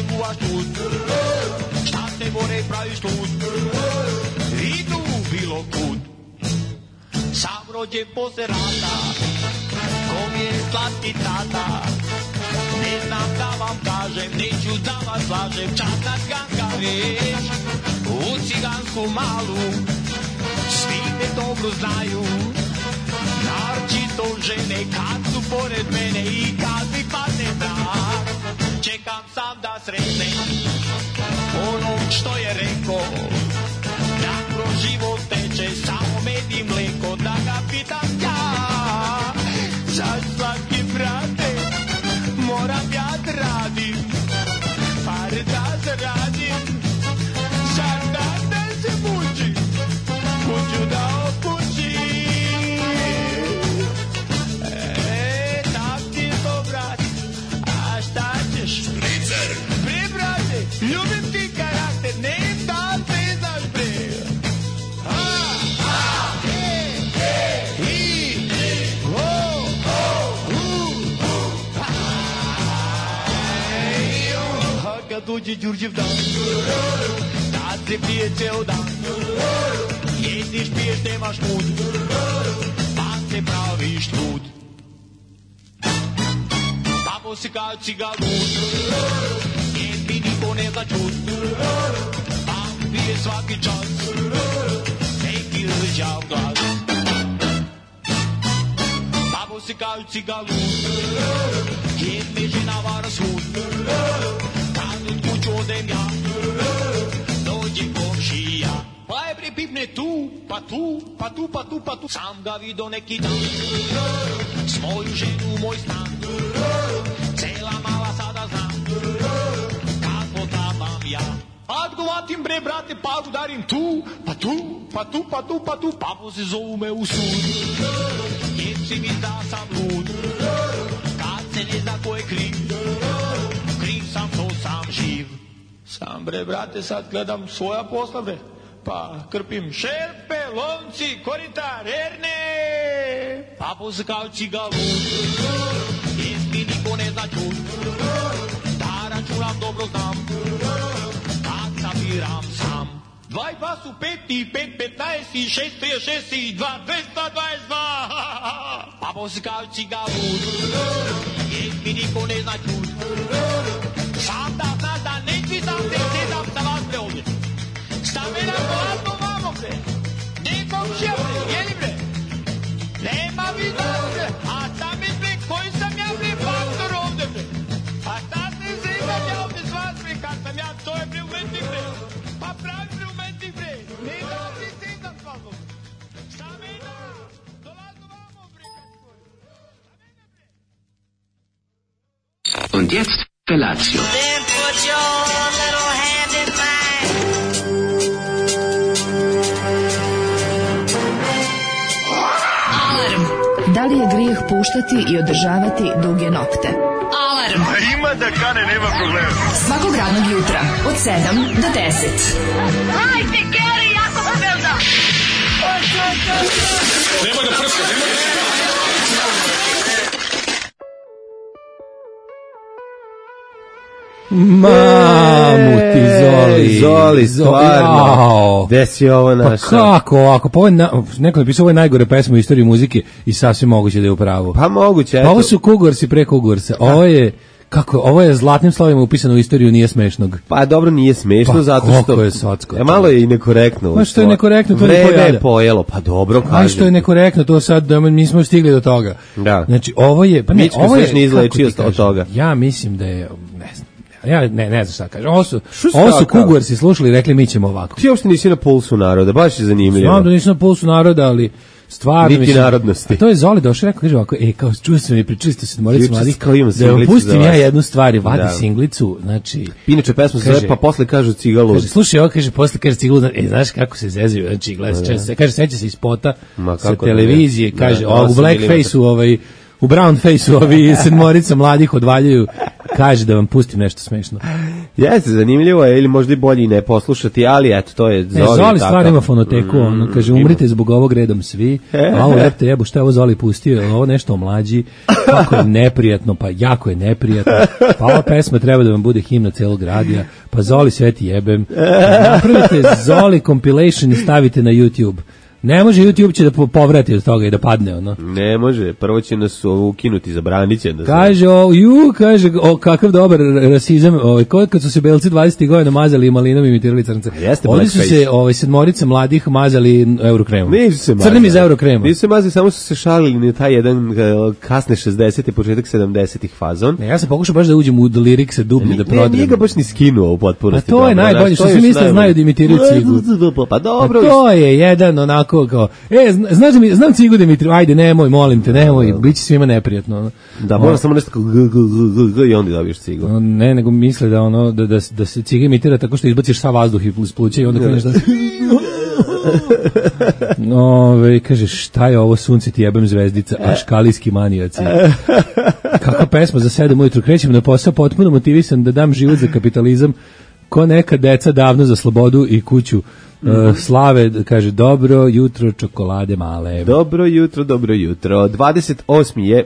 kuvaš tud, šta se more praviš tud, idu bilo kud. Sam rođen posle rata, ko mi je slatki tata, ne znam da vam kažem, neću da vas lažem, časna ganka već, u cigansku malu, svi me dobro znaju, naročito žene kad su pored mene i kad mi padne mrak, čekam sam da sretnem onog što je rekao, da kroz život teče samo med i mleko, da ga pitam ja, zašto slatki brate, moram ja da radim, pare da zaradim, zar da se mučim, kuću da opućim. Tak ti to brate, a šta ćeš? Špricer! Bre brate, ljubim ti karakter, ne da ne znaš bre. Kad dođe Đurđev dan, tad se pije ceo dan, jediš, piješ, nemaš mud, pa se praviš lud. Tamo se kao cigalud, jer mi niko ne zna čud, pa pije svaki čas, neki rđav glas. Tamo se kao cigalud, jer me žena vara svud, odem ja, dođe komšija, pa je bre pipne tu, pa tu, pa tu, pa tu, pa tu. Sam ga vidio neki dan, svoju ženu, moj stan, cela mala sada znam, kako trabam ja. Odgovatim bre brate, pa udarim tu, pa tu, pa tu, pa tu, pa tu, papo se zovu me u sud, jer si mi da sam lud, kad se ne zna ko je kriv, kriv sam to sam živ. Sam bre brate sad gledam svoja posla bre, pa krpim šerpe, lonci, korita, rerne, papo se kao cigalud, jer mi niko ne zna čud, da računam dobro znam, kad sabiram sam. 2 i 2 su 5 i 5, 15 i 6, 36 i 2, 222, papo se kao cigalud, jer mi niko ne zna čud, sam da znaš da neći sam se sedam sa vas bre ovdje. Stamena gladno vamo bre, nekom šija bre, jeli bre, nema vida bre, a stamen bre, koji sam ja bre faktor ovdje bre, a šta se sedam ja ovdje s vas bre, kad sam ja, to je bre umetnik bre, pa pravi bre umetnik bre, ne da se sedam s vas ovdje. Stamena, dolazno vamo bre, Und jetzt Felatio. Then put your little hand in mine. Alarm. Da li je grijeh puštati i održavati duge nokte? Alarm. Ima da kane, nema problema. Svakog radnog jutra od 7 do 10. Hajde, Geri, jako se velda. Nemoj da prska, nemoj da prska. Mamu ti Zoli, stvarno. Gde si ovo našao? Pa kako ovako? Pa neko napisao, ovo je najgore pesma u istoriji muzike i sasvim moguće da je u pravu. Pa moguće, eto. Pa ovo su Kugorsi pre Kugorsa. Ovo je zlatnim slovima upisano u istoriju nije smešnog. Pa dobro, nije smešno, pa, zato što je socko. Malo je i nekorektno. Pa što je nekorektno, to vreme je pojelo, pa dobro kažem. Pa što je nekorektno, to sad nismo stigli do toga. Da. Znači, ovo je... Pa ne, ovo je... ne izlečio od toga. Ja mislim da je... Ne znam. Ja ne znam šta kažem. Ovo su Kugorsi slušali i rekli mi ćemo ovako. Ti uopšte nisi na pulsu naroda, baš je zanimljivo. Znam da nisi na pulsu naroda, ali stvarno niti narodnosti. A to je Zoli došao i rekao, kaže ovako, kao čuo sam i pričali ste se Morici mladih, da vam pustim ja jednu stvar, vadi singlicu, znači... Inače pesma se zove, pa posle kažu cigalud. Kaže, slušaj, ovo kaže, posle kaže cigalud, znaš kako se zezaju, znači, gledaj, kaže, seća se iz spota sa televizije, kaže, u blackface-u, u brown face-u, ovi sedmorica mladih odvaljaju, kaže da vam pustim nešto smešno. Jeste, zanimljivo je, ili možda i bolje i ne poslušati, ali eto, to je Zoli. Zoli stvar ima fonoteku, ono, kaže, umrite zbog ovog redom svi, a ovo lepte jebu, šta je ovo Zoli pustio, ovo nešto omlađi, kako je neprijatno, pa jako je neprijatno, pa ova pesma treba da vam bude himna celog radija, pa Zoli sve ti jebem, napravite Zoli compilation i stavite na YouTube. Ne može YouTube će da povrati od toga i da padne, ono. Ne može, prvo će nas ukinuti, zabranit će da se... Kaže, kakav dobar rasizam, kad su se belci 20. godina mazali malinom i imitirali crnce. Ovdje su se sedmorica mladih mazali eurokremom. Nisu se mazali. Crnim iz eurokrema. Nisu se mazali, samo su se šalili na taj jedan kasne 60. početak 70-ih fazon. Ne, ja sam pokušao baš da uđem u lirikse dublje da prodrem. Nije ga baš ni skinuo u potpunosti. A to je najbolje, što svi misle znaju da imitiraju Cigu. Pa dobro. To je jedan onako kao, znam Cigu Dimitriju, ajde, nemoj, molim te, nemoj, bit će svima neprijatno. Da, mora samo nešto kao i onda dobiješ Cigu. Ne, nego misle da ono, da se Ciga imitira tako što izbaciš sav vazduh iz pluća i onda kreneš da... kaže, šta je ovo, sunce ti jebem zvezdica, a škalijski manijaci. Kakva pesma za 7 ujutru, krećem na posao potpuno motivisan da dam život za kapitalizam, ko neka deca davno za slobodu i kuću. Slave, kaže, dobro jutro, čokolade male. Dobro jutro. 28. je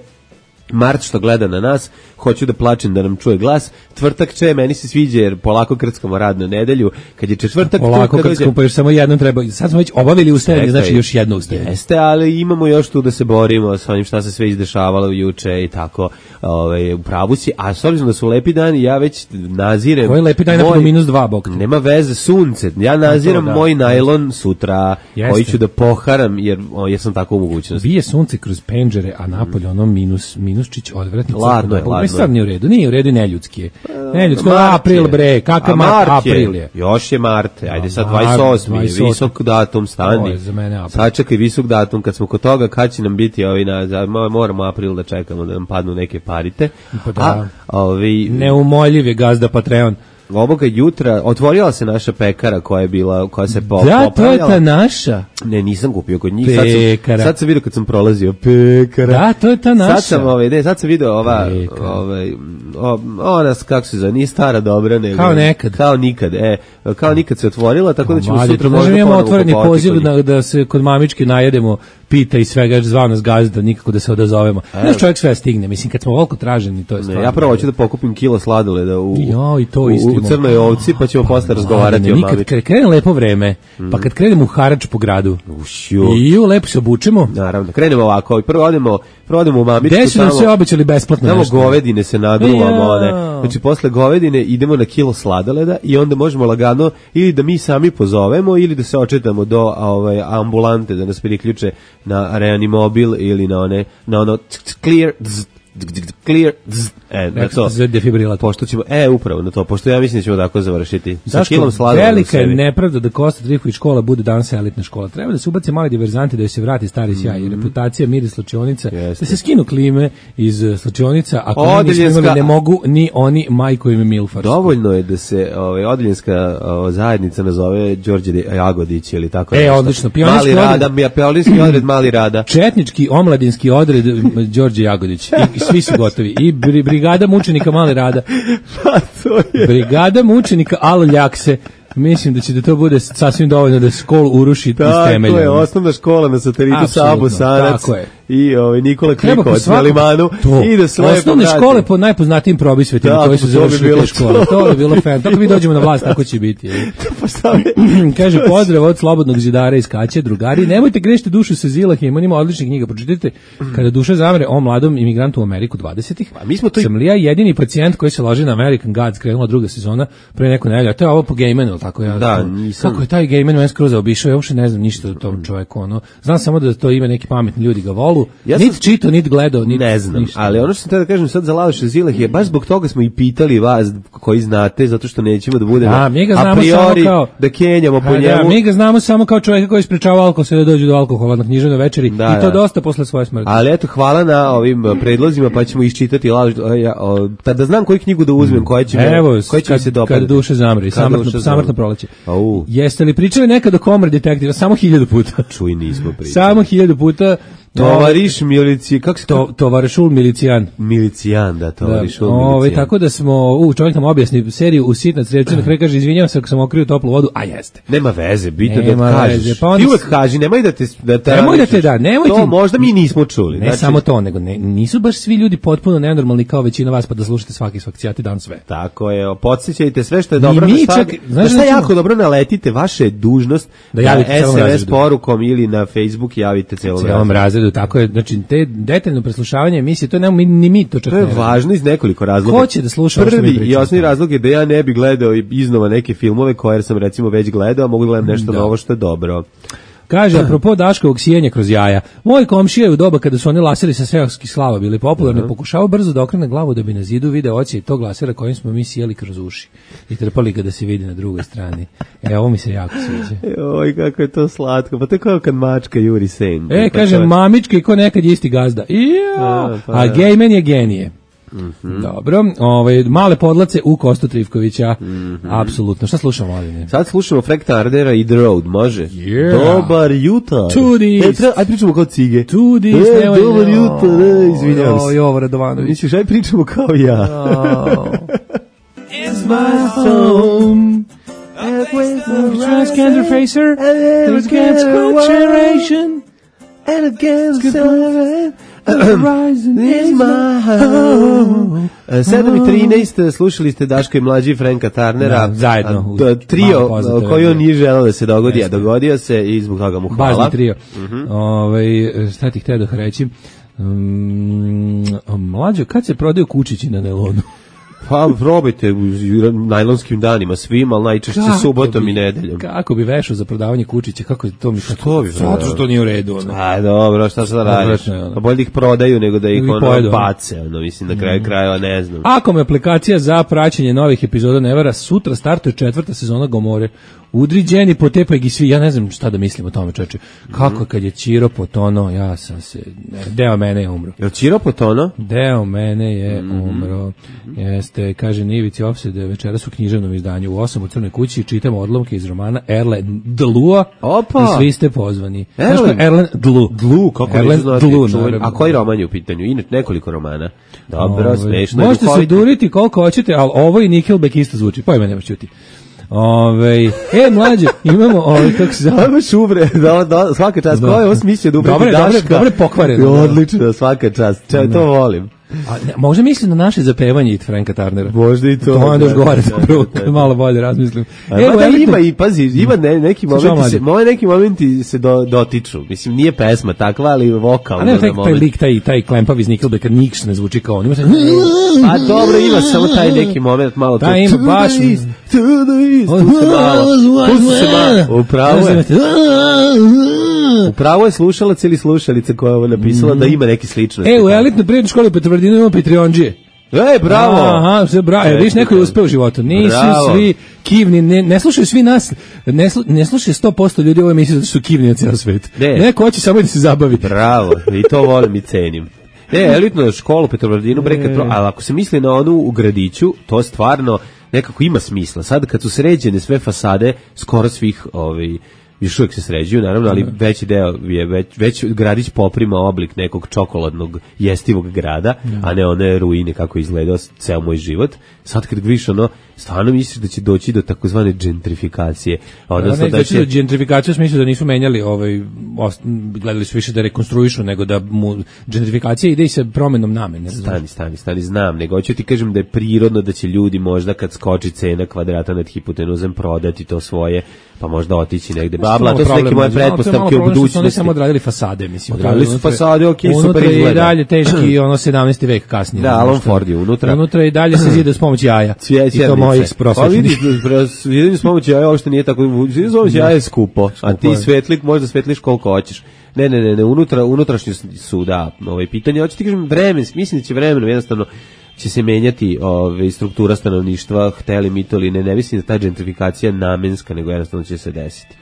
Mart što gleda na nas, hoću da plačem da nam čuje glas. Tvrtak će, meni se sviđa jer polako krckamo radnu nedelju. Kad je četvrtak... Polako krckamo, pa još samo jednom treba... Sad smo već obavili ustajanje, znači još jedno ustajanje. Jeste, ali imamo još tu da se borimo sa onim šta se sve izdešavalo juče i tako. U pravu si, a s obzirom da su lepi dani, ja već nazirem... Koji je lepi dan, napad -2 bok? Nema veze, sunce. Ja naziram moj najlon sutra, koji ću da poharam, jer sam tako u mogućnosti. Bije sunce kroz penđere, a napolje ono minusčić odvratni. Ladno je. Stvar nije u redu, neljudski je. Neljudski, april bre, kakav mart, april je. Još je mart, ajde sad 28. visok datum, stani. Sačekaj visok datum, kad smo kod toga, kad će nam biti moramo april da čekamo da nam padnu neke parite. Neumoljiv je gazda Patreon. Ovoga jutra otvorila se naša pekara koja se popravljala. Da, to je ta naša. Ne, nisam kupio kod njih. Pekara. Sad sam vidio kad sam prolazio pekara. Da, to je ta naša. Sad sam vidio ona, kako se zove, nije stara dobra, nego... Kao nikad se otvorila, tako da ćemo sutra možda imamo otvoreni poziv da se kod mamičke najedemo pita i svega, zvao nas gazda, nikako da se odazovemo. Znaš, čovjek sve stigne, mislim, kad smo ovoliko traženi, to je stvarno. Ja prvo hoću da pokupim kilo sladoleda u Crnoj Ovci, pa ćemo posle razgovarati o mamički. Kad krene lepo vreme, pa kad krenemo u harač po gradu, i lepo se obučemo. Naravno, krenemo ovako, prvo odemo u mamičku. Gde su nam sve obećali besplatno nešto? Tamo govedine se naduvamo, znači posle govedine idemo na kilo sladoleda i onda možemo lagano ili da mi sami pozovemo ili da se očetamo do ambulante da nas priključe na reanimobil ili na ono clear na to. Pošto ćemo, upravo na to, pošto ja mislim da ćemo tako završiti. Sa kilom sladoleda. Velika je nepravda da Kosta Trifković škola bude danas elitna škola. Treba da se ubace mali diverzanti, da se vrati stari sjaj i reputacija, miris slačionica, da se skinu klime iz slačionica, ako ne mogu ni oni majko im Milfarsko. Dovoljno je da se odeljenska zajednica nazove Đorđe Jagodić ili tako. Odlično. Pionirski odred Mali Rada. Četnički omladinski odred Đorđe Jagodić. Svi su gotovi. I brigada mučenika Mali Rada. Pa to je. Brigada mučenika Alo Ljakse. Mislim da će da to bude sasvim dovoljno da školu uruši iz temelja. Tako je, osnovna škola na satelitu Sabo Sanac i Nikola Krikovac na Limanu. I da se lepo osnovne škole po najpoznatijim probisvetima koji su završili te škole. To je bilo fan. Tako mi dođemo na vlast, tako će biti. Kaže, pozdrav od Slobodnog zidara iz Kaće, drugari, nemojte grešiti dušu sa Zilahim, on ima odlične knjige, pročitajte Kada duša zamre o mladom imigrantu u Ameriku 20-ih. Sam li ja jedini pacijent koji se loži na American Gods, krenula druga sezona pre neku nedelju, a to je ovo po Gaymanu, tako ja. Da, nisam. Kako je taj Gayman meni skroz zaobišao, ja uopšte ne znam ništa o tom čoveku, znam samo da to ima neki pametni ljudi ga volu. Niti čitao, niti gledao, niti ne znam, ništa. Ali ono što sam tada da kažem sad za Laloša Zilah je baš zbog toga smo i pitali vas koji znate, zato što nećemo da budemo a priori da kenjamo po njemu. Mi ga znamo samo kao čovjeka koji sprečava alkohol sve da dođe do alkohola na književnoj večeri i to dosta posle svoje smrti. Ali eto, hvala na ovim predlozima, pa ćemo iščitati da znam koju knjigu da uzmem, koja će mi se dopadati. Kada duše zamre, samrtno proleće. Jeste li pričali nekad o Komori detektiva? Samo 1000 puta. Čuj, nismo pričali. Samo 1000 puta. Tovariš milici, kako se Tovarišul milicijan. Milicijan, da, tovarišul milicijan. Tako da smo, čovjek nam objasni seriju u sitnac, recimo, kraj kaže, izvinjavam se ako sam okrio toplu vodu, a jeste. Nema veze, bitno da kažeš. Pa ti uvek kaži, nemoj da te nemoj to možda mi nismo čuli. Ne samo to, nego nisu baš svi ljudi potpuno nenormalni kao većina vas, pa da slušate svaki cijati dan sve. Tako je, podsjećajte sve što je dobro, da šta jako dobro naletite, vaše je dužnost da javite SMS porukom ili na Facebook javite celom razredu. Tako je, znači te detaljno preslušavanje emisije, to nemamo ni mi to čak. To je važno iz nekoliko razloga. Ko će da sluša? Prvi i osnovni razlog je da ja ne bi gledao iznova neke filmove koje sam recimo već gledao, a mogu gledam nešto novo što je dobro. Kaže, apropo Daškovog sijenja kroz jaja, moj komšija u doba kada su oni laseri sa seoskih slava bili popularni, pokušao brzo da okrene glavu da bi na zidu video ocije tog lasera kojim smo mi sjeli kroz uši i trpali ga da se vidi na drugoj strani. Ovo mi se jako sviđa. Oj, kako je to slatko, pa to je kao kad mačka juri sen. Kaže, mamička i ko nekad je isti gazda. A gejmen je genije. Dobro, male podlace u Kostu Trivkovića. Apsolutno. Šta slušamo, Aline? Sad slušamo Frank Turnera i The Road, može? Dobar jutar. Tudis. Aj pričamo kao cige. Tudis. Dobar jutar, izvinjam se. Jovo Radovanović. Misliš, aj pričamo kao ja. It's my home. Transgender facer. Against good generation. And against good Horizon is my home. 7:13 slušali ste Daško i mlađi Franka Turnera, zajedno trio koji on nije želeo da se dogodi, a dogodio se i zbog toga mu hvala. Bazni trio. Šta ti htio da reći? Mlađo, kad se prodaju kučići na nelonu? Pa probajte u najlonskim danima svima, ali najčešće subotom i nedeljom. Kako bi vešao za prodavanje kučića? Kako to mi što bi? Zato što nije u redu. A dobro, šta sad radiš? Pa bolje da ih prodaju nego da ih bace, mislim, na kraju krajeva ne znam. Ako me aplikacija za praćenje novih epizoda ne vara, sutra startuje 4. sezona Gomore. Udri Jenny, potepaj gi svi, ja ne znam šta da mislim o tome, čoveče. Kako kad je Ćiro potono, ja sam se, deo mene je umro. Je Ćiro potono? Deo mene je umro. Jeste, kaže Nivici Opsede, večeras u književnom izdanju u 8 u Crnoj kući čitamo odlomke iz romana Erlen Dlua. Opa! I svi ste pozvani. Erlen Dlu. Dlu, kako Erlen Dlu. A koji roman je u pitanju? Inače nekoliko romana. Dobro, smešno. Možete se duriti koliko hoćete, ali ovo i Nickelback isto zvuči. Pojma nemaš čuti. Mlađe, imamo kako se zove? Ovo šubre, svaka čast. Ko je ovo smislio da ubredi Daška? Dobre pokvareno. Odlično, svaka čast. To volim. Možda mislim na naše zapevanje i Franka Turnera. Možda i to. To onda još govore zapravo, malo bolje razmislim. Ima i, pazi, ima neki momenti se dotiču. Mislim, nije pesma takva, ali vokalno. A ne, taj lik, taj klempav iz Nickelbacka, niks ne zvuči kao on. A dobro, ima samo taj neki moment, malo to. Da, ima baš. Pusti se malo. Upravo je slušalac ili slušalica koja je ovo napisala da ima neki sličnosti. U elitnoj prirodnoj školi u Petrovaradinu imamo Patreondžije. Bravo! Aha, sve bravo. Viš, neko je uspeo u životu. Nisu svi kivni, ne slušaju svi nas, ne slušaju 100% ljudi u ovoj emisiji zato su kivni na cijel svet. Neko hoće samo da se zabavi. Bravo, i to volim i cenim. Elitnu školu u Petrovaradinu, ali ako se misli na onu u gradiću, to stvarno nekako ima smisla. Sad kad su sređene sve fasade, skoro svih još uvijek se sređuju, naravno, ali veći deo je, već gradić poprima oblik nekog čokoladnog jestivog grada, a ne one ruine kako je izgledao ceo moj život. Sad kad vidiš stvarno misliš da će doći do takozvane gentrifikacije. Odnosno da će gentrifikacija u smislu da nisu menjali, gledali su više da rekonstruišu, nego da mu gentrifikacija ide i sa promenom namene. Stani, znam, nego hoću ti kažem da je prirodno da će ljudi možda kad skoči cena kvadrata nad hipotenuzom prodati to svoje, pa možda otići negde. To su neke moje pretpostavke u budućnosti. Oni samo odradili fasade, mislim. Odradili su fasade, super izgleda. Unutra je i dalje teški 17. vek kasnije. Da, Alan Ford je unutra. Unutra i dalje se zida s pomoć jaja. I to mojih prosječnih. Pa vidiš, s pomoć jaja uopšte nije tako. S pomoć jaja je skupo, a ti možda svetliš koliko hoćeš. Ne, unutrašnji su, da, pitanje. Hoću ti kažem, mislim da će vremenom jednostavno će se menjati struktura stanovništva, hteli mi to ili ne mislim da ta gentrifikacija namenska, nego jednostavno će se desiti.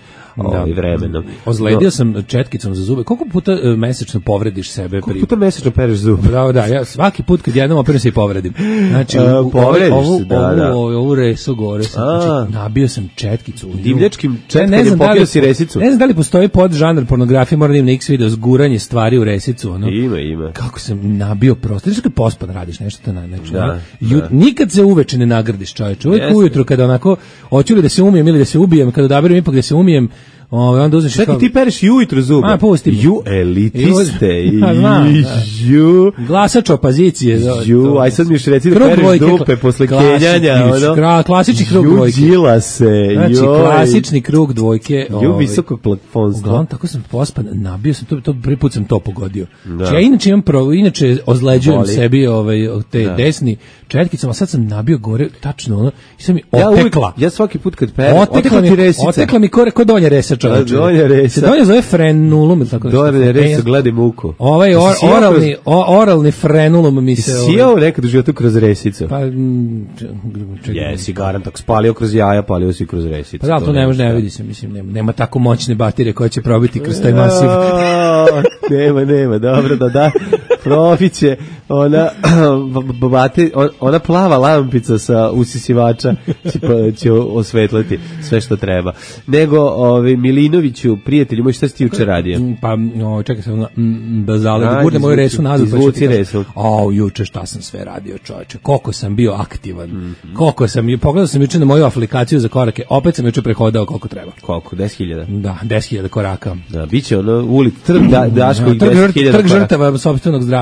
vremenom. Ozledio sam četkicom za zube. Koliko puta mesečno povrediš sebe? Koliko puta mesečno pereš zube? Da, ja svaki put kad jednom operam se i povredim. Znači, ovu resu gore sam, znači, nabio sam četkicu. Divljačkim četkanjem popio si resicu. Ne znam da li postoji podžanr pornografije, moram da im na X video, zguranje stvari u resicu. Ono. Ima. Kako sam nabio prosto. Znaš kad pospan radiš nešto to nikad se uveče ne nagradiš, čoveče. Uvijek ujutro kada onako hoću li da se umijem ili da se ubijem, kada odaberem ipak da se umijem, onda uzmeš... Čekaj, ti pereš i ujutro zube. Pusti. Elitiste. Glasač opozicije. Aj sad mi još reci da pereš dupe posle kenjanja. Klasični krug dvojke. Udjila se. Znači, klasični krug dvojke. Visokog plafonstva. Uglavnom, tako sam pospan, nabio sam, prvi put sam to pogodio. Ja inače ozleđujem sebi te desni četkicama, a sad sam nabio gore, tačno ono, i sad mi otekla. Ja svaki put kad perem, otekla mi kore, kod donja resa. Donja resa. Se donja zove frenulum ili tako nešto. Donja resa, gledaj muku. Oralni frenulum mi se... Sijao nekad u životu kroz resicu? Pa... Jesi, garant, ako spalio kroz jaja, palio si kroz resicu. Pa da, to ne može, ne vidi se, mislim, nema tako moćne baterije koje će probiti kroz taj masiv. Nema, dobro, da. Profiće, ona plava lampica sa usisivača će osvetliti sve što treba. Nego, Milinoviću, prijatelju moj, šta si ti juče radio? Pa, čekaj se, da gurne moju resu nazad. Izvuci resu. Juče šta sam sve radio, čovječe. Koliko sam bio aktivan. Pogledao sam juče na moju aplikaciju za korake, opet sam juče prehodao koliko treba. Koliko? 10.000? Da, 10.000 koraka. Da, bit će trg Daškovih 10.000 trg žrtava sopstvenog zdravlja.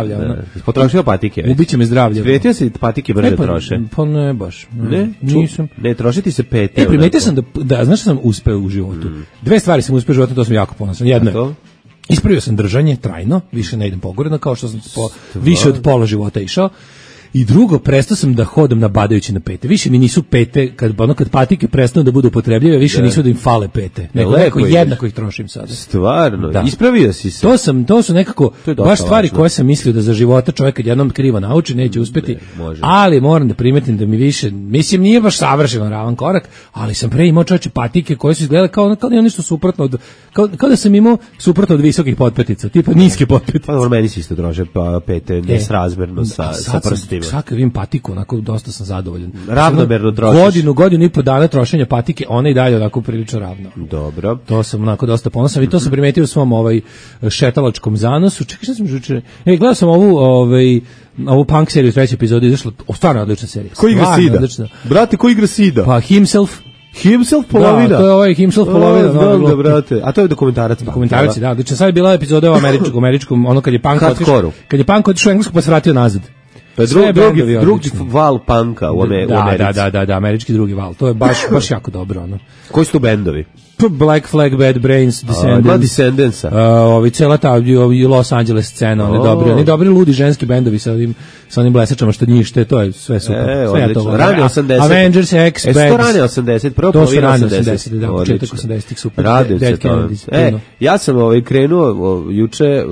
Potrošio patike. Ubiće me zdravlje. Svetio se patike brže troše. Pa ne baš. Ne? Nisam. Ne, trošiti se pete. Primetio sam da znaš što sam uspeo u životu? Dve stvari sam uspeo u životu, to sam jako ponosan. Jedno je, ispravio sam držanje trajno, više ne idem pogoredno, kao što sam više od pola života išao. I drugo, prestao sam da hodam nabadajući na pete. Više mi nisu pete, kad patike prestanu da budu upotrebljive, više nisu da im fale pete. Neko jednako ih trošim sada. Stvarno, ispravio si se. To su nekako baš stvari koje sam mislio da za života čovjek kad jednom krivo nauči, neće uspeti. Ali moram da primetim da mi više, mislim nije baš savršeno ravan korak, ali sam pre imao čovječe patike koje su izgledale kao nešto suprotno od, kao da sam imao suprotno od visokih potpetica, tipa niske potpetice. Pa meni se isto drože pete nesrazmerno sa prstima. Svaka vidim patiku, onako dosta sam zadovoljan. Ravnomerno trošiš. Godinu i po dana trošenja patike, ona i dalje onako prilično ravno. Dobro. To sam onako dosta ponosan i to sam primetio u svom šetalačkom zanosu. Čekaj, šta sam žuče? Gledao sam ovu punk seriju, treća epizoda izašla, stvarno odlična serija. Ko igra Sida? Brate, ko igra Sida? Pa Himself polovina. Da, to je Himself polovina. Da, brate. A to je dokumentarac. Dokumentarac, da. Znači, sad je bila epizoda u američkom, ono kad je punk otišao u Englesku pa se vratio nazad. Pa drugi val punka u Americi. Da, američki drugi val. To je baš jako dobro. Ono. Koji su tu bendovi? Black Flag, Bad Brains, Descendants. Cela ta Los Angeles scena, oni dobri ludi ženski bendovi sa onim blesačama što njište, to je sve super. Sve to. Rane 80. Avengers, X-Bags. To rane 80, prvo polovina 80. Da, početak 80-ih super. Radim se to. Ja sam krenuo juče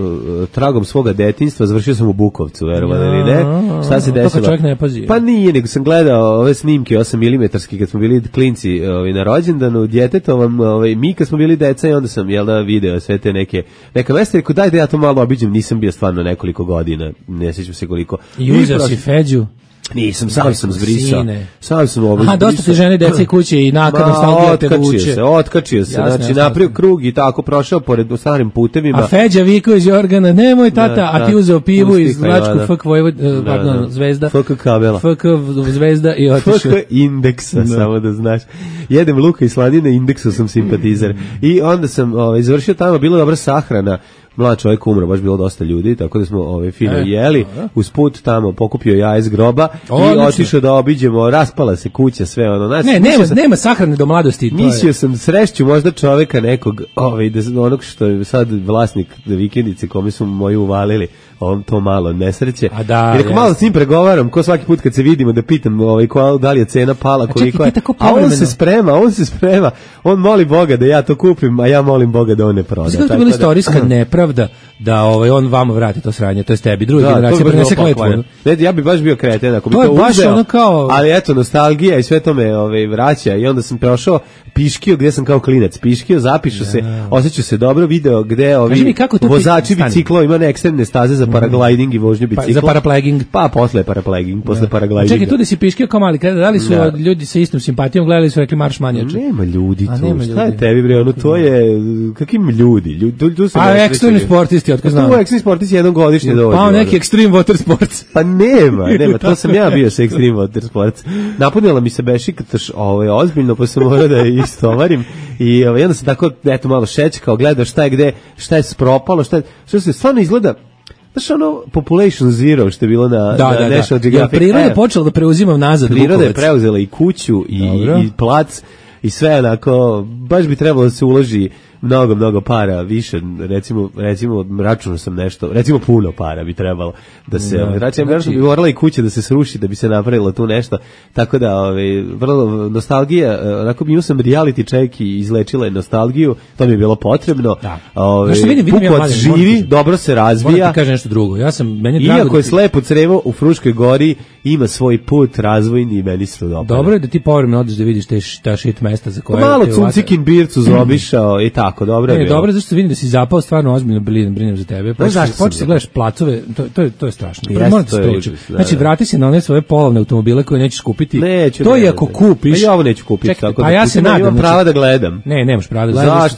tragom svoga detinjstva, završio sam u Bukovcu, verovano ili ne. Šta se desilo? To čovjek ne pazi. Pa nije, nego sam gledao ove snimke 8 mm kad smo bili klinci na rođendanu, djetetovom, mi kad smo bili deca i onda sam video sve te neka mesta, rekao daj da ja to malo obiđem, nisam bio stvarno nekoliko godina, ne sjećam se koliko. I uzeo si Feđu? Nisam, sam zbrisao. Sam sam dosta ti žene, dece i kuće i naka nostalgija te vuče. Otkačio se, znači napravio krug i tako prošao pored starim putevima. A Feđa vikao iz Jorgana, nemoj tata, a ti uzeo pivu iz Vlačku FK Zvezda. FK kabela. FK Zvezda i otišao. FK indeksa, samo da znaš. Jedem luka i slanine, indeksu sam simpatizer. I onda sam izvršio tamo, bila dobra sahrana. Mlad čovjek umro, baš bilo dosta ljudi, tako da smo fino jeli, usput tamo pokupio jaja iz groba i otišao da obiđemo, raspala se kuća, sve ono. Nema sahrane do mladosti. Mislio sam srešću možda čovjeka nekog, onog što je sad vlasnik vikendice kome su moji uvalili, to malo nesreće. I rekao, malo s njim pregovaram, ko svaki put kad se vidimo da pitam da li je cena pala, koliko je. A on se sprema, on moli Boga da ja to kupim, a ja molim Boga da on ne proda. Znači, to je bila istorijska nepravda da on vama vrati to sranje, to je tebi, druga generacija prenese kletvu. Ne, ja bi baš bio kreten ako bi to uzeo. To je baš ono kao... Ali eto, nostalgija i sve to me vraća i onda sam prošao Piškio gdje sam kao klinac. Piškio, zapišu se, osjećao se dobro, video gde vozači bicikla ima ekstremne staze za paragliding i vožnju bicikla. Za parapleging. Pa posle paraglidinga. Čekaj, tu da si Piškio kao mali, da li su ljudi sa istom simpatijom gledali su rekli marš manjače? Nema ljudi tu, šta je tebi bre, ono to je, kakvim ljudi? Ekstremni sportisti, otko znam. Tu ekstremni sportisti jednom godišnje dođu. Pa neki extreme water sports. Pa nema, to sam ja bio sa extreme water sports. Napunila mi se bešika ozbiljno, pa sam morao da je istovarim i onda sam tako, eto, malo šećkao, gledao šta je gde, šta je spropalo, što se stvarno izgleda. Znaš ono Population Zero što je bilo na National Geographic. Priroda je počela da preuzimam nazad Bukovac. Priroda je preuzela i kuću i plac i sve onako, baš bi trebalo da se uloži mnogo para više, recimo računao sam nešto, recimo puno para bi trebalo da se, znači bi morala i kuća da se sruši da bi se napravilo tu nešto, tako da vrlo nostalgija, onako imao sam reality check i izlečila je nostalgiju, to mi je bilo potrebno. Bukovac živi, dobro se razvija. Moram ti kažem nešto drugo, iako je slepo crevo u Fruškoj gori, ima svoj put razvojni i meni se dobro. Dobro je da ti povremeno odeš da vidiš ta shit mesta za koje... Malo Cuncikin Bircu zaobišao i tako, dobro je bilo. Dobro, zašto vidim da si zapao stvarno ozbiljno brinem za tebe. Počeš da gledaš placove, to je strašno. Moram ti spriječiti. Znači, vrati se na one svoje polovne automobile koje nećeš kupiti. To je ako kupiš... Ja ovo neću kupiti. Pa ja se nadam. Imam prava da gledam. Ne, nemaš prava da gledaš.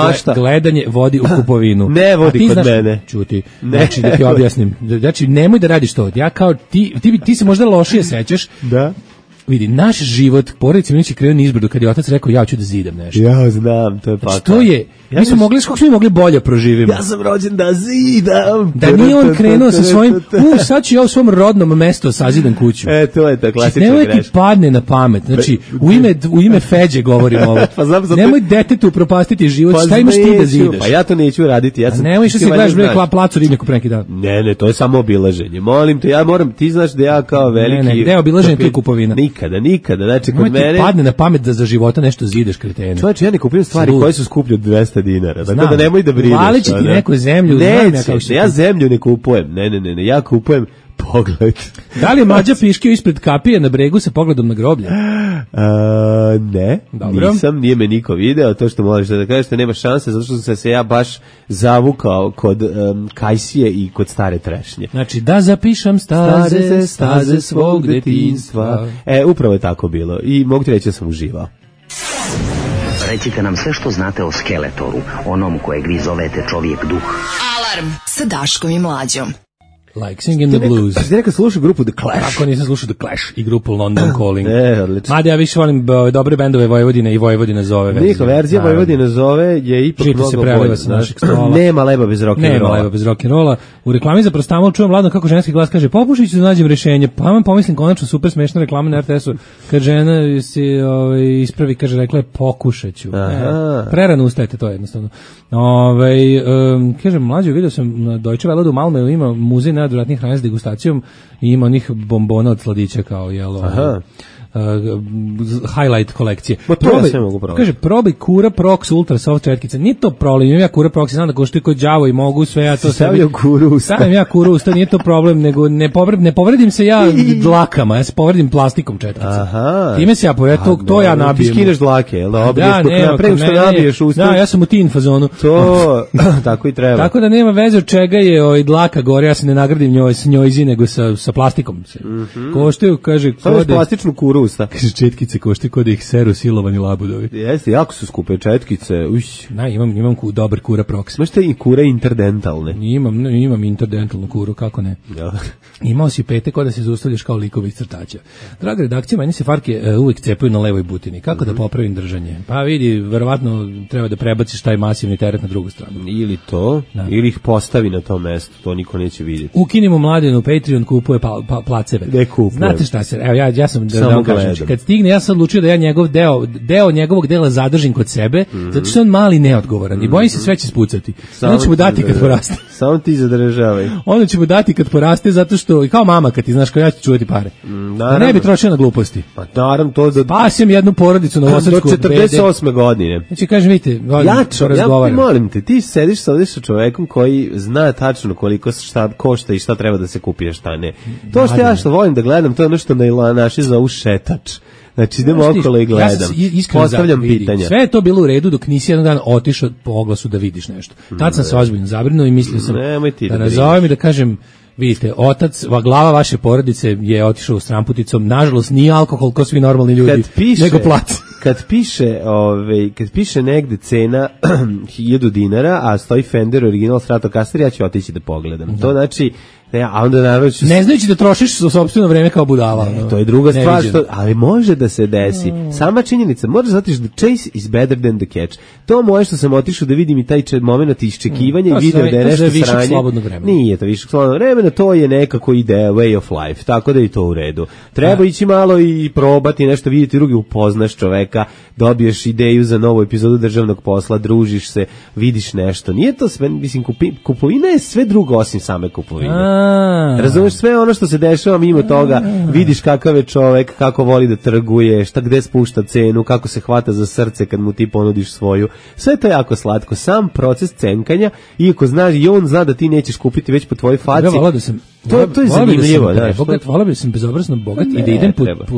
Zašto? Gledanje vodi u kupovinu. Ne vodi kod mene. Čuti. Znači, da ti objasnim. Znači, nemoj da radiš to. Ja kao ti se možda lošije sećaš. Da. Vidi, naš život, porodice mi neće krenuo nizbrdo kad je otac rekao ja ću da zidam nešto. Ja znam, to je pakao. Znači, to je, mi smo mogli, kako smo mogli bolje proživimo. Ja sam rođen da zidam. Da nije on krenuo sa svojim, sad ću ja u svom rodnom mestu sazidam kuću. To je ta klasična greška. Nemoj ti padne na pamet, znači, u ime Feđe govorim ovo. Nemoj detetu propastiti život, šta imaš ti da zidaš? Pa ja to neću raditi, ja sam... Nemoj što se gledaš placu ribnjaku pre neki dan. Ne, to je samo obilaženje. Molim te, ja moram, ti znaš da ja kao veliki... Ne, gde je obilaženje, tu je kupovina. Nikada, znači kod mene... padne na pamet da za života nešto zideš, kretene. Čovječe, ja ne kupujem stvari koje su skuplje od 200 dinara, tako da nemoj da brineš. Vali će ti neku zemlju. Ja zemlju ne kupujem, ne, ja kupujem pogled. Da li je Mlađa Piškio ispred kapije na bregu sa pogledom na groblje? Ne, dobro. Nije me niko video, to što možeš da kažeš, nema šanse, zato što sam se ja baš zavukao kod Kajsije i kod stare trešnje. Znači, da zapišem staze svog detinjstva. Upravo je tako bilo i mogu ti reći da sam uživao. Recite nam sve što znate o Skeletoru, onom kojeg vi zovete čovjek duh. Alarm sa Daškom i Mlađom. Like Singing the Blues. Ti nekad slušao grupu The Clash? Kako nisam slušao The Clash i grupu London Calling. Odlično. Mada ja više volim dobre bendove Vojvodine i Vojvodina zove. Njihova verzija Vojvodina zove je ipak mnogo se preliva sa našeg stola. Nema leba bez rock'n'rolla. U reklami za prostamol čujem ladno kako ženski glas kaže popušić da nađem rešenje. Pa vam pomislim konačno super smešna reklama na RTS-u. Kad žena se ispravi, kaže rekla je pokušaću. Prerano ustajete, to je jednostavno. Kažem, Mlađo, vidio sam na Deutsche Welle u Malmeu ima muzej najodvratnijih hrane s degustacijom i ima onih bombona od sladića kao highlight kolekcije. Kaže, probaj Kura Prox Ultra Soft četkica. Nije to problem, imam ja Kura Prox, znam da koštuje kod đavo i mogu sve ja to stavio Kuru usta. Stavim ja Kuru usta, nije to problem, nego ne povredim se ja dlakama, ja se povredim plastikom četkica. Time se ja povredim, to ja nabijem. Ti skineš dlake, jel da? Pre što nabiješ usta. Da, ja sam u tin fazonu. To, tako i treba. Tako da nema veze od čega je dlaka gore, ja se ne nagradim s njojzi, nego sa plastikom. Koštaju, kaže, plastičnu Kuru usta. Kaže, četkice košte kod ih seru silovani labudovi. Jeste, jako su skupe četkice. Da, imam dobar Kura Prox. Možete i Kure interdentalne? Imam interdentalnu Kuru, kako ne. Ja. Imao si pete kod da se zaustavljaš kao likovi iz crtača. Draga redakcija, meni se farke uvijek cepaju na levoj butini. Kako da popravim držanje? Pa vidi, verovatno treba da prebaciš taj masivni teret na drugu stranu. Ili to, ili ih postavi na to mesto, to niko neće vidjeti. Ukinimo Mladenu, Patreon kupuje placeve. Ne kupuje. Znate šta se, evo ja sam kažem. gledam. Kad stigne, ja sam odlučio da ja njegov deo njegovog dela zadržim kod sebe, zato što je on mali neodgovoran i bojim se sve će spucati. Onda ću mu dati kad poraste. Samo ti zadržavaj. Onda ću mu dati kad poraste, zato što, i kao mama kad ti znaš, kao ja ću čuvati pare. Da ne bi trošio na gluposti. Pa naravno to da... Spasim jednu porodicu na Novosadsku. Do 48. godine. Znači, kažem, vidite, ja molim te, ti sediš sa čovekom koji zna tačno koliko šta košta i šta treba da se kupi, a šta ne. To što ja što volim da gledam, to je ono što naši zovu šetač. Znači, idemo okolo i gledam. Postavljam pitanja. Sve je to bilo u redu dok nisi jedan dan otišao po oglasu da vidiš nešto. Tad sam se ozbiljno zabrinuo i mislio sam da nazovem i da kažem, vidite, glava vaše porodice je otišao u stramputicom. Nažalost, nije alkohol ko svi normalni ljudi, nego plac. Kad piše negde cena 1000 dinara, a stoji Fender original Stratocaster, ja ću otići da pogledam. To znači, a onda naravno ću... Ne znajući da trošiš za sopstveno vreme kao budala. To je druga stvar, ali može da se desi. Sama činjenica, moraš da otiš, the chase is better than the catch. To moje što sam otišao da vidim i taj moment iščekivanja i video da je nešto sranje. Nije to višak slobodnog vremena, to je nekako ideja, way of life, tako da je to u redu. Treba ići malo i probati nešto, vidjeti drugi, upoznaš čoveka, dobiješ ideju za novu epizodu Državnog posla, družiš se, vidiš nešto. Nije to sve, mislim, kupovina je sve drugo osim same kupovine. Razumeš, sve ono što se dešava mimo toga, vidiš kakav je čovek, kako voli da trguje, gde spušta cenu, kako se hvata za srce kad mu ti ponudiš svoju. Sve to je jako slatko. Sam proces cenkanja, iako znaš i on zna da ti nećeš kupiti već po tvojoj faci. To je zanimljivo. Volao bi sam bezobrazno bogat i da idem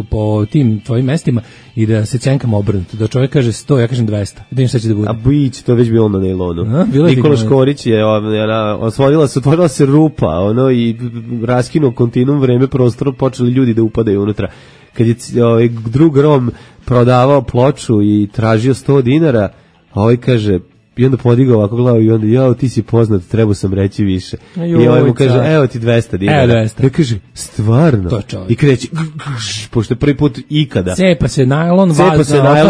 po tim tvojim mestima i da se cenkam obrnuto. Da čovjek kaže 100, ja kažem 200. Da im šta će da bude. A bić, to je već bilo na nailonu. Nikola Škorić je, otvorila se rupa, i raskinuo kontinuum vreme prostoru, počeli ljudi da upadaju unutra. Kad je drug Rom prodavao ploču i tražio 100 dinara, a ovaj kaže, i onda podigao ovako glavu i onda, ti si poznat, trebao sam reći više. I ovaj mu kaže, evo ti 200 dinara. Ja kaže, stvarno? I kreće, pošto je prvi put ikada. Cepa se najlon, ostala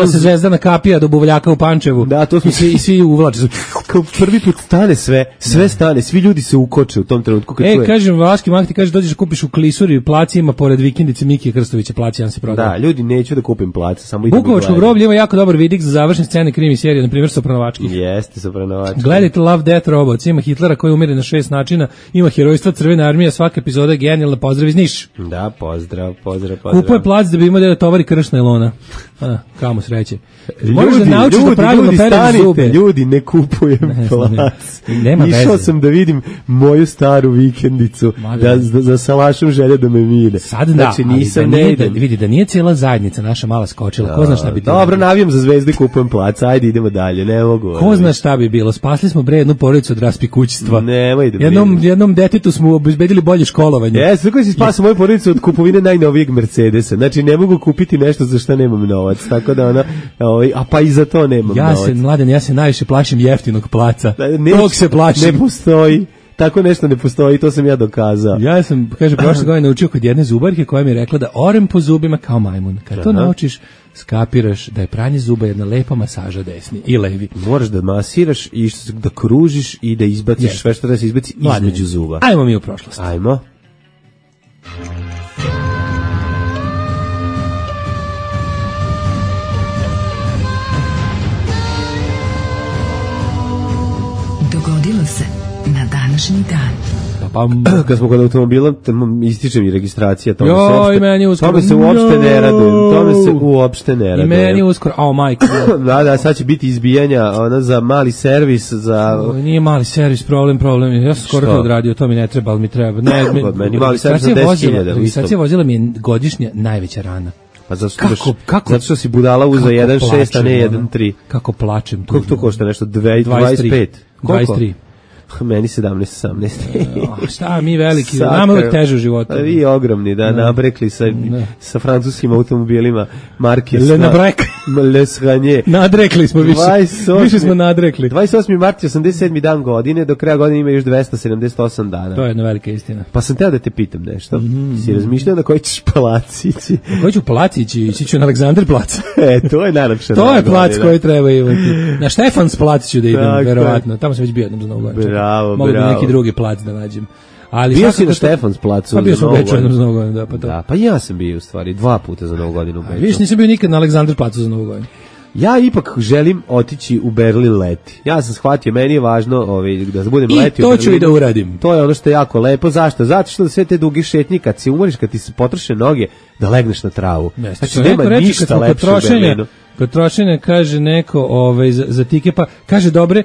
se Zvezdana kapija do buvljaka u Pančevu. Da, to smo i svi uvlače. Kao prvi put stane sve stane, svi ljudi se ukoče u tom trenutku. Kažem, Vaški Mak ti kaže, dođeš kupiš u Klisuri, u placi ima pored vikendice Mikije Krstovića, placi jedan se prodaje. Da, ljudi, neću da kupim plac, samo idem. Bukovačko groblje ima jako dobar vidik za završne scene krimi serije, na primjer Sopranovački. Jeste, Sopranovački. Gledajte Love, Death, Robots, ima Hitlera koji umire na 6 načina, ima herojstva Crvene armije, svaka epizoda je genijalna, pozdrav iz Niša. Da, pozdrav. Kupuje plac da bi imao da tovari krš nailona. Kamo sreće. Možeš da naučiš da pravilno pereš zube. Ljudi, ne kupujem plac. Išao sam da vidim moju staru vikendicu, za salašom želja da me mire. Sad da, vidi da nije cijela zajednica naša mala skočila, ko zna šta bi... Dobro, navijam za Zvezdu i kupujem plac, ajde idemo dalje, ne mogu. Ko zna šta bi bilo, spasli smo jednu porodicu od raspikućstva. Nemoj da jednom detetu smo obezbedili bolje školovanje. Jeste, kako si spasao moju porodicu od kupovine najnovijeg Mercedesa, znači ne mogu kupiti nešto za što nemam novac, tako da a pa i za to nemam novac. Ja se najviše plašim jeftinog placa. Tog se plašim. Ne postoji. Tako nešto ne postoji, to sam ja dokazao. Ja sam, prošle godine naučio kod jedne zubarke koja mi je rekla da orem po zubima kao majmun. Kad to naučiš, skapiraš da je pranje zuba jedna lepa masaža desni i levi. Moraš da masiraš i da kružiš i da izbaciš sve što da se izbaci između zuba. Ajmo mi u prošlost. Ajmo. Dogodilo se na današnji dan. Kad smo kod automobila, ističe mi registracija, tome se uopšte ne radujem. I meni uskoro, majko. Da, sad će biti izbijanja za mali servis. Nije mali servis, problem. Ja sam skoro to odradio, to mi ne treba, ali mi treba. Meni mali servis za 10.000. Registracija vozila mi je godišnja najveća rana. Pa zato što si budala uzeo 1.6, a ne 1.3. Kako plačem. Koliko to košta nešto? 25? 23. Meni 17-18. Šta mi veliki, nama uvek teže u životu. Vi ogromni, nabrekli sa francuskim automobilima marke Le Sranje. Nadrekli smo više smo nadrekli. 28. mart je 87. dan godine, do kraja godine ima još 278 dana. To je jedna velika istina. Pa sam teo da te pitam nešto. Si razmišljao na koji ćeš palac ići? Na koji ću palac ići ću na Aleksandar plac. To je najlepše. To je plac koji treba imati. Na Štefans plac ću da idem, verovatno. Tamo sam već bio jednom za Novu godinu. Bravo. Mogu da neki drugi plac da nađem. Ali bio si na Štefans placu pa bio za sam u Novu Beču godinu. za Novu godinu, da, pa to. Da, pa ja sam bio u stvari 2 puta za Novu godinu u Beču. Viš, nisam bio nikad na Aleksandar placu za Novu godinu. Ja ipak želim otići u Berlin leti. Ja sam shvatio, meni je važno da budem leti I u to Berlinu. ću i da uradim. To je ono što je jako lepo. Zašto? Zato što sve te duge šetnje, kad se umoriš, kad ti se potroše noge, da legneš na travu. Znači, nema ništa lepše u Berlinu. Kod trošenja kaže neko za tike, pa kaže dobre,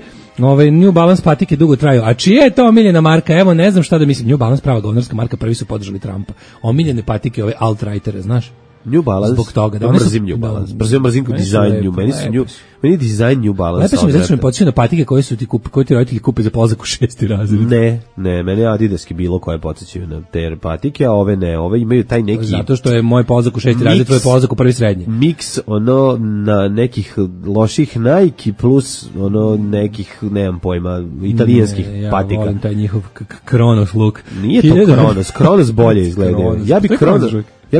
New Balance patike dugo traju. A čija je to omiljena marka? Evo, ne znam šta da mislim. New Balance, prava govnarska marka, prvi su podržali Trumpa. Omiljene patike, ove alt-rightere, znaš? New Balance. Zbog toga. Da, mrzim New Balance. Mrzim dizajn New. Meni dizajn New Balance. Lepo mi zato što mi podsjeća na patike koje ti roditelji kupe za polazak u 6. razred. Ne, mene Adidaski bilo koje podsjećaju na te patike, a ove ne. Ove imaju taj neki... Zato što je moj polazak u 6. razred, tvoj polazak u 1. srednji. Miks na nekih loših Nike plus nekih, nemam pojma, italijanskih patika. Ja volim taj njihov Kronos look. Nije to Kronos bolje izgleda. Ja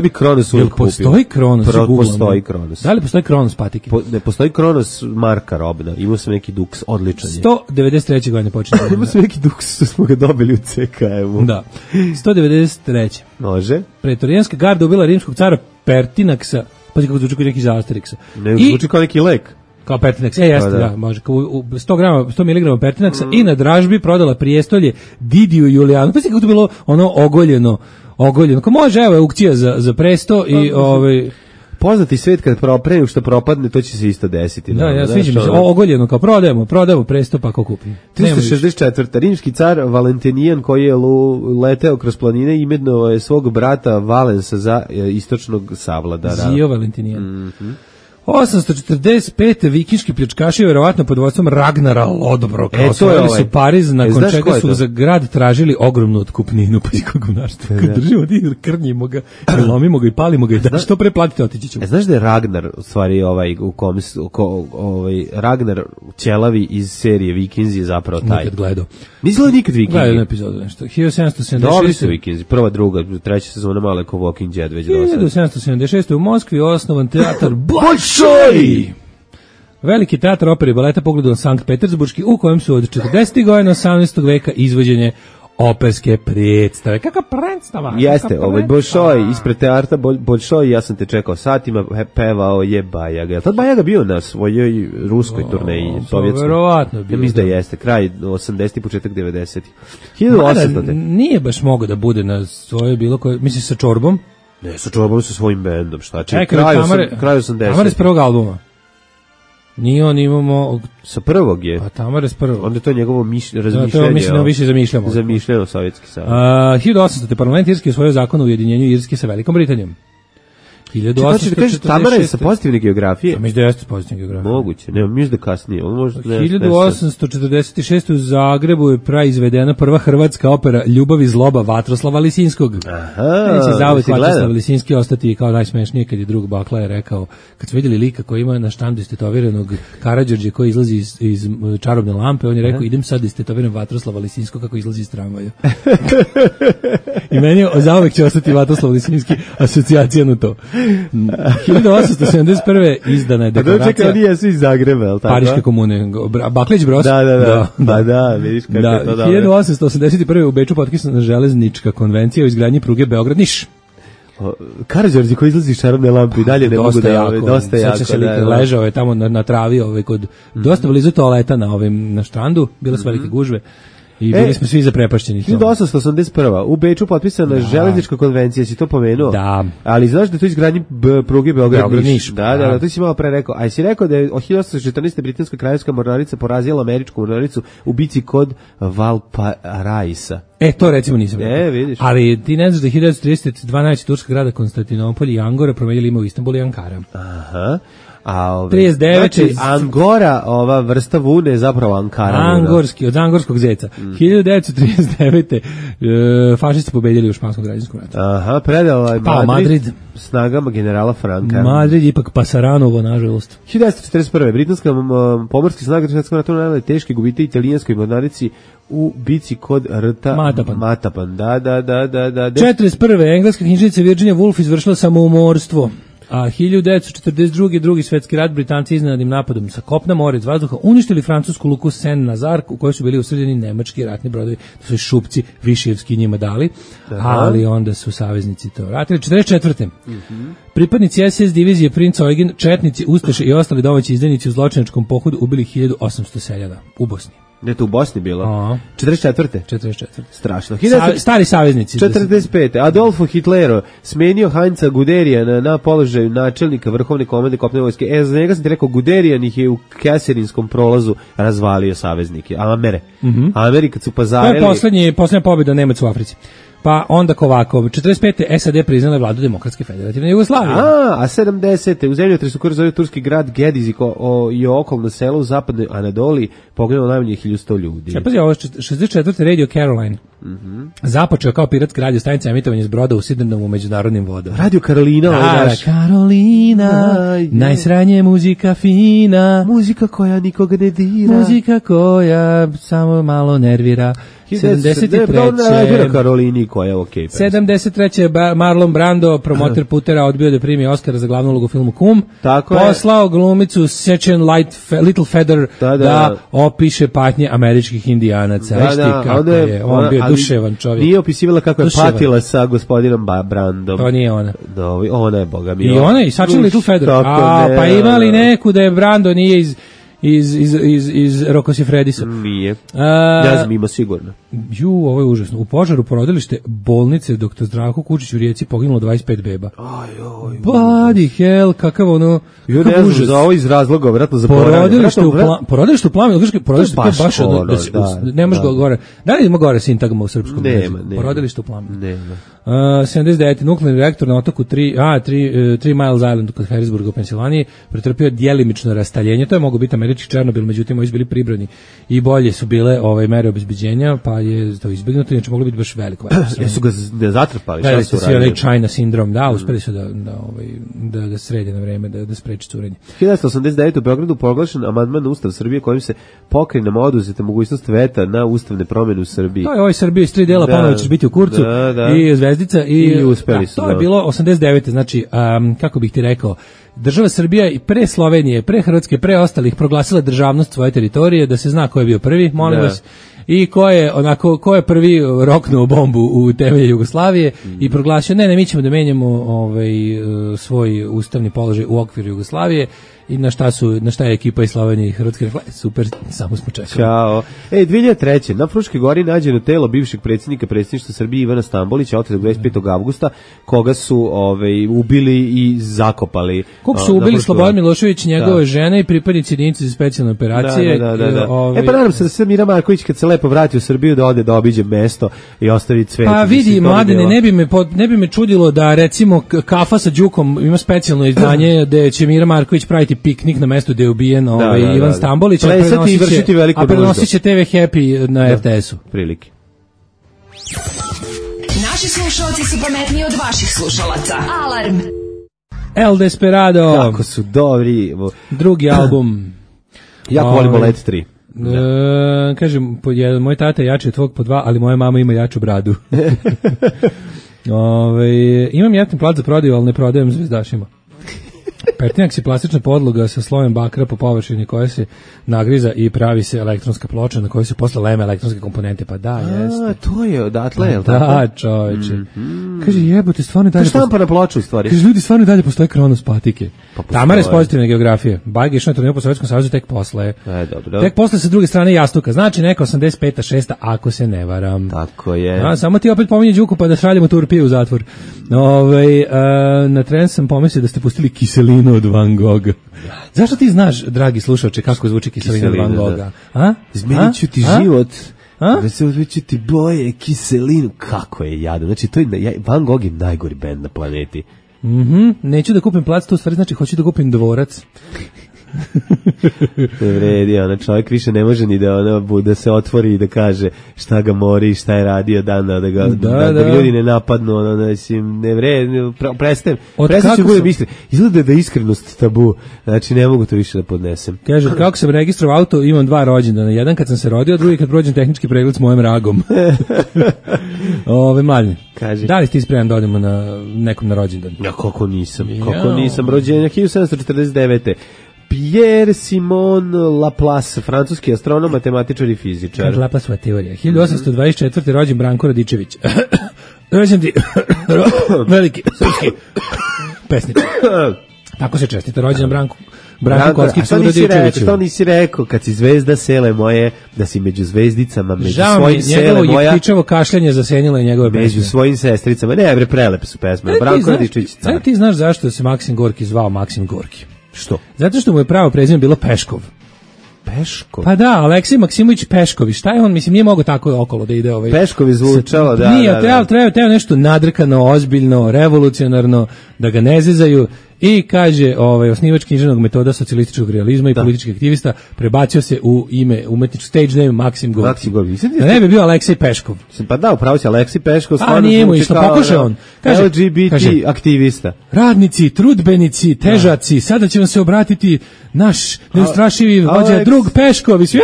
bi Kronos uvijek kupio. Postoji Kronos? Postoji Kronos. Da li postoji Kronos patike? Ne, postoji Kronos marka robna. Imao sam neki Dux, odličan je. 193. godine počinje. Imao sam neki Dux, što smo ga dobili u CKM-u. Da. 193. Može. Pretorijanska garda ubila rimskog cara Pertinaksa. Pazi kako zvuči kao neki za Asterixa. Ne, zvuči kao neki lek. Kao Pertinax, jeste, da, može. 100 mg Pertinaxa i na dražbi prodala prijestolje Didiju Julijanu. Pa si kako to bilo ogoljeno. Ko može, evo, aukcija za presto i poznati svet kad pre što propadne, to će se isto desiti. Da, ja sviđa mi se, ogoljeno, kao prodajemo presto, pa ko kupi. 364. Rimski car Valentinijan, koji je leteo kroz planine, imenovao je svog brata Valensa za istočnog savladara. Zio Valentinijan. 845. vikinški pljačkaši, verovatno pod vodstvom Ragnara Lodbroka, osvojili su Pariz, nakon čega su za grad tražili ogromnu otkupninu, pa i gonarstvo. Kad držimo ti, krnjimo ga, lomimo ga i palimo ga, da što pre platite, otići ćemo. Znaš da je Ragnar, u stvari, Ragnar ćelavi iz serije Vikinzi je zapravo taj. Nikad gledao. Nisi gledao nikad Vikinzi? Gledao epizodu nešto. 1776. Dobri su Vikinzi, prva, druga, treća sezona malo je ko Walking Dead već do sada. 1776. u Moskvi osnovan teatar Bolšoj! Veliki teatar opere i baleta pogledao Sankt Petersburški, u kojem su od 40. godina 18. veka izvođenje operske predstave. Kakva predstava? Jeste, Bolšoj, ispred teatra Bolšoj, ja sam te čekao satima, pevao je Bajaga. Je li tad Bajaga bio na svojoj ruskoj turneji, sovjetskoj? Verovatno bio. Ja mislim da jeste, kraj 80. početak 90. 1800. Nije baš mogao da bude na svojoj bilo koje, misliš sa čorbom? Ne, sa čorbom, sa svojim bendom, šta će? Kraj 80. Tamare s prvog albuma. Nije on imamo... Sa prvog je. A Tamare s prvog. Onda je to njegovo razmišljanje. To mislim da više zamišljamo. Zamišljeno Sovjetski savez. 1800. parlament Irske usvojio zakon o ujedinjenju Irske sa Velikom Britanijom. 1846. Tamara je sa pozitivne geografije. Mislim da jeste pozitivne geografije. Moguće, ne, mislim da kasnije. 1846. u Zagrebu je praizvedena prva hrvatska opera Ljubav i zloba Vatroslava Lisinskog. Aha, se zauvek Vatroslav Lisinski ostati kao najsmešnije, kad je drug Bakla je rekao, kad su vidjeli lika koji ima na štandu istetoviranog Karađorđe koji izlazi iz čarobne lampe, on je rekao, idem sad istetoviram Vatroslava Lisinskog kako izlazi iz tramvaja. I meni je zauvek će ostati Vatroslav Lisinski asocijacija na to. 1871. izdana je deklaracija. Čekaj, oni jesu iz Zagreba, je li tako? Pariške komune. Baklić Bros. Da. Pa da, vidiš kako je to dobro. 1881. u Beču potpisana železnička konvencija o izgradnji pruge Beograd-Niš. Karađorđe koji izlazi iz čarobne lampe i dalje ne mogu da jave. Dosta jako. Ležao je tamo na travi kod dosta blizu toaleta na štrandu, bile su velike gužve. I bili smo svi zaprepašćeni. 1881. U Beču potpisana železnička konvencija, si to pomenuo? Da. Ali znaš da je to izgradnji pruge Beograd-Niš? Da, to si malo pre rekao. A si rekao da je 1814. britanska kraljevska mornarica porazila američku mornaricu u bici kod Valparaisa. To recimo nisam rekao. Vidiš. Ali ti ne znaš da je 1932 najveći turska grada Konstantinopolj i Angora promenili ime u Istanbul i Ankara. Aha. 39. Znači, Angora, ova vrsta vune je zapravo Ankara. Angorski, od angorskog zeca. 1939. Fašisti pobedili u španskom građanskom ratu. Aha, predao je Madrid snagama generala Franka. Madrid ipak Pasaranovo, nažalost. 1941. Britanska pomorski snaga svjetskog rata nanijela teške gubitke italijanskoj mornarici u bici kod rta Matapan. Da. 41. Engleska knjižnica Virginia Woolf izvršila samoumorstvo. A 1942. drugi svetski rat, Britanci iznenadnim napadom sa kopna, mora iz vazduha uništili francusku luku Saint-Nazar u kojoj su bili usredljeni nemački ratni brodovi. To su šupci Višijevski njima dali, ali onda su saveznici to vratili. 44. Pripadnici SS divizije Princ Eugen, četnici, ustaše i ostali domaći izdajnici u zločinačkom pohodu ubili 1800 seljana u Bosni. Ne, to u Bosni bilo? 44. Strašno. Stari saveznici. 45. Adolfo Hitler smenio Heinza Guderiana na položaju načelnika vrhovne komande kopnene vojske. Za njega sam ti rekao, Guderian ih je u Keserinskom prolazu razvalio saveznike. Ameri kad su pazarili... To je posljednja pobjeda Nemaca u Africi. Pa onda ovako, 45. SAD priznala vladu Demokratske federativne Jugoslavije. A 70. u zemljotresu koji zove turski grad Gediz i okolno selo u zapadnoj Anadoliji poginulo najmanje 1100 ljudi. Pazi, ovo je 64. Radio Caroline. Započeo kao piratska radio stanica emitovanje s broda u Sidnenom u međunarodnim vodama. Radio Karolina, Karolina, najsranje muzika fina. Muzika koja nikoga ne dira. Muzika koja samo malo nervira. 73. Karolini koja je okej. 73. Marlon Brando, promoter putera, odbio da primi Oscara za glavnu ulogu u filmu Kum. Poslao glumicu Sechen Little Feather da opiše patnje američkih indijanaca. Kako je, on bio duševan čovjek. Nije opisivala kako je patila sa gospodinom Brandom. To nije ona. Ona je, boga mi. I ona je, Sechen Little Feather. Pa imali neku da je Brando nije iz Rocco Siffredisa. Nije. Ja znam, ima sigurno. Ovo je užasno. U požaru porodilište bolnice Dr. Zdravko Kučić u Rijeci poginulo 25 beba. Bloody hell, kakav ono... Jo, ne znam, za ovo iz razloga, vratno za porodilište u plame, porodilište je baš ono, ne može gore. Da li ima gore sintagma u srpskom? Nema. Porodilište u plame. Nema. 79. nuklearni reaktor na otoku 3 Miles Island kod Harrisburga u Pensilvaniji pretrpio djelimično rastaljenje. To je mogao biti američki Černobil, međutim ovi su bili pribrani i bolje su bile mere obezbeđenja, pa je to izbjegnuto, inače moglo biti baš veliko. Jesu ga zatrpali? Da, ste svi onaj China sindrom, uspeli su da ga srede na vreme, da spreči curenje. 1989. u Beogradu proglašen amandman na Ustav Srbije kojim se pokrenama oduzeta mogućnost veta na ustavne promjene u Srbiji. To je ovoj Srbiji iz 3 dela, ponovno ćeš biti u kurcu i zvezdica i uspeli su. To je bilo 89. Znači, kako bih ti rekao, država Srbija i pre Slovenije, pre Hrvatske, pre ostalih proglasila državnost svoje teritorije, da se zna ko je bio prvi, molim vas, i ko je prvi roknuo bombu u temelje Jugoslavije i proglasio, ne, mi ćemo da menjamo svoj ustavni položaj u okviru Jugoslavije. I na šta je ekipa iz Slovenije i Hrvatske rekla, super, samo smo čekali. Ćao. 2003. na Fruškoj gori nađeno telo bivšeg predsjednika predsjedništva Srbije Ivana Stambolića, otetog 25. avgusta, koga su ubili i zakopali. Koga su ubili Slobodan Milošević, njegove žene i pripadnici jedinice za specijalne operacije. Pa nadam se da se Mira Marković kad se lepo vrati u Srbiju da ode da obiđe mesto i ostavi cvet. Pa vidi, mladene, ne bi me čudilo da recimo Kafa sa Đukom ima specijalno izdanje da će Mira Marković praviti piknik na mestu gde je ubijen Ivan Stambolić, a prenosit će TV Happy na RTS-u. Prilike. Naši slušalci su pametniji od vaših slušalaca. Alarm! El Desperado. Kako su dobri. Drugi album. Jako volimo Let 3. Kažem, moj tata je jači od tvog po 2, ali moja mama ima jaču bradu. Imam jedan plat za prodaju, ali ne prodajem zvezdašima. Pertinax je plastična podloga sa slojem bakra po površini koja se nagriza i pravi se elektronska ploča na kojoj se posle leme elektronske komponente. Pa da, jeste. To je odatle, je li tako? Da, čoveče. Kaže, jebote, stvarno dalje... Štampa na ploču, u stvari. Kaže, ljudi, stvarno dalje postoje Kronos patike. Tamara je s pozitivne geografije. Bajge išao na turneju po Sovjetskom savezu tek posle. Dobro. Tek posle sa druge strane jastuka. Znači, neka 85. 6. ako se ne varam. Tako je. Samo ti opet pominje Đuku pa da šaljemo Turpiju u zatvor. Na tren sam pomislio da ste pustili Kiselinu od Van Gogha. Zašto ti znaš, dragi slušaoče, kako zvuči Kiselina od Van Gogha? Izmenit ću ti život. Izmenit ću ti boje, Kiselinu. Kako je jadno. Znači, Van Gogh je najgori bend na planeti. Neću da kupim plac, to u stvari znači hoću da kupim dvorac. Ne vredi, ona čovjek više ne može ni da se otvori i da kaže šta ga mori, šta je radio dana, da ga ljudi ne napadnu, ne vredi, prestajem ću bude misli, izgleda da je iskrenost tabu, znači ne mogu to više da podnesem. Kaže, kako sam registrovao auto, imam 2 rođendana, jedan kad sam se rodio, drugi kad prođem tehnički pregled s mojim ragom. Mladine, da li ti spreman da odemo na nekom na rođendan? Ja, kako nisam, rođenja 1749. Pierre Simon Laplace, francuski astronom, matematičar i fizičar. Kaže Laplaceova teorija. 1824. rođen Branko Radičević. Rođen ti veliki srpski pesničar. Tako se čestita rođen Branko Kockicu Radičeviću. Što nisi rekao, kad si zvezda sele moje, da si među zvezdicama, među svojim sele moja. Njegovo jektičavo kašljanje zasenilo je njegove pesme. Među svojim sestricama. Ne, bre, prelepe su pesme. Branko Radičević car. Ti znaš zašto se Maksim Gorki zvao Maksim Gorki? Što? Zato što mu je pravo prezime bilo Peškov. Peškov? Pa da, Aleksij Maksimović Peškovi. Šta je on? Mislim, nije mogo tako okolo da ide ovaj... Peškovi zvučalo, da. Nije, treba nešto nadrkano, ozbiljno, revolucionarno, da ga ne zezaju. I kaže, osnivač književnog metoda socijalističkog realizma i političkih aktivista prebacio se u ime umetničkog stage name Maksim Gorki. Da ne bi bio Aleksej Peškov. Pa da, upravo si Aleksej Peškov. A nije mu isto, pokušao on. Kaže, LGBT aktivista. Radnici, trudbenici, težaci, sada će vam se obratiti naš neustrašivi vođa drug Pešković.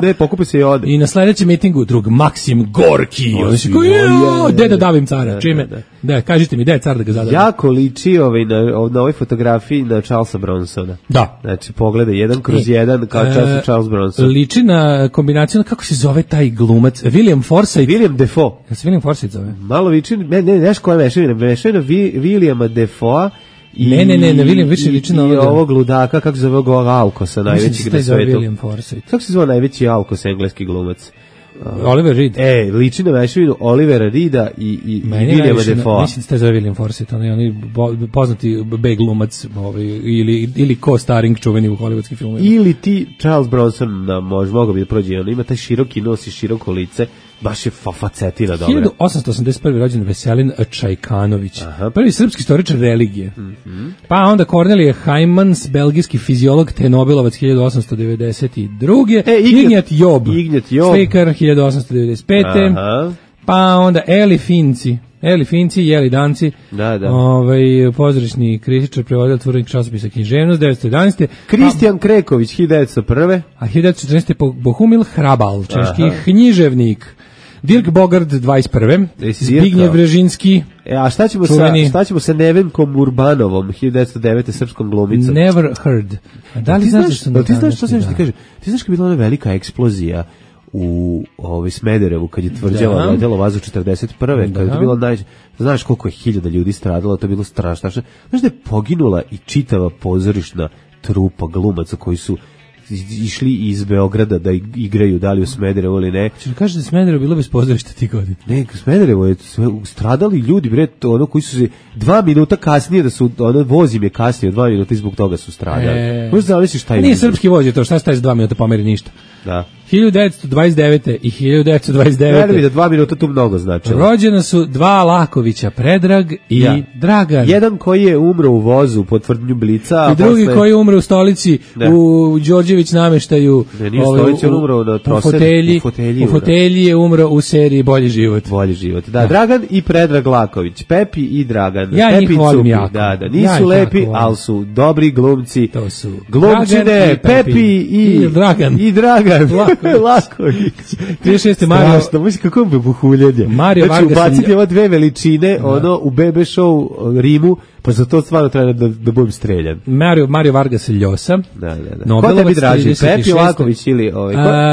Ne, pokupi se i ode. I na sledećem mitingu drug Maksim Gorki. Deda davim cara. Čime? Da, kažite mi, da je car da ga zadavim. Jako liči na ovoj fotografiji na Charlesa Bronsona. Da. Znači, pogledaj, 1/1 kao Charles Bronson. Liči na kombinaciju, kako se zove taj glumac? William Forsythe. William Defoe. Ja se William Forsythe zove. Malo liči, ne, koja je mešavina Williama Defoe ne, William više liči na ovoga. I ovog ludaka, kako se zove ovog Alkosa, najvećeg na svetu. William Forsythe. Kako se zove najveći Alkos, engleski glumac? Oliver Reed. Liči na mešavinu Olivera Reeda i Williama Defoe. Mislim da je zove William Forsythe, oni poznati B glumac ili co-starring čuveni u hollywoodskim filmovima. Ili ti Charles Bronson, mogao bi da prođe, on ima taj široki nos i široko lice, baš je facetina dobra. 1881. rođen Veselin Čajkanović, prvi srpski istoričar religije. Pa onda Kornelije Heimans, belgijski fiziolog te Nobelovac 1892. Ignjat Job, slikar 1895. Pa onda Eli Finci, Jeli Danci, pozorišni kritičar, prevodilac, urednik časopisa Književnost, 1911. Kristijan Kreković, 1901. A 1914. Bohumil Hrabal, češki književnik. Dirk Bogard, 21. Zbignjev Brežinski. A šta ćemo sa Nevenkom Urbanovom, 1909. srpskom glumicom? Never heard. Da li znaš što ti znaš što sam ti kaže? Ti znaš kad je bila ona velika eksplozija u Smederevu, kad je tvrđava letelo vazduh 41. Kad je to bilo znaš koliko je 1000 ljudi stradalo, to je bilo strašno. Znaš da je poginula i čitava pozorišna trupa glumaca koji su išli iz Beograda da igraju, da li u Smederevu ili ne. Češ kaže da Smederevo bilo bez pozorišta ti godina? Ne, Smederevo je stradali ljudi, bre, koji su se 2 minuta kasnije, voz im je kasnije 2 minuta i zbog toga su stradali. Možeš zamisliš šta je? Nije srpski voz je to, šta staje 2 minuta pomeri ništa. Da. 1929. i 1929. Ne da 2 minuta tu mnogo značilo. Rođena su 2 Lakovića, Predrag i Dragan. Jedan koji je umro u vozu po tvrdnju Blica. I drugi koji je umro u stolici u Đorđević nameštaju. Ne, nije stolici, on umro na u fotelji je umro u seriji Bolji život. Bolji život, da. Dragan i Predrag Laković, Pepi i Dragan. Ja Pepi njih volim jako. Da, nisu lepi, ali su dobri glumci. To su glumčine, Pepi i Dragan. Laković. 36. Mario. Strašno, mislim kako je buhuljenje. Mario Vargas. Znači, ubaciti ova 2 veličine, u BB show Rimu, pa za to stvarno treba da budem streljan. Mario Vargas Ljosa. Da. Ko tebi draži, Pepi Laković ili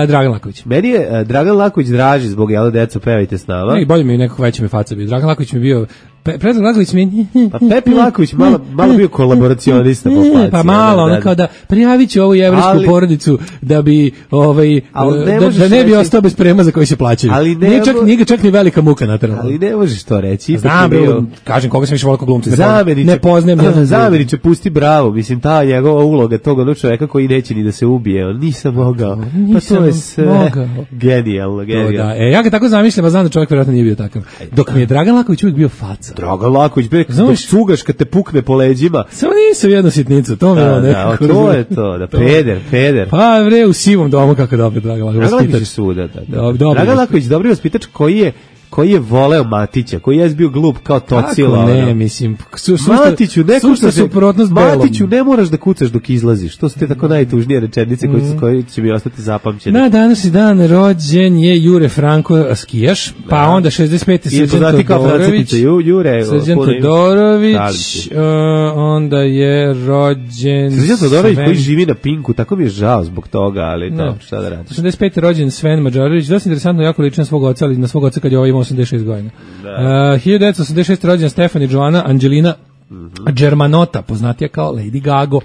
Dragan Laković. Meni je Dragan Laković draži zbog jelo deco pevajte s nama. Ne, bolje mi nekako veća mi faca bio. Dragan Laković mi bio Predrag Laković mi... Pa Pepi Laković malo bio kolaboracionista po faci. Pa malo, ono kao da prijavit ću ovu jevrijsku porodicu da bi da ne bi ostao bez prema za koji se plaćaju. Nije čak ni velika muka natrala. Ali ne možeš to reći. Znam, kažem koga sam više volio glumca. Ne poznajem. Zamjeniče, pusti bravo. Mislim, ta njegova uloga toga čoveka koji neće ni da se ubije. Nisam mogao. Pa to je sve genijalno. Ja ga tako zamišljam, a znam da čovjek vjerojatno nije bio takav. Dok mi je Dragan Laković uvijek bio faca. Dragan Laković, dok cugaš kad te pukne po leđima. Samo nisam jednu sitnicu, to mi je nekako. To je to, da peder. Pa bre, u sivom domu kako dobro Dragan Laković. Dragan Laković suda, da. Dragan Laković, dobri vaspitač koji je voleo Matića, koji je bio glup kao Tocila. Kako ne, mislim, Matiću, Matiću, ne moraš da kucaš dok izlaziš. To su te tako najtužnije rečenice koje će mi ostati zapamćene. Na današnji dan rođen je Jure Franko skijaš, pa onda 65. Srđan Todorović, onda je rođen Srđan Todorović koji živi na Pinku, tako mi je žao zbog toga, ali dobro, šta da radiš. 85. rođen Sven Mađarović, dosta interesantno, jako liči na svog oca, ali na svog oca kad je ovaj imao 86 godina. 1986. rođena Stefani Joana Angelina Germanota, poznatija kao Lady Gaga.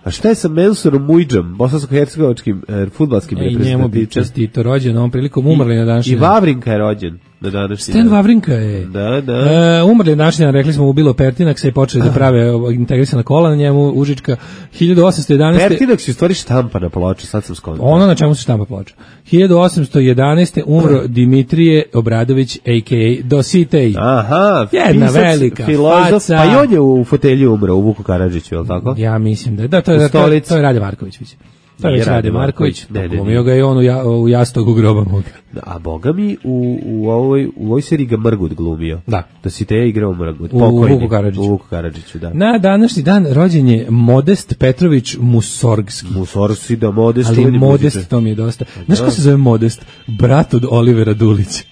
A šta je sa Mensurom Mujdžom, bosansko-hercegovačkim fudbalskim reprezentativcem? I njemu bi čestito rođen, ovom prilikom umrli na današnji dan. I Vavrinka je rođen na današnji dan. Stan Vavrinka je. Da. Umrli na današnji dan, rekli smo mu bilo Pertinax, se je počeli da prave integrisana kola na njemu, Užička. 1811. Pertinax je u stvari štampa na ploči, sad sam skontao. Ono na čemu se štampa ploča. 1811. umro Dimitrije Obradović, a.k.a. Dositej. Aha, jedna velika faca. Pa i on je u fotelju umro, u Vuku Karadžiću, je li tako? Ja mislim da to je Rade Marković. To je već Rade Marković. Glumio ga je on u Jastogu groba moga. A boga mi u ovoj seriji ga Mrgut glumio. Da. Dositej igrao Mrgut. U Vuku Karadžiću, da. Na današnji dan rođen je Modest Petrović Musorgski. Musorgski, da, Modest. Ali Modest, to mi je dosta. Znaš ko se zove Modest? Brat od Olivera Dulića.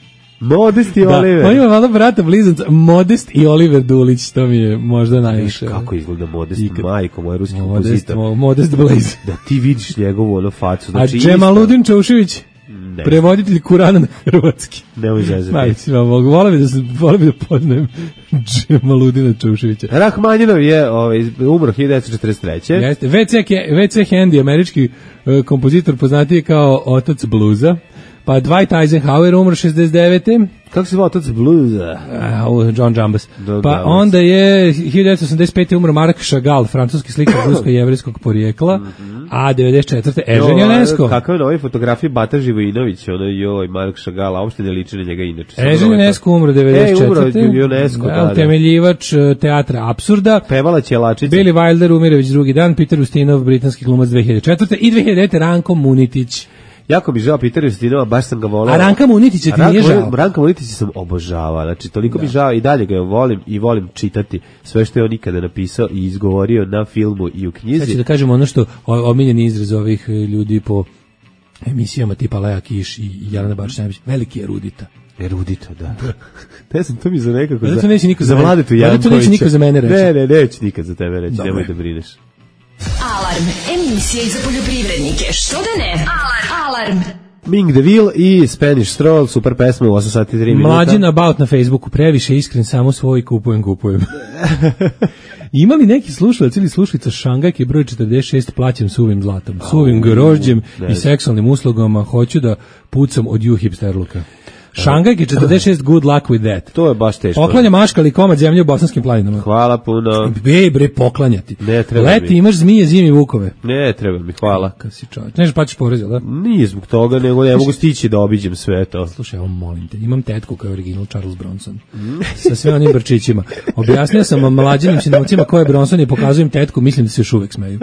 Modest i Oliver. On ima malo brata blizanca, Modest i Oliver Dulić, to mi je možda najviše. Kako izgleda Modest, majko, moj ruski kompozitor. Modest Blaze. Da ti vidiš njegovu ono facu. Znači, a Džemaludin Čaušević, prevoditelj Kurana na hrvatski. Nemoj zezati. Majci, volio bi da poznajem Džemaludina Čauševića. Rahmanjinov je umro 1943. Jeste, W.C. Handy, američki kompozitor poznatiji kao otac bluza. Pa Dwight Eisenhower umro 69. Kako se zvao otac bluza? John Jambas. Pa onda je 1985. umro Marc Chagall, francuski slikar rusko-jevrejskog porijekla, a 94. Ežen Ionesco. Kako je na ovoj fotografiji Bata Živojinović, Marc Chagall, a uopšte ne liči na njega inače. Ežen Ionesco umro 94. Umro Ionesco, da. Utemeljivač teatra apsurda. Pevala Ćelačica. Billy Wilder umire već drugi dan, Peter Ustinov, britanski glumac 2004. I 2009. Ranko Munitić. Jako bi žao Peter Ustinova, baš sam ga volao. A Ranka Munitića ti nije žao? Ranka Munitića sam obožavao, znači toliko mi žao i dalje ga volim i volim čitati sve što je on ikada napisao i izgovorio na filmu i u knjizi. Sad ću da kažem ono što omiljeni izraz ovih ljudi po emisijama tipa Leja Kiš i Jelena Bačić, veliki erudita. Erudita, da. Ne znam, to mi za nekako za Vladetu Jankovića. To neće niko za mene reći. Ne, neće nikad za tebe reći, nemoj da brineš. Alarm, emisija za poljoprivrednike, što da ne? Alarm. Ming DeVille i Spanish Stroll, super pesma u 8 sati 3 minuta. Mlađin about na Facebooku, previše iskren, samo svoj kupujem. Ima li neki slušalac ili slušalica Šangajke broj 46 plaćam suvim zlatom, suvim grožđem i seksualnim uslugama, hoću da pucam od ju hipsterluka. Šangajke 46, good luck with that. To je baš teško. Poklanja maškali komad zemlje u bosanskim planinama. Hvala puno. Bre, poklanjati. Ne treba Leti mi. imaš zmije, zimi vukove. Ne treba mi, hvala. Kad si čovječ. Nežeš plaćaš porez, da? Nije zbog toga, nego ne mogu stići da obiđem sve to. Slušaj, evo molim te, imam tetku kao original Charles Bronson. Sa sve onim brčićima. Objasnio sam mlađenim sinovcima ko je Bronson i pokazujem tetku, mislim da se još uvek smeju.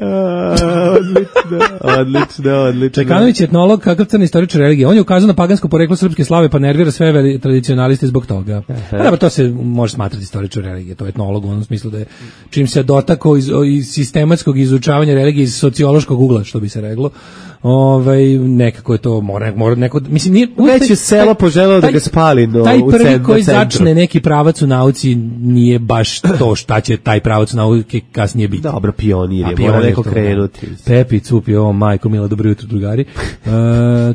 Odlično. Čekanović je etnolog, kakav crni istoričar religije. On je ukazao na pagansko poreklo srpske slave, pa nervira sve tradicionaliste zbog toga. Pa to se može smatrati istoričar religije, to je etnolog u onom smislu da je čim se dotakao iz sistematskog izučavanja religije iz sociološkog ugla, što bi se reklo. Nekako je to mora neko, mislim nije već je selo poželeo da ga spali taj prvi koji začne neki pravac u nauci nije baš to šta će taj pravac u nauci kasnije biti. Dobro, pionir je, mora neko krenuti. Pepi, Cupi, majko mila, dobro jutro drugari.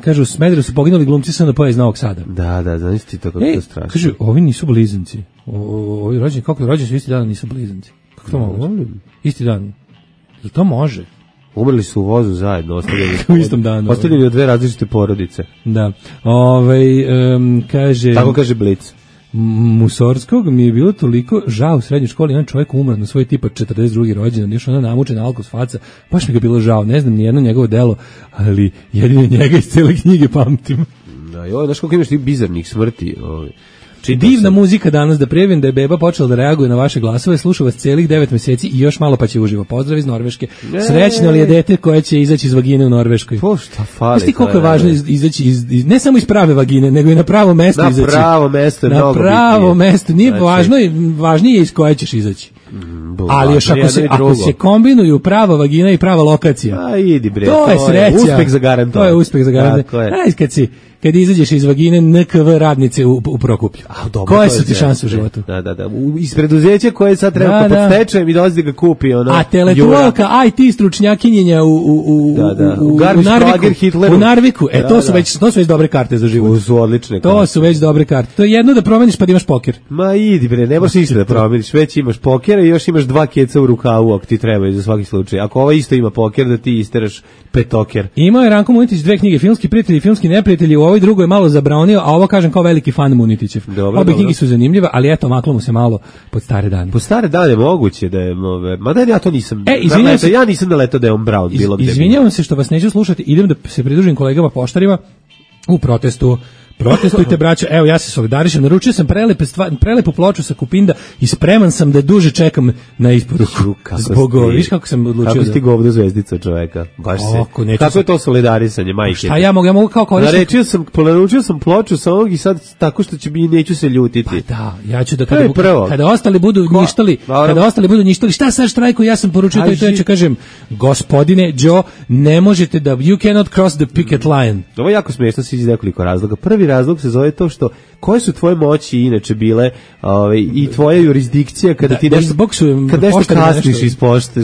Kažu, u Smederevu su poginuli glumci SNP iz Novog Sada. Da, znaš ti to kako to strašno. Kažu, ovi nisu blizanci. Ovi rođeni, kako rođeni su isti dan, nisu blizanci. Kako to mogu? Isti dan. Jel to može? Umrli su u vozu zajedno, ostavljeni u istom danu. Ostavljeni od dve različite porodice. Da. Kaže... Tako kaže Blic. Musorskog mi je bilo toliko žao u srednjoj školi, jedan čovjek umro na svoj tipa 42. rođendan, još ona namučena alkos faca, baš mi ga bilo žao, ne znam ni jedno njegovo delo, ali jedino njega iz cele knjige pamtim. Da, znaš koliko imaš tih bizarnih smrti, Divna muzika danas, da prijavim da je beba počela da reaguje na vaše glasove, sluša vas celih 9 meseci i još malo pa će uživo. Pozdrav iz Norveške. Srećno li je dete koje će izaći iz vagine u Norveškoj? Po šta fali? Znaš ti koliko je važno izaći ne samo iz prave vagine, nego i na pravo mesto izaći. Na pravo mesto je mnogo bitnije. Na pravo mesto, nije važnije iz koje ćeš izaći. Ali još ako se kombinuju prava vagina i prava lokacija. A idi bre, to je sreća. Uspeh zagarantovan. To je uspeh zagarantovan. Kad izađeš iz vagine NKV radnice u Prokuplju. Koje su ti šanse u životu? Da. Iz preduzeća koje sad treba pod stečajem i dolazi da ga kupi. A teletualka, IT stručnjakinjenja u Narviku. To su već dobre karte za život. To su odlične karte. To su već dobre karte. To je jedno da promeniš pa da imaš poker. Ma idi bre, ne možeš ništa da promeniš. Već imaš pokera i još imaš 2 keca u rukavu ako ti treba za svaki slučaj. Ako ova isto ima poker, da ti isteraš petoker. Imao je Ranko Munitić 2 knjige, Filmski prijatelji i filmski neprijatelji. U ovoj drugoj je malo zabranio, a ovo kažem kao veliki fan Munitićev. Obe knjige su zanimljive, ali eto, maklo mu se malo pod stare dane. Po stare dane moguće da je, mada ja to nisam. Ja nisam naletao da je on Brown bilo. Izvinjavam se što vas neću slušati, idem da se pridružim kolegama poštarima u protestu. Protestujte, braćo. Evo, ja se solidarišem. Naručio sam prelepu ploču sa Kupinda i spreman sam da duže čekam na isporuku. Viš kako sam odlučio. Kako si ti govno zvezdica čoveka? Baš se. Kako je to solidarisanje, majke? A ja mogu kao korisnik. Naručio sam ploču sa ovog i sad tako što će mi neću se ljutiti. Pa da, ja ću da kada ostali budu njištali, šta sad štrajku, ja sam poručio to i to, ja ću kažem, gospodine Joe, ne možete da, you cannot cross the picket line. Ovo je jako smiješno iz nekoliko razloga. Prvi razlog se zove to što koje su tvoje moći inače bile i tvoja jurisdikcija kada ti nešto kasniš iz pošte,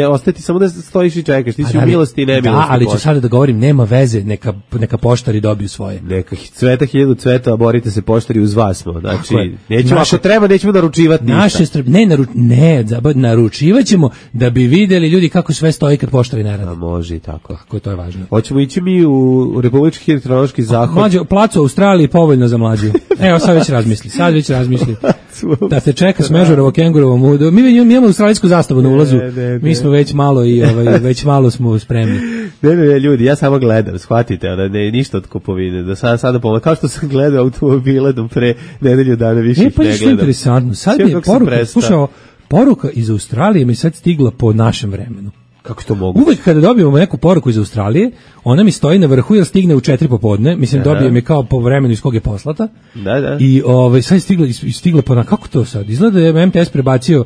ostati samo da stojiš i čekaš, ti si u milosti i nemilosti. Da, ali ću sada da govorim, nema veze, neka poštari dobiju svoje. Neka cveta 1000 cveta, borite se poštari, uz vas smo. Znači, nećemo, ako treba, nećemo naručivati ništa. Naručivat ćemo da bi videli ljudi kako sve stoji kad poštari ne rade. Može i tako. Kako to je važno. Hoćemo ići mi u Republički hidrometeorološki zahod. Placu u Australiji povoljno za mlađu. Evo, sad već razmisli. Da te čeka Smežurovo kengurovo mudo. Mi imamo australijsku zastavu na ulazu. Mi smo već malo već malo smo spremni. Ne, ljudi, ja samo gledam, shvatite, ne ništa od kupovine. Da sada pomoć, kao što sam gledao automobile do pre nedelju dana više ih ne gledam. Što interesantno. Sad mi je poruka iz Australije mi sad stigla po našem vremenu. Kako to mogu? Uvek kada dobijemo neku poruku iz Australije, ona mi stoji na vrhu jer stigne u 4 popodne, mislim dobijem je kao po vremenu iz kog je poslata. Da. I sad stigla po kako to sad? Izgleda da je MTS prebacio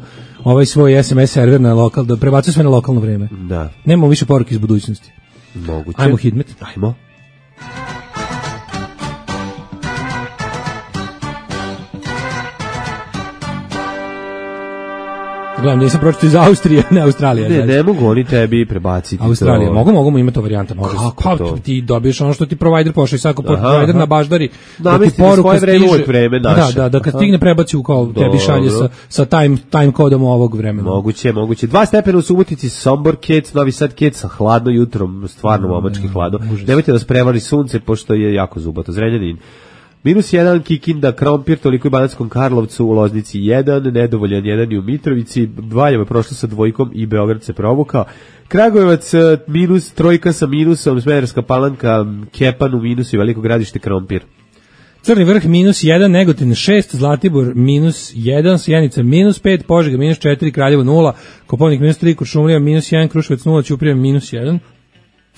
svoj SMS server na lokal, da prebacio sve na lokalno vreme. Da. Nemamo više poruke iz budućnosti. Moguće. Ajmo Hidmet. Ajmo. Gledam, nisam pročito iz Austrije, ne Australije. Ne mogu oni tebi prebaciti. Australija, mogu imati to varijanta. Kako to? Ti dobiješ ono što ti provider pošalje, svako provider na baždari. Namesti na svoje vreme, uvijek vreme naše. Da, kad stigne prebaci u kao tebi šalje sa time kodom ovog vremena. Moguće. 2 stepena u Subotici, Sombor Kec, Novi Sad Kec, sa hladno jutrom, stvarno momački hladno. Nemojte da vas prevari sunce, pošto je jako zubato. Zrenjanin. -1, Kikinda, Krompir, toliko i Banatskom Karlovcu, u Loznici 1, nedovoljan 1 i u Mitrovici, Valjevo je prošlo sa 2 i Beograd se provukao. Kragujevac -3 sa minusom, Smederevska Palanka, Kepan u minusu i Veliko Gradište, Krompir. Crni vrh -1, Negotin 6, Zlatibor -1, Sjenica -5, Požega -4, Kraljevo 0, Koponik -3, Kuršumlija -1, Kruševac 0, Ćuprija -1,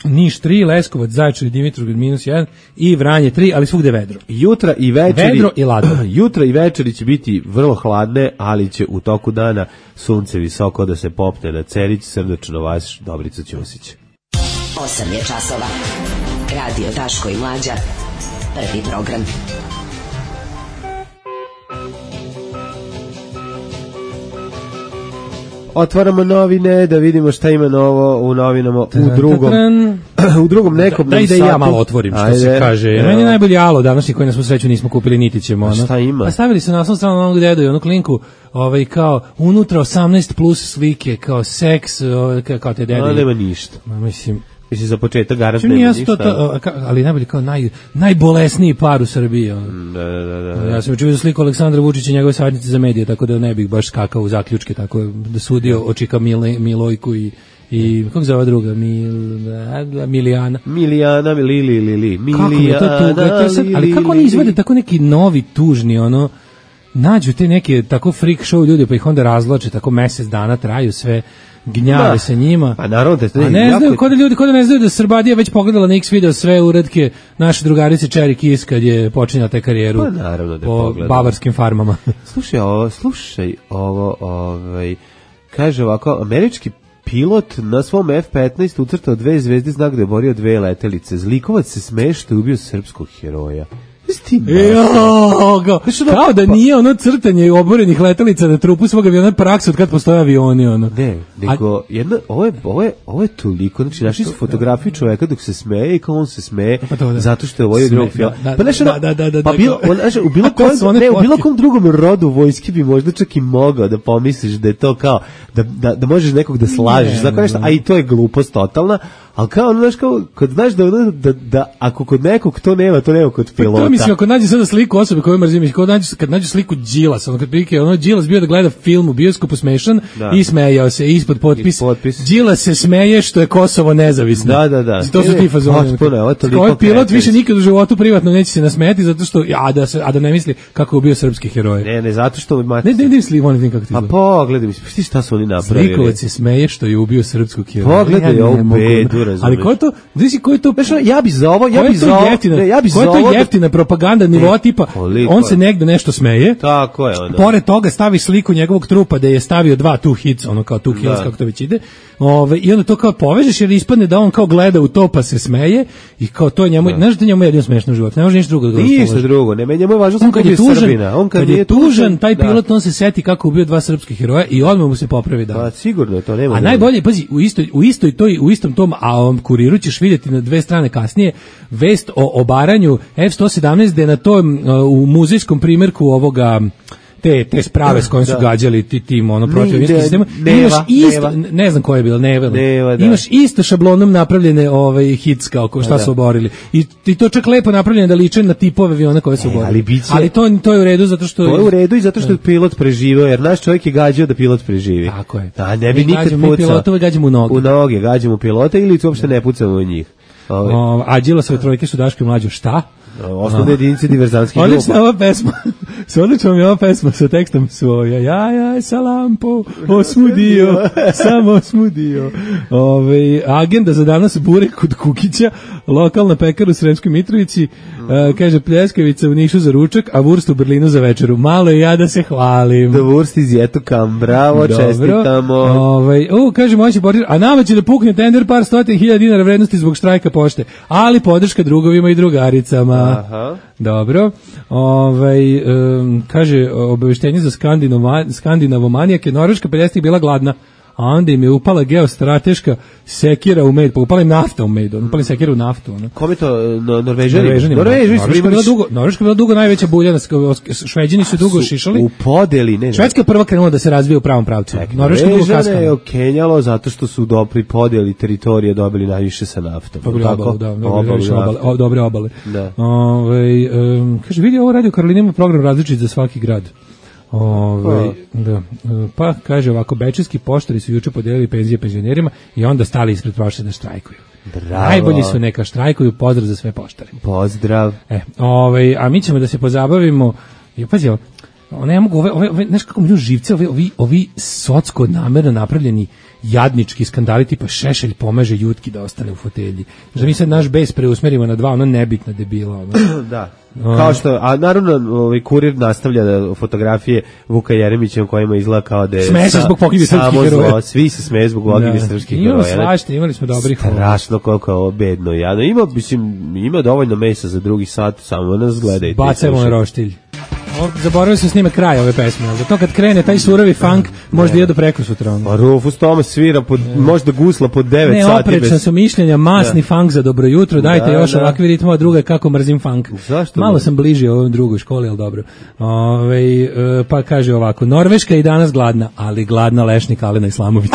Niš 3, Leskovac, Zaječar i Dimitrovgrad -1 i Vranje 3, ali svugde vedro. Jutra i večeri, vedro i ladno. Jutra i večeri će biti vrlo hladne, ali će u toku dana sunce visoko da se popne na Cerić, srdačno vas, Dobrica Ćosić. 8 je časova. Radio Daško i Mlađa. Prvi program. Otvaramo novine da vidimo šta ima novo u novinama u drugom nekom satu. Da ja malo otvorim što se kaže. Meni je najbolji alo današnji koji na svu sreću nismo kupili niti ćemo. Šta ima? Pa stavili su naslovnu stranu onog dedu i onu klinku kao unutra 18 plus slike, kao seks, kao te dede. Nema ništa. Mislim za početak garant nema ništa. Ali najbolji kao najbolesniji par u Srbiji. Da. Ja sam učio sliku Aleksandra Vučića i njegove savjetnice za medije, tako da ne bih baš skakao u zaključke, tako da sudio očika Milojku i i kako zove druga, Milijana. Milijana, Lili. Kako je to tuga? Ali kako oni izvede tako neki novi tužni, ono, nađu te neke tako freak show ljudi, pa ih onda razloče, tako mesec dana traju sve, gnjave se njima. Pa naravno da a ne znaju, kod ljudi ne znaju da Srbadija već pogledala na X video sve uratke naše drugarice Cherry Kiss kad je počinjala te karijeru. Pa naravno da je po pogledala. bavarskim farmama. Slušaj ovo, kaže ovako, američki pilot na svom F-15 ucrtao 2 zvezde, znak da je borio 2 letelice. Zlikovac se smeje što je ubio srpskog heroja. Kao da nije ono crtanje oborenih letelica na trupu svog aviona praksa od kad postoje avioni, ono. Ne, nego ovo je toliko, znači našli su fotografiju čoveka dok se smeje i kao on se smeje zato što je ovo drugog film. Pa u bilo kom drugom rodu vojski bi možda čak i mogao da pomisliš da je to kao da možeš nekog da slažeš, a i to je glupost totalna, ali kao ono, znaš, kao, kad znaš da ako kod nekog to nema kod pilota. Mislim, ako nađe sada sliku osobe koju mrzim, kad nađe sliku Đilasa, ono kad prilike, ono Đilas bio da gleda film u bioskopu smešan i smejao se ispod potpis. Đilas se smeje što je Kosovo nezavisno. Da. To su ti fazoni. Ovaj pilot više nikad u životu privatno neće se nasmejati zato što, a da ne misli kako je bio srpski heroj. Ne, zato što... Ne misli, oni kako ti izgleda. Pa pogledaj, misli šta su oni napravili. Zlikovac se smeje što je ubio srpskog heroja. Pogledaj ovu bedu, razumeš. Ali ko je to, znaš ko je to? Ja bi za ovo, jeftina propaganda nivoa tipa, on se negde nešto smeje. Tako je ono. Pored toga stavi sliku njegovog trupa da je stavio 2 two hits, ono kao 2 kills, kako to već ide. I onda to kao povežeš jer ispadne da on kao gleda u to pa se smeje i kao to njemu, znaš da njemu je jedino smešno u životu, ne može ništa drugo da ga raspoloži. Ništa drugo, ne, njemu je važno samo kad je Srbina. On kad je tužan, taj pilot, on se seti kako ubio 2 srpskih heroja i odmah mu se popravi da. Pa sigurno to nema. A najbolje, pazi, u istom tom kuriru ćeš vidjeti na 2 strane kasnije vest o obaranju F-117 gde na tom u muzejskom primjerku ovoga te sprave s kojim su gađali tim protivničkim sistemom. Ne znam ko je bilo, imaš isto šablonom napravljene hits kao šta su oborili. I to čak lepo napravljeno da liče na tipove aviona koje su oborili. Ali to je u redu zato što... To je u redu i zato što je pilot preživio, jer naš čovjek je gađao da pilot preživi. Tako je. Da, ne bi nikad pucao. Mi pilotove gađamo u noge. U noge gađamo pilota ili uopšte ne pucamo u njih. A Đilasove trojke su Daško i Mlađo šta? Osnovne jedinice diverzantskih grupa. Odlična ova pesma sa tekstom svoja. Ja, salampo, osmudio, samo osmudio. Agenda za danas burek kod Kukića, lokalna pekara u Sremskoj Mitrovici, kaže pljeskavica u Nišu za ručak, a vurst u Berlinu za večeru. Malo je ja da se hvalim. Da vurst iz Jetokam, bravo, čestitamo. Kaže moći portir, a nama će da pukne tender par 100.000 dinara vrednosti zbog štrajka pošte, ali podrška drugovima i drugaricama. Aha. Dobro. Kaže obaveštenje za skandinavomanijake, Norveška 50 bila gladna, a onda im je upala geostrateška sekira u med, pa upala im nafta u med, upali sekira u naftu. Kome to, Norvežani? Norveška bila dugo najveća buljana, Šveđani su dugo šišali. U podeli, ne. Švedska je prva krenula da se razvije u pravom pravcu. Norvežane je okenjalo zato što su pri podeli teritorije dobili najviše sa naftom. Dobre obale. Kaže, vidi, ovo Radio Karolina ima program različit za svaki grad. Pa kaže ovako, bečejski poštari su juče podijelili penzije penzionerima i onda stali ispred pošte da štrajkuju. Bravo. Najbolji su, neka štrajkuju, pozdrav za sve poštare. Pozdrav. A mi ćemo da se pozabavimo, pazi, ne mogu, znaš kako mi živce, ovi socko namerno napravljeni jadnički skandali tipa Šešelj pomaže Jutki da ostane u fotelji. Znači mi sad naš bes preusmerimo na 2 nebitna debila. Da. Kao što, a naravno Kurir nastavlja fotografije Vuka Jeremića u kojima izgleda kao da je smeje se zbog pogibih srpskih heroja. Svi se smeje zbog pogibih srpskih heroja. Imamo svašta, imali smo dobrih. Strašno koliko je ovo bedno. Ima dovoljno mesa za drugi sat, samo nas gledajte. Bacajmo na roštilj. Zaboravio sam snime kraj ove pesme, zato kad krene taj surovi funk možda ide do prekosutra. Pa Rufus Thomas svira možda gusla pod 9 sati. Ne, oprečna su mišljenja, masni funk za dobro jutro, dajte još ovakvi ritmova, druga kako mrzim funk. Malo sam bliži ovom drugoj školi, ali dobro. Pa kaže ovako, Norveška je i danas gladna, ali gladna lešnik Alena Islamovića.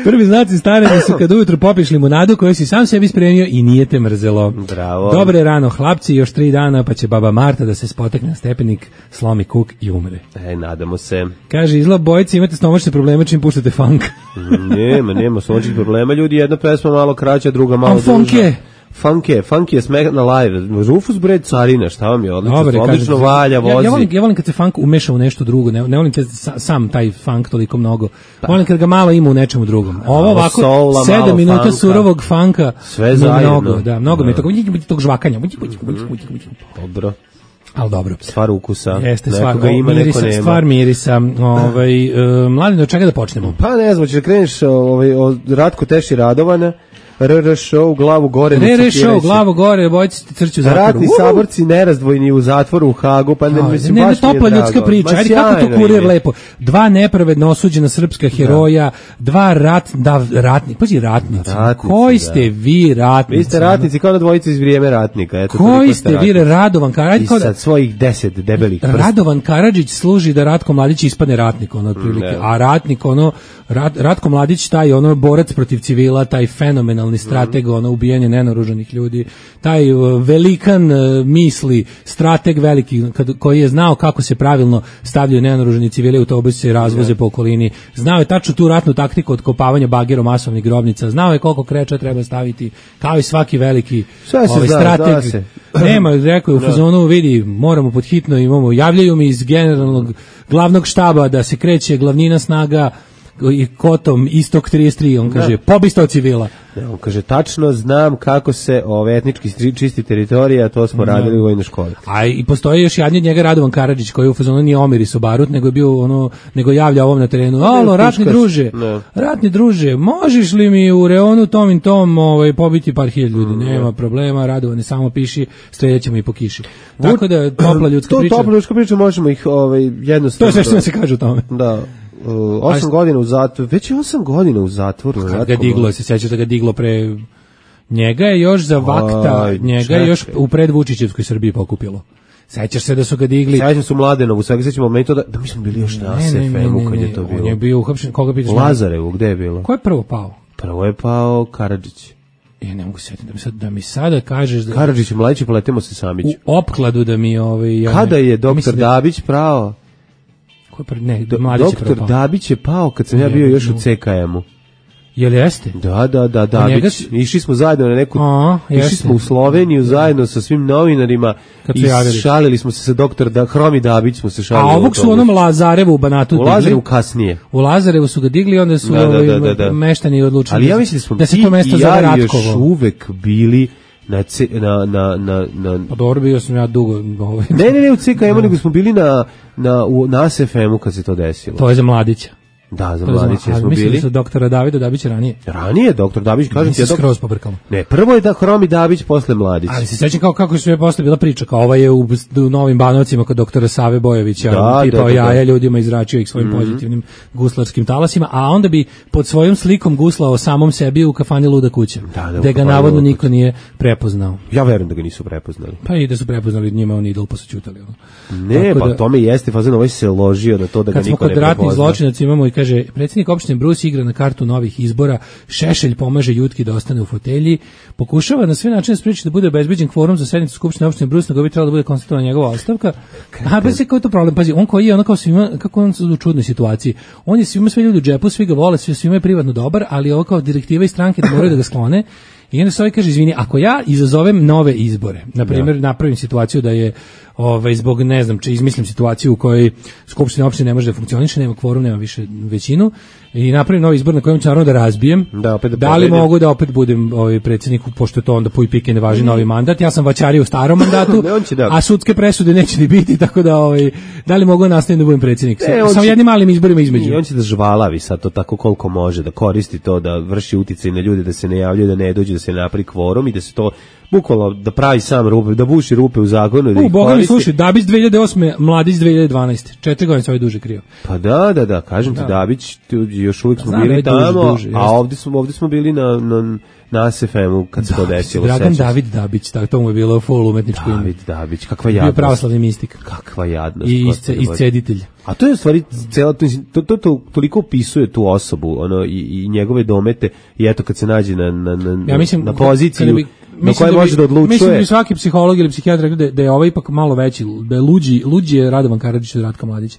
Prvi znaci starenja su kad ujutro popiješ limunadu koju si sam sebi spremio i nije te mrzelo. Bravo. Dobre rano, hlapci, još 3 dana pa će baba Marta da se spotekne na stepenik, slomi kuk i umre. Nadamo se. Kaže, izgleda bojice, imate stomačne probleme čim puštate funk. Nema stomačnih problema, ljudi, jedna pesma malo kraća, druga malo duža. Funk je Smack na live. Rufus bre carina, šta vam je odlično valja, vozi. Ja volim kad se funk umeša u nešto drugo, ne volim kad sam taj funk toliko mnogo. Volim kad ga malo ima u nečemu drugom. Ovo ovako 7 minuta funka, surovog funka. Sve zajedno. Mnogo mi je tog žvakanja. Dobro. Al dobro. Stvar ukusa. Jeste stvar mirisa, stvar mirisa. Mladen, od čega da počnemo? Pa ne znam, ćeš da kreneš od Ratko Teši Radovana. Show, glavu gore. Show, glavu gore, bojci ti crću u zatvoru. Ratni saborci nerazdvojni u zatvoru u Hagu, pa ne mislim ne, baš topla ljudska priča. Ajde, kako to kurir lepo. 2 nepravedno osuđena srpska heroja, 2 ratnici. Koji ste vi ratnici? Vi ste ratnici kao na dvojici iz Vrijeme ratnika. Eto, koji ste vi Radovan Karadžić? I sad svojih 10 debelih prsta. Radovan Karadžić služi da Ratko Mladić ispadne ratnik, otprilike. A ratnik, Ratko Mladić, taj borac protiv civila, taj fenomenalni strateg, ubijanje nenaoružanih ljudi, taj velikan misli, strateg veliki, koji je znao kako se pravilno stavljaju nenaoružani civili u autobuse i razvoze po okolini, znao je tačno tu ratnu taktiku otkopavanja bagerom masovnih grobnica, znao je koliko kreča treba staviti, kao i svaki veliki strateg. Nema, rekao je u fazonu, vidi, moramo pod hitno, javljaju mi iz generalnog glavnog štaba da se kreće glavnina snaga i kotom istok 33, on kaže, pobi 100 civila. On kaže, tačno znam kako se etnički čisti teritorija, to smo radili u vojnoj školi. A i postoji još jedan od njega, Radovan Karadžić, koji u fazonu nije Omiris Obarut, nego je bio nego javlja ovom na terenu. Alo, ratni druže, možeš li mi u reonu tom i tom pobiti par hiljada ljudi? Nema problema, Radovane, samo piši, streljaćemo i po kiši. Tako da, topla ljudska priča. Topla ljudska priča, možemo ih jednostavno... To je sve što nam se kaže o tome. Da. 8 godina u zatvoru, već je 8 godina u zatvoru. Kad ga diglo, se sjećaš da ga diglo pre... Njega je još za vakta, njega je još u predvučićevskoj Srbiji pokupilo. Sećaš se da su ga digli... Sećam se u Mladenovu, sve sećamo meni to da mi smo bili još na SFM-u kad je to bilo. On je bio uhapšen, koga pitaš? U Lazarevu, gde je bilo? Ko je prvo pao? Prvo je pao Karadžić. Ne mogu setiti da mi sada kažeš da... Karadžić i Mladić, poletimo se Samić. U opkladu da mi... Kada je doktor Dabić pravo? Doktor Dabić je pao kad sam ja bio još u CKM-u. Jel jeste? Da, Dabić. Išli smo zajedno na neku... Išli smo u Sloveniju zajedno sa svim novinarima i šalili smo se sa doktor Hromi Dabić smo se šalili. A ovog su onom Lazarevu u Banatu digli. U Lazarevu kasnije. U Lazarevu su ga digli, onda su meštani odlučili. Ali ja mislim da se to mesto zove Ratkovo. Još uvek bili na Pa dobro, bio sam ja dugo. Ne, u CKM-u, nego smo bili na SFM-u kad se to desilo. To je za Mladića. Da, za Mladića smo bili. Mislim da su doktora Davida Dabića ranije. Ranije, doktor Dabić, kažem ti. Skroz pobrkalo. Ne, prvo je Hromi Dabić, posle Mladić. Ali se sećam kako je posle bila priča, kao ovaj je u Novim Banovcima kod doktora Save Bojovića, tipao jaja ljudima, izračio ih svojim pozitivnim guslarskim talasima, a onda bi pod svojom slikom guslao samom sebi u kafani Luda kuća, da ga navodno niko nije prepoznao. Ja verujem da ga nisu prepoznali. Pa i da su prepoznali, njima on idol, pa su ćutali. Ne, pa tome jeste, fazon ovaj se ložio na to da ga niko ne prepozna. Kad smo kod ratnih zločinaca imamo i kaže, predsjednik opštine Brus igra na kartu novih izbora, Šešelj pomaže Jutki da ostane u fotelji, pokušava na sve načine spreči da bude obezbeđen kvorum za sednicu skupštine opštine Brus, nego bi trebalo da bude konstatovana njegova ostavka. A pa se kao to problem, pazi, on koji je ono kao svima, kako on u čudnoj situaciji. On je svima sve ljudi u džepu, svi ga vole, svima je privatno dobar, ali ovo kao direktiva iz stranke da moraju da ga sklone. I onda se ovaj kaže, izvini, ako ja izazovem nove izbore, na primjer napravim situaciju da je zbog, ne znam, izmislim situaciju u kojoj skupština opštine ne može da funkcioniše, nema kvorum, nema više većinu, i napravim novi izbor na kojem ću naravno da razbijem, da li mogu da opet budem predsjednik, pošto je to onda puj pike ne važi novi mandat, ja sam vaćario u starom mandatu, a sudske presude neće ni biti, tako da li mogu nastaviti da budem predsjednik, samo jednim malim izborima između. I on će da žvalavi sad to tako koliko može, da koristi to, da vrši uticaj na ljude, da se ne javljaju, da ne dođe, da se napravi kvorum i da se to bukvalno da pravi sam rupe, da buši rupe u zakonu. Da Boga mi slušaj, Dabić 2008. Mladić 2012. 4 godine se ovaj duže krio. Pa da, kažem ti, Dabić, još uvijek smo bili tamo, a ovdje smo bili na SFM-u kad se to desilo. Dragan David Dabić, tako to mu je bilo full umetničko ime. David Dabić, kakva jadnost. Bio pravoslavni mistik. Kakva jadnost. I isceditelj. A to je u stvari to toliko opisuje tu osobu, i njegove domete, i eto kad se nađe na poziciju na kojoj može da odlučuje. Mislim da bi svaki psiholog ili psihijatar rekao da je ovaj ipak malo veći, da je luđi je Radovan Karadžić od Ratka Mladića.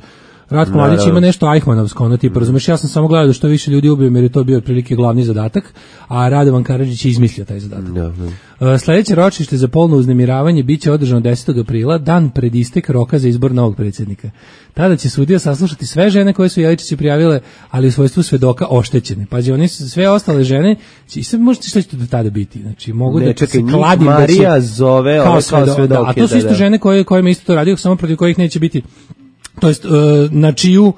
Ratko Mladić ima nešto Eichmannovsko, ono tipa, razumeš, ja sam samo gledao da što više ljudi ubijem jer je to bio otprilike glavni zadatak, a Radovan Karadžić je izmislio taj zadatak. Sledeće ročište za polno uznemiravanje biće održano 10. aprila, dan pred istek roka za izbor novog predsjednika. Tada će sudija saslušati sve žene koje su Jeličići prijavile, ali u svojstvu svedoka oštećene. Pazi, oni su sve ostale žene, i sad možete šta će to do tada biti, znači mogu da se kladim Marija zove ove kao svedoke. A to su isto žene kojima isto to radio, samo protiv kojih neće biti, to jest na čiju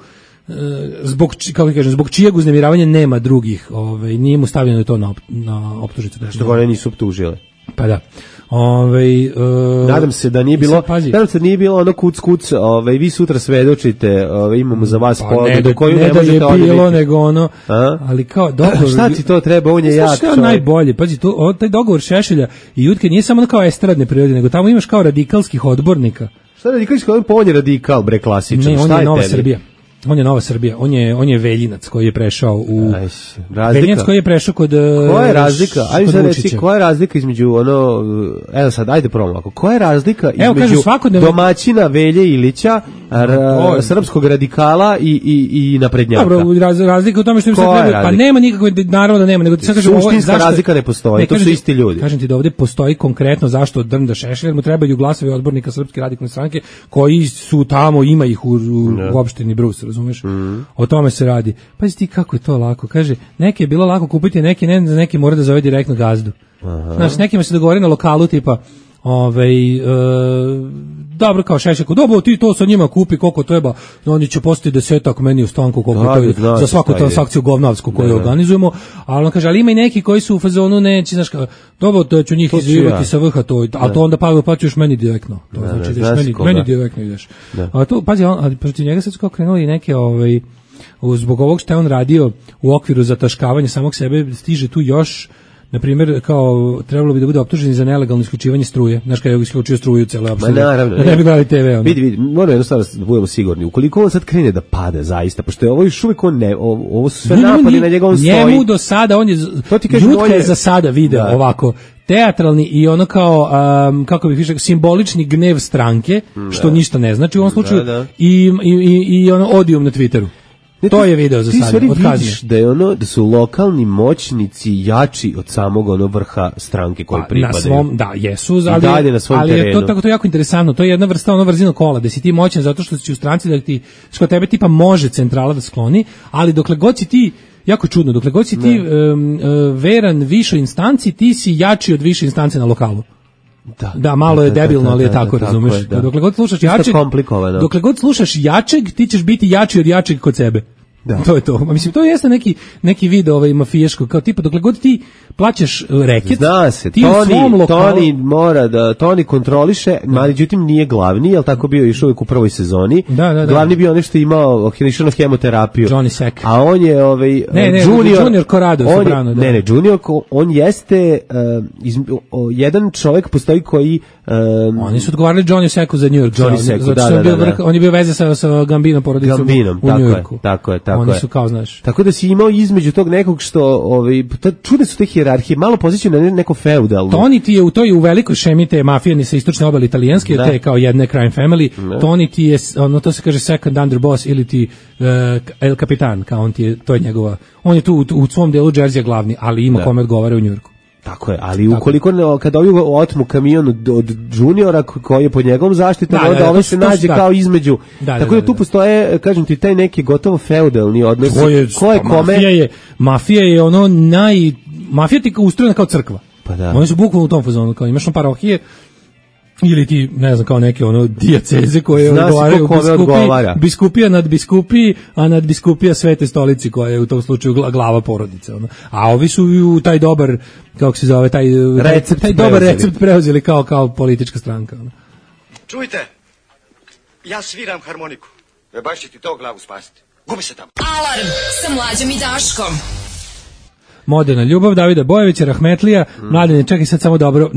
zbog čijeg uznemiravanja nema drugih, nije mu stavljeno to na optužnicu. Što one nisu optužile. Pa da. Nadam se da nije bilo ono kuc, vi sutra svedočite, imamo za vas ponudu do koju ne možete odbiti. Ne da je bilo, nego ono, ali kao dogovor. Šta ti to treba, on je jak čovjek. Najbolje, pazi, taj dogovor Šešelja i Jutke nije samo kao estradne prirode, nego tamo imaš kao radikalskih odbornika. Šta radikalski odbornik, on je radikal, bre, klasičan. Ne, on je Nova Srbija. On je Nova Srbija, on je Veljinac koji je prešao u Veljinac koji je prešao kod koja je razlika? Ajde sad reci, koja je razlika između evo sad ajde probamo ovako. Koja je razlika između domaćina Velje Ilića, srpskog radikala i naprednjaka? Dobro, razlika u tome što im sad treba, pa nema nikakve, naravno da nema, nego ti sad kažem, suštinska razlika ne postoji, to su isti ljudi. Kažem ti da ovde postoji konkretno zašto Drnda Šešelj, mu trebaju glasovi odbornika Srpske radikalne stranke koji su tamo, ima ih u opštini Brus, razumeš? O tome se radi. Pazi ti kako je to lako. Kaže, neke je bilo lako kupiti, neki ne, neki mora da zove direktno gazdu. Znači, nekima se dogovori na lokalu tipa dobro kao Šešelj, dobro ti to sa njima kupi koliko treba, oni će postati 10 meni u stanku koliko to je za svaku transakciju govnavsku koju organizujemo, ali on kaže, ali ima i neki koji su u fazonu neće, znaš, dobro, to ću njih izvivati sa vrha to, ali to onda plaćuješ meni direktno, to znači ideš meni direktno ideš. A to, pazi, ali protiv njega sad su kao krenuli neke, zbog ovog što je on radio u okviru zataškavanja samog sebe, stiže tu još, na primjer, kao trebalo bi da bude optuženi za nelegalno isključivanje struje. Znaš kada je isključio struju u celoj opštini. Da ne bi gledali TV. Vidi, moramo jednostavno da budemo sigurni. Ukoliko on sad krene da pada zaista, pošto je ovo još uvijek ovo su sve napadi na njegovom stoji. Njemu do sada, Jutka je za sada video ovako, teatralni i ono kao, kako bih rekao, simbolični gnev stranke, što ništa ne znači u ovom slučaju, i ono odijum na Twitteru. To je video za sada. Ti vidiš da su lokalni moćnici jači od samog vrha stranke koji pripadaju. Da, jesu, ali je to jako interesantno. To je jedna vrsta vrzino kola, da si ti moćan zato što si u stranci, da ti što tebe tipa može centrala da skloni, ali dokle god si ti, jako čudno, dokle god si ti veran višoj instanci, ti si jači od više instance na lokalu. Da, malo je debilno, ali je tako, razumeš. Dokle god slušaš jačeg, dokle god slušaš jačeg, ti ćeš biti jači od jačeg kod sebe. Da. To je to. Mislim, to jeste neki video mafijaško, kao tipa dokle god ti plaćaš reket, zna se, ti u svom lokalu... Toni mora da, Toni kontroliše, međutim nije glavni, jel tako bio još uvijek u prvoj sezoni. Da. Glavni bio nešto imao, išao na hemoterapiju. Johnny Sack. A on je Junior Corrado Soprano. Ne, Junior, on jeste jedan čovjek postoji koji... Oni su odgovarali Johnny Sacku za New York. Johnny Sacku, da. On je bio veze sa Gambinom porodicom u New Yorku. Tako je. Oni su kao, znaš. Tako da si imao između tog nekog što, čude su te hijerarhije, malo pozicije na neko feudalno. Toni ti je u velikoj šemi te mafije sa istočne obale italijanske, te kao jedne crime family. Toni ti je, to se kaže second underboss ili ti El Capitan, kao on ti je, to je njegova, on je tu u svom delu Jersey glavni, ali ima kome odgovara u Njujorku. Tako je, ali ukoliko kada ovi otmu kamion od Juniora koji je pod njegovom zaštitom, onda ovaj se nađe kao između. Tako da tu postoje, kažem ti, taj neki gotovo feudalni odnos. Ko je kome? Mafija je mafija ti ustrojena kao crkva. Pa da. Oni su bukvalno u tom fazonu, kao imaš parohije, ili ti, ne znam, kao neke ono dijaceze koje odgovaraju biskupija nad biskupiji, a nad biskupija Svete stolici koja je u tom slučaju glava porodice. Ono. A ovi su u taj dobar, kako se zove, taj dobar recept preuzeli kao politička stranka. Ono. Čujte, ja sviram harmoniku. Baš će ti to glavu spasiti. Gubi se tamo. Alarm sa Mlađom i Daškom. Moderna ljubav, Davida Bojevića, Rahmetlija, Mladene, čekaj sad samo dobro,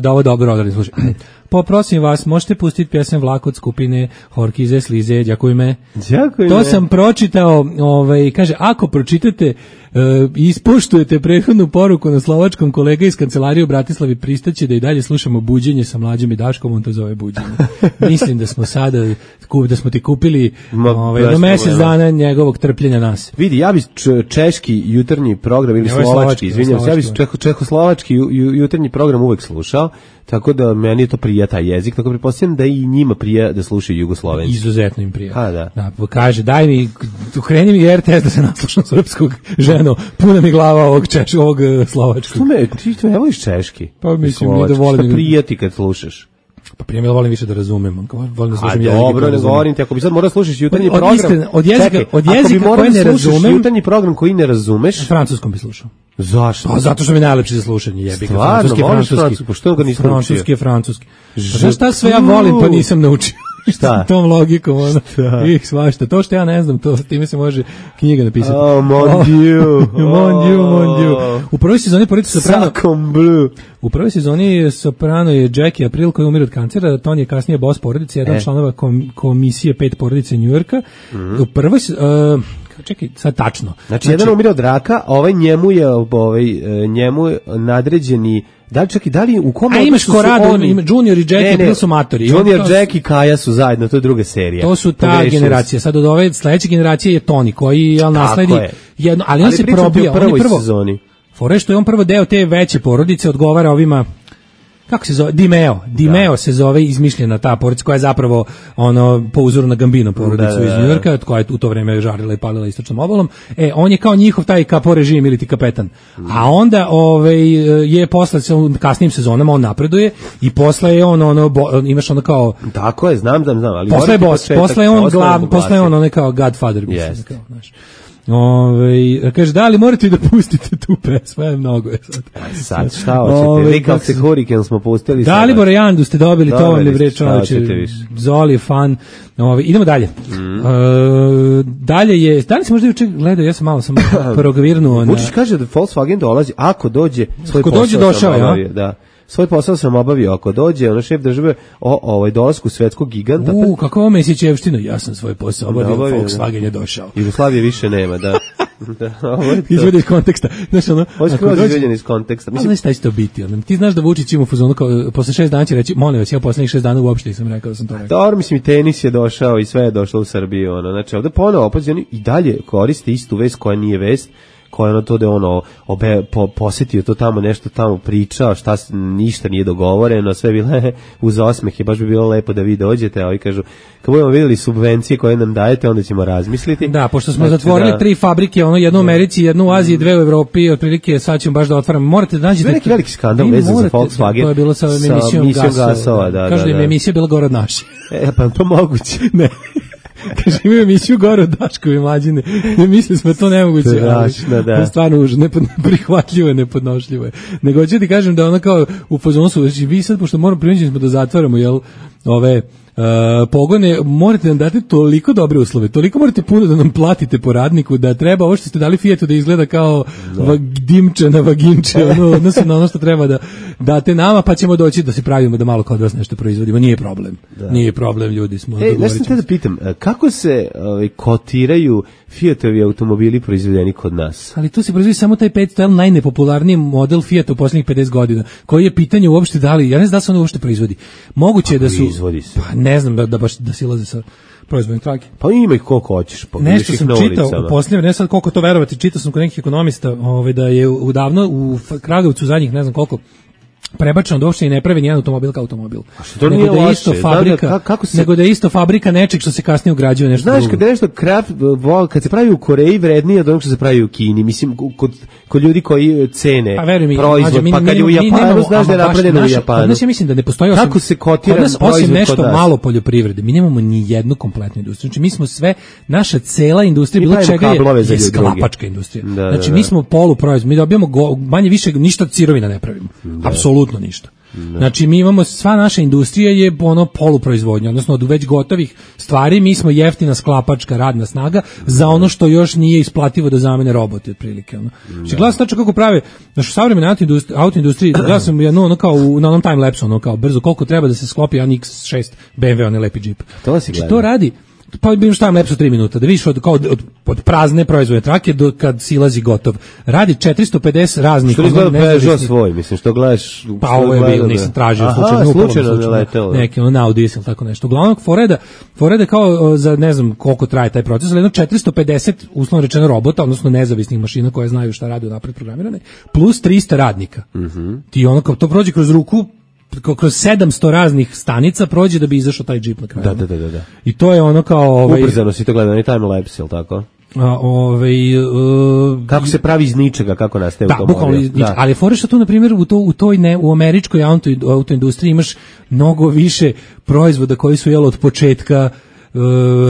da ovo dobro odradim, slušaj. Poprosim vas, možete pustiti pjesem Vlak od skupine Horkize, Slize, Đakuj me. To sam pročitao, kaže, ako pročitate i ispoštujete prethodnu poruku na slovačkom, kolega iz kancelarije u Bratislavi pristaće da i dalje slušamo Buđenje sa Mlađom i Daškom, on to zove Buđenje. Mislim da smo sada, da smo ti kupili do mjesec dana njegovog trpljenja nas. Vidi, ja bi češki jutarnji program ili slovački, izvinjam se, ja bi čehoslovački jutarnji program uvek slušao, tako da meni je to prija taj jezik, tako pretpostavljam da i njima prija da slušaju Jugoslovenci. Izuzetno im prija. Da, kaže, daj mi, ukreni mi RTS da se naslušam srpskog ženo, puna mi glava ovog slovačkog. Ti ne voliš češki? Pa mislim, nije da volim. Šta prija ti kad slušaš? Pa prije volim više da razumem. Volim da slušam jezik. Dobro, ne govorim ti, ako bi sad morao slušaš jutarnji program. Od jezika koji ne razumem. Jutarnji program koji ne razumeš. Francuskom bi slušao. Zašto? Pa zato što mi je najlepši za slušanje, jebi ga. Francuski. Pa što ga nisam naučio? Francuski. Znaš šta sve ja volim pa nisam naučio? Šta? Tom logikom, ono. Svašta. To što ja ne znam, to time se može knjiga napisati. Oh, mon Dieu. Mon Dieu. U prvoj sezoni porodice Soprano. U prvoj sezoni Soprano je Jackie April koji umire od kancera, Tony je kasnije boss porodice, jedan članova komisije 5 porodice Njujorka. U prvoj čekaj, sad tačno. Znači jedan umire od raka, njemu nadređeni. Da li u kom odnosu imaš ko rado, Junior i Jackie April su matori. Junior, Jack i Kaja su zajedno, to je druga serija. To su ta generacija. Sad od ove sledeće generacije je Tony koji nasledi jedno, ali on se probija. U prvoj sezoni. Fore što je on prvo deo te veće porodice, odgovara ovima, kako se zove, Dimeo se zove, izmišljena ta porodica koja je zapravo po uzoru na Gambino porodicu iz Njujorka, koja je u to vreme žarila i palila istočnom obalom. On je kao njihov taj kapo režim ili ti kapetan. A onda je posle kasnijim sezonama on napreduje i posle je on imaš ono kao tako je, znam, ali posle je boss, posle je on glav, posle je on kao Godfather, mislim, kao, znaš. Kaže, da li morate da pustite tu pesmu, mnogo je sad šta hoćete, Likal se Hurricane smo pustili Dalibor Jandu ste dobili, to vam je bre čovječe, Zoli je fan. Idemo dalje. Dalje je, da li se možda juče gledao, ja sam malo provirnuo. Vučić kaže da Volkswagen dolazi, ako dođe svoj posao sam obavio, da. Svoj posao sam obavio, ako dođe šef države o dolasku svetskog giganta. Kako ovo Mesićevština, ja sam svoj posao obavio, Volkswagen je došao. Jugoslavije više nema, da. Izvedi iz konteksta. Znaš, ovo je skroz izvedjen iz konteksta. Znaš šta će to biti? Ti znaš da Vučić ima u fazonu, posle 6 dana će reći, molim vas, ja poslednjih 6 dana uopšte nisam rekao da sam to rekao. Dobro, mislim, i tenis je došao i sve je došlo u Srbiju. Znači, ovde ponovo opozicioni i dalje koriste istu vest koja nije vest, koja to da je posjetio to tamo, nešto tamo pričao, ništa nije dogovoreno, sve bile uz osmeh, baš bi bilo lepo da vi dođete, a ovi kažu, kad budemo vidjeli subvencije koje nam dajete, onda ćemo razmisliti. Da, pošto smo zatvorili 3 fabrike, jednu u Americi, jednu u Aziji, 2 u Evropi, otprilike sad ćemo baš da otvaramo. Morate da nađete... To je neki veliki skandal vezan za Volkswagen. To je bilo sa emisijom gasova. Kažu da je emisija bila gore od naše. Pa to moguće. Ne. Kaže, imaju emisiju gore od Daškovi Mlađine. Ne mislim smo to nemoguće. Da. Stvarno užasno, neprihvatljivo je, nepodnošljivo je. Nego hoću ti kažem da kao u fazonu su, vi sad, pošto moramo prinuđeni smo da zatvaramo, ove pogone, morate nam dati toliko dobre uslove, toliko morate puno da nam platite po radniku, da treba ovo što ste dali Fiatu da izgleda kao dimčana vaginče, odnosno na ono što treba da date nama, pa ćemo doći da se pravimo da malo kod vas nešto proizvodimo. Nije problem. Nije problem, ljudi smo. Nešto te da pitam, kako se kotiraju Fiatovi automobili proizvedeni kod nas? Ali tu se proizvodi samo taj 500L, najnepopularniji model Fiata u posljednjih 50 godina, koji je pitanje uopšte da li, ja ne znam da se on uopšte proizvodi. Moguće je da su... Pa ne znam da baš da silaze sa proizvodnim trake. Pa ima ih koliko hoćeš, pa nešto sam čitao u posljednje, ne sad koliko to verovati, čitao sam kod nekih ekonomista da je udavno u Kragujevcu zadnjih ne znam koliko prebačeno da uopšte i ne pravi nijedan automobil kao automobil. To nego nije da je loše. isto fabrika, nego da je isto fabrika nečeg što se kasnije ugrađuje nešto drugo. Znaš, kad je nešto kad se pravi u Koreji vrednije od onog što se pravi u Kini, mislim, kod ljudi koji cene proizvod, pa kad je u Japanu, znaš da je napravljeno u Japanu. Kod nas ja mislim da ne postoji kako se kotira proizvod kod nas. Osim nešto malo poljoprivrede, mi nemamo ni jednu kompletnu industriju. Znači, mi smo sve, naša cela industrija, bilo čega je sklapačka industrija. Znači, mi smo poluproizvod, mi dobijamo manje više ništa od sirovina ne pravimo. Apsolutno ništa. Znači, mi imamo, sva naša industrija je ono poluproizvodnja, odnosno od već gotovih stvari, mi smo jeftina sklapačka radna snaga za ono što još nije isplativo da zamene roboti, otprilike. Znači, gledam tačno kako prave, znači, u savremenoj autoindustriji, gledam sam jedno, ono kao, na onom time-lapsu, ono kao, brzo, koliko treba da se sklopi jedan X6 BMW, onaj lepi džip. Znači, to radi, pa bi šta lepso 3 minuta, da vidiš od prazne proizvodne trake do kad silazi gotov. Radi 450 raznih. Što izgleda Peugeot svoj, mislim, što gledaš... Pa ovo je bilo, nisam tražio, slučajno ne letelo. Neki Audi ili tako nešto. Uglavnom, Foreda kao za ne znam koliko traje taj proces, ali jedno 450, uslovno rečeno, robota, odnosno nezavisnih mašina koje znaju šta rade unapred programirane, plus 300 radnika. Ti ono kao to prođe kroz ruku, kroz 700 raznih stanica prođe da bi izašao taj džip na kraju. Da. I to je ono kao... Ubrzano si to gleda, ni time-lapse, ili tako? Kako se pravi iz ničega, kako nastaje automobil. Da, ali fore što tu, na primjer, u američkoj autoindustriji imaš mnogo više proizvoda koji su od početka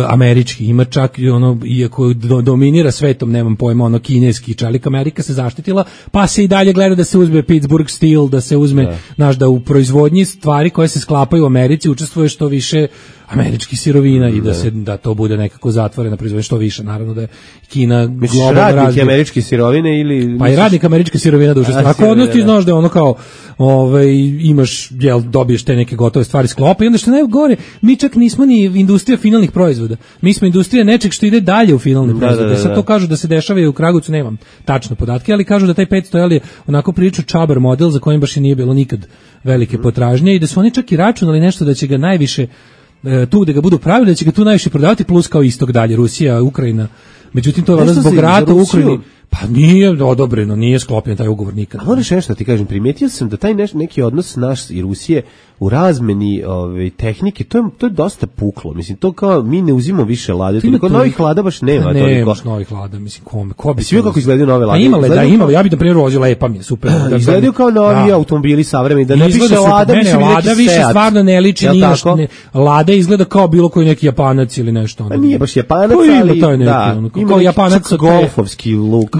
američki, ima čak ono, iako dominira svetom, nemam pojma, ono kineski čelik, Amerika se zaštitila, pa se i dalje gleda da se uzme Pittsburgh Steel, da se uzme, da u proizvodnji stvari koje se sklapaju u Americi učestvuje što više američkih sirovina i da to bude nekako zatvorena proizvodnja što više, naravno da je Kina globalno razvija. Radnik američke sirovine ili... Pa i radnik američke sirovine da učestvuje. Ako odnos ti znaš da je ono kao imaš, dobiješ te neke gotove stvari sklopa i onda što najgore, mi čak nismo ni industrija finalnih proizvoda. Mi smo industrija nečeg što ide dalje u finalne proizvode. Sad to kažu da se dešava i u Kragujevcu, nemam tačno podatke, ali kažu da taj 500 je onako prilično čabar model za kojim baš i nije bilo nikad velike potražnje i da su oni čak i računali nešto da će ga najviše tu da ga budu pravili, da će ga tu najviše prodavati, plus kao istok dalje, Rusija, Ukrajina. Međutim, to je valjda zbog rata u Ukrajini. Pa nije odobreno, nije sklopljen taj ugovor nikad. A moraš nešto ti kažem, primetio sam da taj neki odnos naš i Rusije u razmeni tehnike, to je dosta puklo. Mislim, to kao mi ne uzimamo više lade, toliko novih lada baš nema. Ne, baš novih lada, mislim, ko bi... Svi kako izgledaju nove lade? Pa imale, ja bih na primjer vozio lepa mi je, super. Izgledaju kao novi automobili savremeni, da ne piše lada, mislim lada više stvarno ne liči, lada izgleda kao bilo koji neki Japanac ili nešto. Pa nije baš Japanac, ali kao Japanac golfovski luk.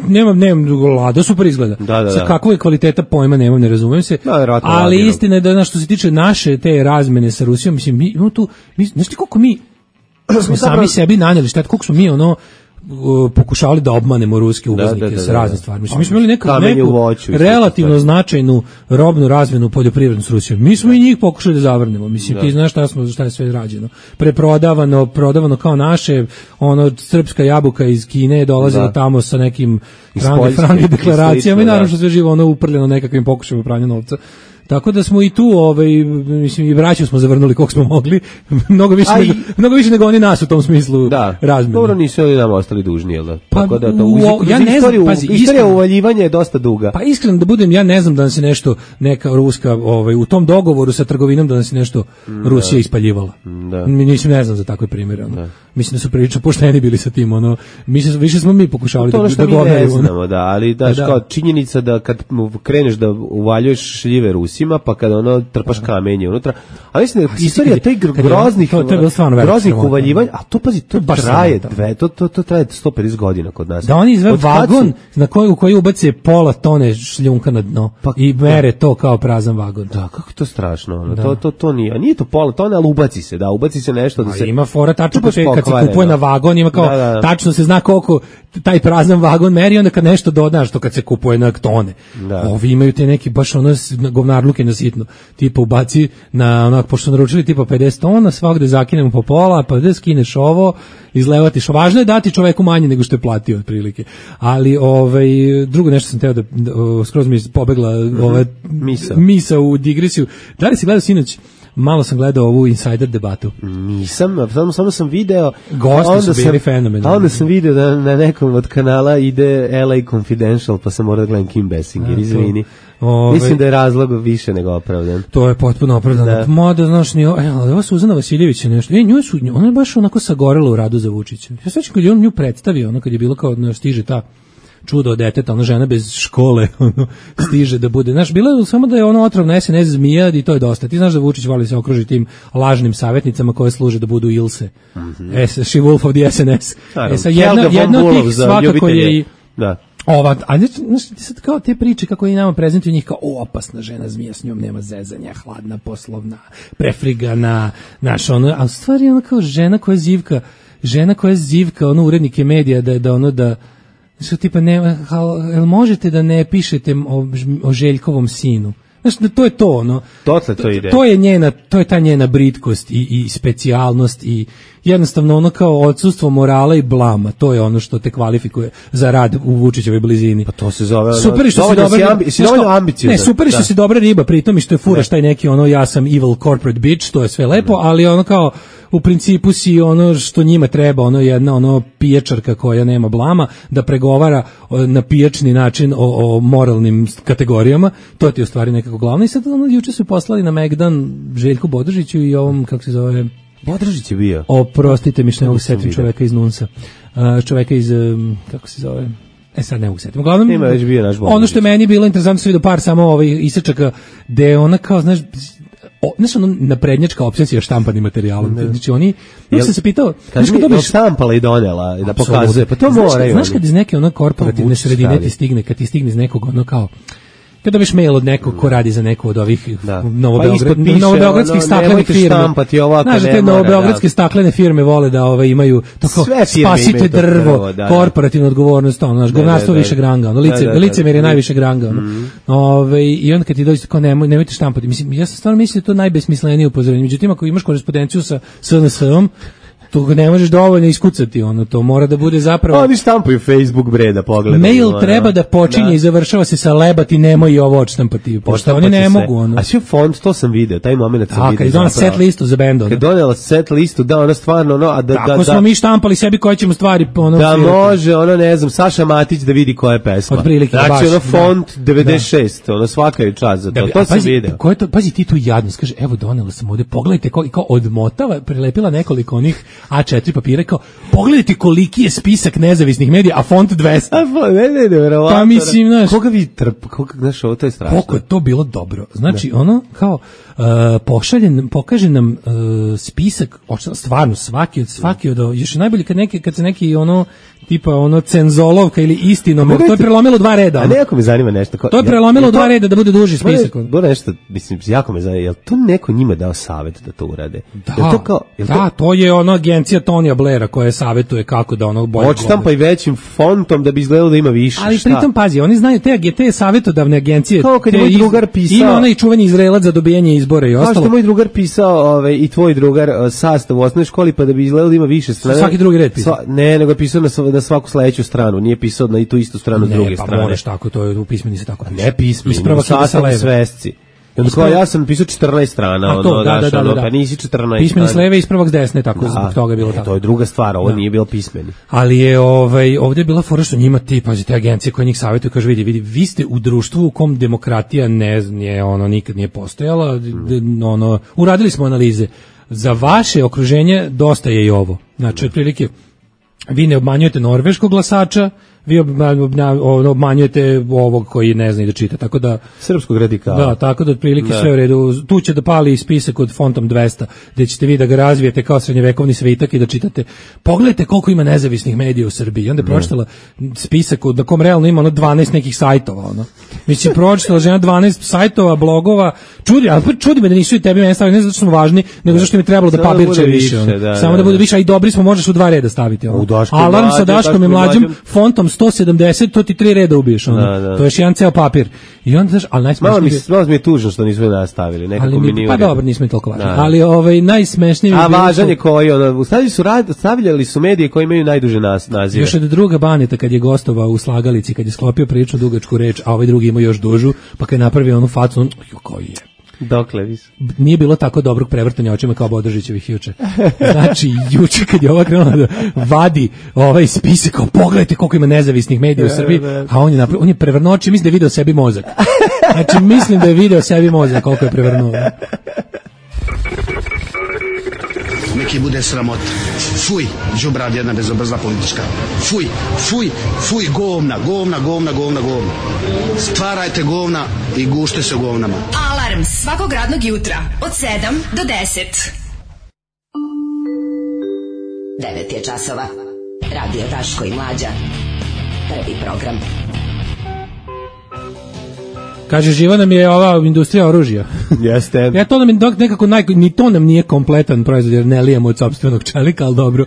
Nemam lada, super izgleda. Sa kakva je kvaliteta pojma, nemam, ne razumijem se. Ali istina je da što se tiče naše te razmene sa Rusijom, mislim, mi imamo tu, znaš ti koliko mi smo sami sebi nanjeli štet, koliko smo mi pokušavali da obmanemo ruske uvoznike sa razne stvari. Mislim, mi smo imali neku relativno značajnu robnu razmenu poljoprivrednu s Rusijom. Mi smo i njih pokušali da zavrnemo. Mislim, ti znaš šta je sve rađeno. Prodavano kao naše, srpska jabuka iz Kine je dolazila tamo sa nekim frange deklaracijama i naravno što sve živo uprljeno nekakvim pokušajima pranja novca. Tako da smo i tu, mislim, i braću smo zavrnuli koliko smo mogli, mnogo više nego oni nas u tom smislu razmeni. Dobro, nisu oni nam ostali dužni, jel da? Pa, tako da ja ne znam, pazi, istorija uvaljivanja je dosta duga. Pa iskreno da budem, ja ne znam da nas je nešto, neka ruska, u tom dogovoru sa trgovinom da nas je nešto Rusija ispaljivala. Mislim, ne znam za takve primjere. Mislim da su prilično pošteni bili sa tim, više smo mi pokušavali da govorimo. Ne znamo, ali kao činjenica da kad kreneš da uvaljuješ šljive Rusima, pa kada trpaš kamenje unutra. A mislim da istorija tih groznih uvaljivanja, a to pazi, to traje to traje 150 godina kod nas. Da oni izve vagon u koji ubace pola tone šljunka na dno i mere to kao prazan vagon. Da, kako je to strašno. To nije. A nije to pola tone, ali ubaci se nešto da se... Ima fora tačno kad se kupuje na vagon, ima kao tačno se zna koliko taj prazan vagon meri, onda kad nešto dodaš, to kad se kupuje na tone. Ovi imaju te neki baš govnarluke na sitno. Tipa ubaci na pošto su naručili tipa 50 tona, svakde zakinemo po pola, pa da skineš ovo, izlevatiš. Važno je dati čoveku manje nego što je platio otprilike. Ali drugo nešto sam teo da skroz mi pobegla misa u digresiju. Da li si gledao sinoć malo sam gledao ovu Insider debatu. Nisam, samo sam video. Gosti su bili fenomenalni. Onda sam video da na nekom od kanala ide LA Confidential, pa sam morao da gledam Kim Basinger, izvini. Mislim da je razlog više nego opravdan. To je potpuno opravdano. Moda, znaš, ova Suzana Vasiljević je nešto. Ona je baš onako sagorela u radu za Vučića. Ja svećam kad je on nju predstavio, ono kad je bilo kao stiže ta čudo od deteta, ona žena bez škole, ono, stiže da bude. Znaš, bilo je samo da je ono otrovna SNS zmija i to je dosta. Ti znaš da Vučić voli se okruži tim lažnim savjetnicama koje služe da budu Ilse. She Wolf of the SNS. Jedna od tih svakako je i... Da. Ova, a znaš, sad kao te priče kako i nama prezentuju njih kao opasna žena zmija, s njom nema zezanja, hladna, poslovna, prefrigana, znaš, ono, a u stvari ona kao žena koja zivka, ono, urednike medija, da što tipa, jel možete da ne pišete o Željkovom sinu? Znaš, to je to, ono. To je ta njena britkost i specijalnost i jednostavno ono kao odsustvo morala i blama, to je ono što te kvalifikuje za rad u Vučićevoj blizini. Pa to se zove... Super što si dobra... super što si dobra riba, pritom i što je furaš taj neki ono ja sam evil corporate bitch, to je sve lepo, ali ono kao u principu si ono što njima treba, ono jedna ono pijačarka koja nema blama, da pregovara na pijačni način o moralnim kategorijama, to ti je u stvari nekako glavno. I sad ono juče su poslali na Megdan Željku Bodržiću i ovom, kako se zove... Bodržić je bio. Oprostite mi što ne mogu setiti čoveka iz Nunsa. Čoveka iz, kako se zove... Sad ne mogu setiti. Uglavnom, ima već bio naš Bodržić. Ono što je meni bilo interesantno, sam vidio par samo isečaka, gde ona kao, znaš, ono naprednjačka obsesija štampanim materijalom. Znači oni, sam se pitao, znaš kad dobiš štampala i donela da pokazuje, pa to moraju. Znaš kad iz neke ono korporativne sredine ti stigne, kad ti stigne iz nekog ono kao kada dobiš mail od nekog ko radi za neku od ovih novobeogradskih staklenih firmi. Znaš, te novobeogradske staklene firme vole da imaju tako spasite drvo, korporativnu odgovornost, ono, govnarstvo višeg ranga, licemjer je najvišeg ranga. I onda kad ti dođe kao nemojte štampati. Mislim, ja sam stvarno mislim da je to najbesmislenije upozorenje. Međutim, ako imaš korespondenciju sa SNS-om, to ne možeš dovoljno iskucati, ono, to mora da bude zapravo... Oni štampaju Facebook bre da pogledaju. Mail treba da počinje i završava se sa lebati, nemoj i ovo odštampati, pošto oni ne mogu, ono. A sve font, to sam video, taj moment sam video. Kad je donala set listu za bend, ono. Kad je donala set listu, da, ona stvarno, ono... Tako smo mi štampali sebi koje ćemo stvari, ono... Da može, ono, ne znam, Saša Matić da vidi koja je pesma. Otprilike, baš. Znači, ono, font 96, ono, svaka je čast za to, to sam video. Pazi ti tu jadnost, kaže, evo, donela sam ovde, pogledajte, kao odmotava, prilepila nekoliko onih A4 papira, kao, pogledajte koliki je spisak nezavisnih medija, a font 200. Verovatno. Pa mislim, znaš... Koga vi znaš, ovo to je strašno. Koliko je to bilo dobro. Znači, ono, kao, pokaže nam spisak, stvarno, svaki od, još je najbolje kad se neki, ono, tipa, ono, cenzolovka ili istinomer, to je prelomilo 2 reda. A neko me zanima nešto. To je prelomilo 2 reda da bude duži spisak. Bilo nešto, mislim, jako me zanima, je li to neko njima dao savjet da to urade? Da, to je ono agencija Tonija Blaira koja savjetuje kako da ono bolje gleda. Odštampa i većim fontom da bi izgledalo da ima više. Ali pritom, pazi, oni znaju te savjetodavne agencije. Kao kad je moj drugar pisao... Ima onaj čuveni Izraelac za dobijanje izbora i ostalo. Kao što je moj drugar pisao i tvoj drugar sastav u osnovnoj školi pa da bi izgledalo da ima više strane. Svaki drugi red pisao. Ne, nego je pisao na svaku sledeću stranu, nije pisao na tu istu stranu s druge strane. Ne, pa moraš tako, to je u pismeni se tako piše. Ne pismeni, u sastavnoj svesci. Ja sam pisao 14 strana, pa nisi 14. Pismeni s leve, ispravak s desne, tako zbog toga je bilo tako. To je druga stvar, ovo nije bilo pismeni. Ali je ovdje je bila fora što njima te agencije koje njih savjetuju, kaže vidi, vi ste u društvu u kom demokratija nikad nije postojala, uradili smo analize. Za vaše okruženje dosta je i ovo. Znači, otprilike, vi ne obmanjujete norveškog glasača, vi obmanjujete ovog koji ne zna i da čita, tako da... Srpskog radikala. Da, tako da otprilike sve u redu. Tu će da pali spisak od fontom 200, gde ćete vi da ga razvijete kao srednjevekovni svitak i da čitate. Pogledajte koliko ima nezavisnih medija u Srbiji. I onda je pročitala spisak na kom realno ima 12 nekih sajtova. Mislim, pročitala žena 12 sajtova, blogova. Čudi me da nisu i tebi meni stavili, ne zato što smo važni, nego zato što mi je trebalo da papirče više. Samo da bude više, a i dobri smo, možeš u 2 reda staviti. Alarm sa Daškom i Mlađom, fontom 170, to ti 3 reda ubiješ. To je još jedan ceo papir. I onda znaš, ali najsmešnije... Malo mi je tužno što nismo nastavili. Pa dobro, nismo i toliko važni. Ali najsmešnije... A važan je koji, stavljali su medije koji imaju najduže nazive. Još od druga Baneta kad je gostovao u Slagalici, kad je sklopio priču dugačku reč, a ovaj drugi ima još dužu, pa kad je napravio onu facu, koji je... Dokle više? Nije bilo tako dobrog prevrtanja očima kao Bodržićevih juče. Znači, juče kad je ova krenula da vadi ovaj spisak, kao pogledajte koliko ima nezavisnih medija u Srbiji, a on je prevrnuo oči, mislim da je video sebi mozak. Znači, mislim da je video sebi mozak koliko je prevrnuo. Neki bude sramota. Fuj, đubrad jedna bezobrazna politička. Fuj, fuj, fuj, govna. Stvarajte govna i gušte se govnama. Alarm svakog radnog jutra od 7 do 10. 9 je časova. Radio Daško i Mlađa. Prvi program. Kaže, živa nam je ova industrija oružja. Jeste. Ja to nam je nekako ni to nam nije kompletan proizvod, jer ne lijemo od sopstvenog čelika, ali dobro.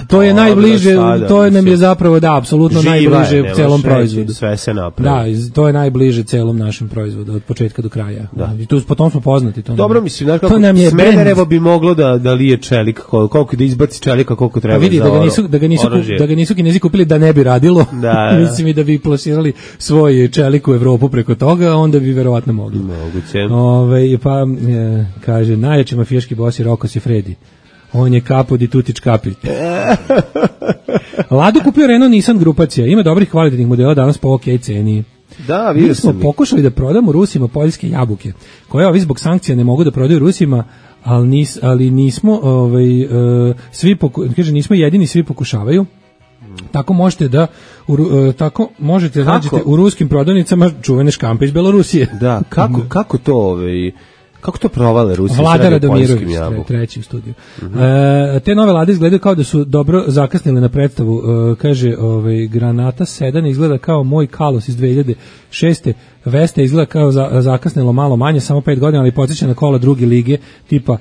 To je najbliže, to nam je zapravo, da, apsolutno najbliže celom proizvodu. Sve se napravi. Da, to je najbliže celom našem proizvodu, od početka do kraja. Da. I tu potom smo poznati. Dobro, mislim, znaš kako Smederevo bi moglo da lije čelik, koliko da izbaci čelika, koliko treba vidi, za oružje. Da ga nisu Kinezi kupili da ne bi radilo, mislim i da bi plasirali svoj čelik u Evropu preko toga, onda bi verovatno mogli. Moguće. Pa, kaže, najjači mafijaški bos je Rocco Siffredi. On je kapo di tuti čkapi. Lado kupio Renault Nissan grupacija. Ima dobrih kvalitetnih modela danas po ok ceni. Da, vidio mi smo pokušali da prodamo Rusima poljske jabuke, koje ovi zbog sankcija ne mogu da prodaju Rusima, ali nismo nismo jedini, svi pokušavaju. Tako možete da nađete u ruskim prodavnicama čuvene škampe iz Belorusije. Da, kako to provale Rusi? Vlada Radomirović, treći u studiju. Te nove lade izgledaju kao da su dobro zakasnile na predstavu. Kaže, Granata 7 izgleda kao moj Kalos iz 2006. Vesta izgleda kao zakasnilo malo manje, samo 5 godina, ali podsjeća na kola druge lige tipa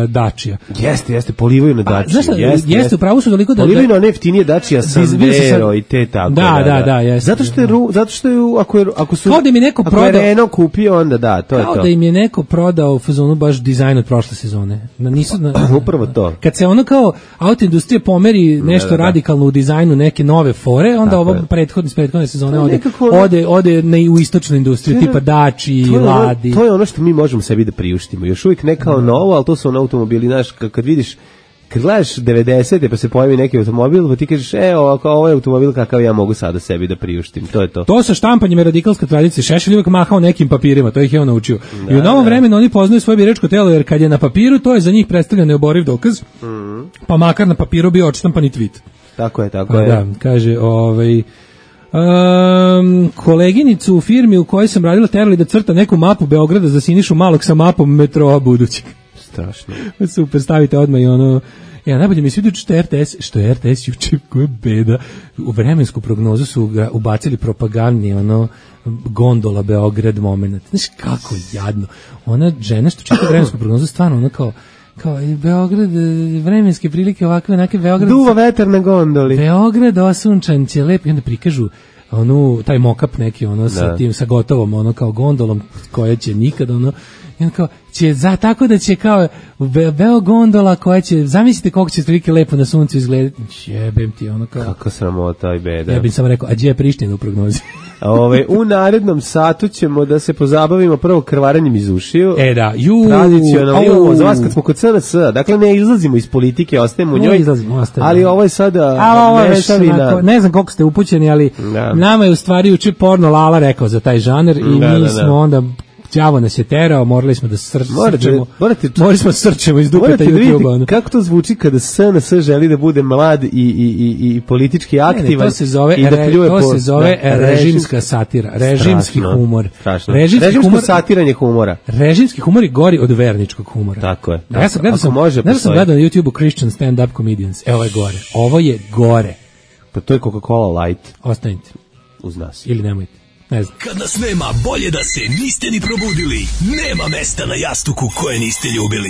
Dacia. Jeste, polivaju na Dacia. Jeste, upravo su toliko da... Polivaju na one jeftinije Dacia, Sandero i te tako. Da, jeste. Zato što je, ako su... Kao da im je neko prodao... Ako je Renault kupio, onda da, to je to. Kao da im je neko prodao u fazonu baš dizajn od prošle sezone. Upravo to. Kad se ono kao auto industrija pomeri nešto radikalno u dizajnu neke nove fore, onda ovo prethodne sezone ode u istočnu industriju, tipa Daci, Ladi. To je ono što mi možemo sebi da priuštimo. Još uvijek ne kao novo, ali to su ono automobili, znaš, kad vidiš, kad gledaš 90. pa se pojavi neki automobil, pa ti kažeš, ovo je automobil kakav ja mogu sada sebi da priuštim, to je to. To sa štampanjem je radikalska tradicija. Šešelj uvijek mahao nekim papirima, to ih je on naučio. I u novom vremenu oni poznaju svoje biračko telo, jer kad je na papiru, to je za njih predstavljen neoboriv dokaz, pa makar na papiru bio odštampani tweet. Tako je. Da, kaže, koleginicu u firmi u kojoj sam radila terali da crta neku mapu Beograda za Sinišu Malog sa mapom metroa budućeg. Strašno. Super, stavite odmah i ono... najbolje mi se vidi što je RTS juče, koja beda. U vremensku prognozu su ga ubacili propagandni, gondola Beograd moment. Znaš kako jadno. Ona žena što čita vremensku prognozu, stvarno ona kao Beograd, vremenske prilike ovakve, onake Beograd... Duva vetar na gondoli. Beograd osunčan će lep, i onda prikažu taj mock-up neki, sa gotovom, kao gondolom, koja će nikad, i on kao, tako da će kao gondola koja će, zamislite koliko će prilike lepo na suncu izgledati, jebem ti, kao... Kako sramota i beda. Ja bih sam rekao, a gdje je Priština u prognozi? U narednom satu ćemo da se pozabavimo prvo krvarenjem iz ušiju. Da, tradicionalno, za vas kad smo kod SNS, dakle ne izlazimo iz politike, ostajemo u njoj, ali ovo je sada mešavina. Ne znam koliko ste upućeni, ali nama je u stvari uči porno Lala rekao za taj žanr i mi smo onda... Đavo nas je terao, morali smo da srčemo iz dupeta YouTube-a. Kako to zvuči kada SNS želi da bude mlad i politički aktivan? To se zove režimska satira, režimski humor. Režimsko satiranje humora. Režimski humor je gori od verničkog humora. Tako je. Ja sam gledao na YouTube-u Christian stand-up comedians. Ovo je gore. Ovo je gore. Pa to je Coca-Cola Light. Ostanite. Uz nas. Ili nemojte. Ne znam. Kad nas nema, bolje da se niste ni probudili. Nema mesta na jastuku koje niste ljubili.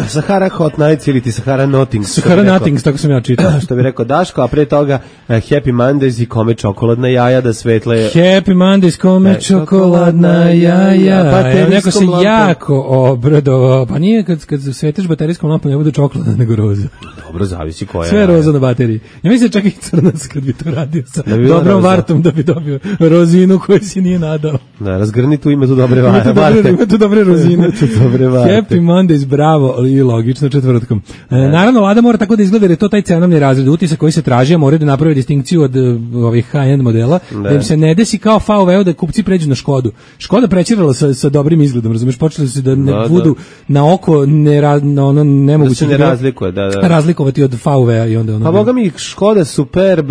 Sahara Hot Nights ili ti Sahara Nothings. Sahara Nothings, tako sam ja čitao. Što bi rekao Daško, a pre toga Happy Mondays i kome čokoladna jaja da svetle... Happy Mondays, kome čokoladna jaja. Pa neko se jako obradovao. Pa nije kad sveteš baterijskom lampom ne bude čokolada nego roza. Dobro, zavisi koja. Sve roza na bateriji. Ja mislim čak i crnac kad bi to radio sa dobrom vartom da bi dobio rozinu koju si nije nadao. Da, razgrni tu, ima tu dobre varte. Ima tu dobre rozine. Happy Mondays, bravo, i logično četvrtkom. Naravno, Lada mora tako da izgleda jer je to taj cenovni razred utisak koji se traži, a mora da napravi distinkciju od ovih high-end modela, da im se ne desi kao VW da kupci pređu na Škodu. Škoda prećerala sa dobrim izgledom, razumeš, počeli su da ne budu na oko nemoguće da se ne razlikuje, razlikovati od VW i onda ono. Pa boga mi Škoda Superb,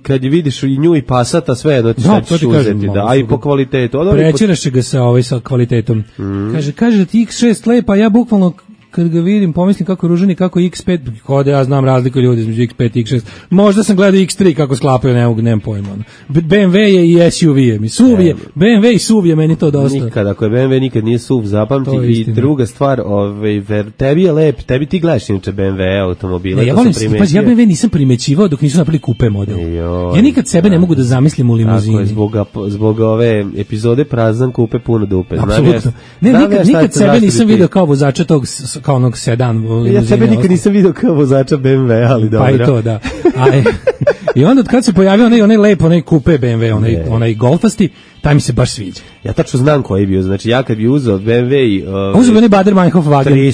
kad je vidiš i nju i Passata, sve jedno ti ćeš uzeti, a i po kvalitetu. Prećeraš ga sa kvalitetom. Kaže da ti X6 lepa, ja bukvalno kad ga vidim, pomislim kako ružani, kako X5, kod ja znam razliku ljudi između X5 i X6. Možda sam gledao X3 kako sklapaju, nemam pojma. BMW je i SUV je. SUV je, BMW i SUV je meni to dosta. Nikad, ako je BMW nikad nije SUV, zapamti. I druga stvar, tebi je lep, tebi ti gledaš inače BMW automobila. Ne, ja BMW nisam primećivao dok nisu napravili kupe model. Ja nikad sebe ne mogu da zamislim u limuzini. Zbog ove epizode prazan kupe puno dupe. Apsolutno. Nikad sebe nisam video kao vozača tog kao onog sedan. Ja sebe nikad nisam vidio kao vozača BMW, ali dobro. Pa i to, da. I onda kad se pojavio onaj lep, onaj kupe BMW, onaj golfasti, taj mi se baš sviđa. Ja tačno znam koji je bio, znači ja kad bi uzeo BMW i... uzeo bi onaj Bader-Meinhof wagen.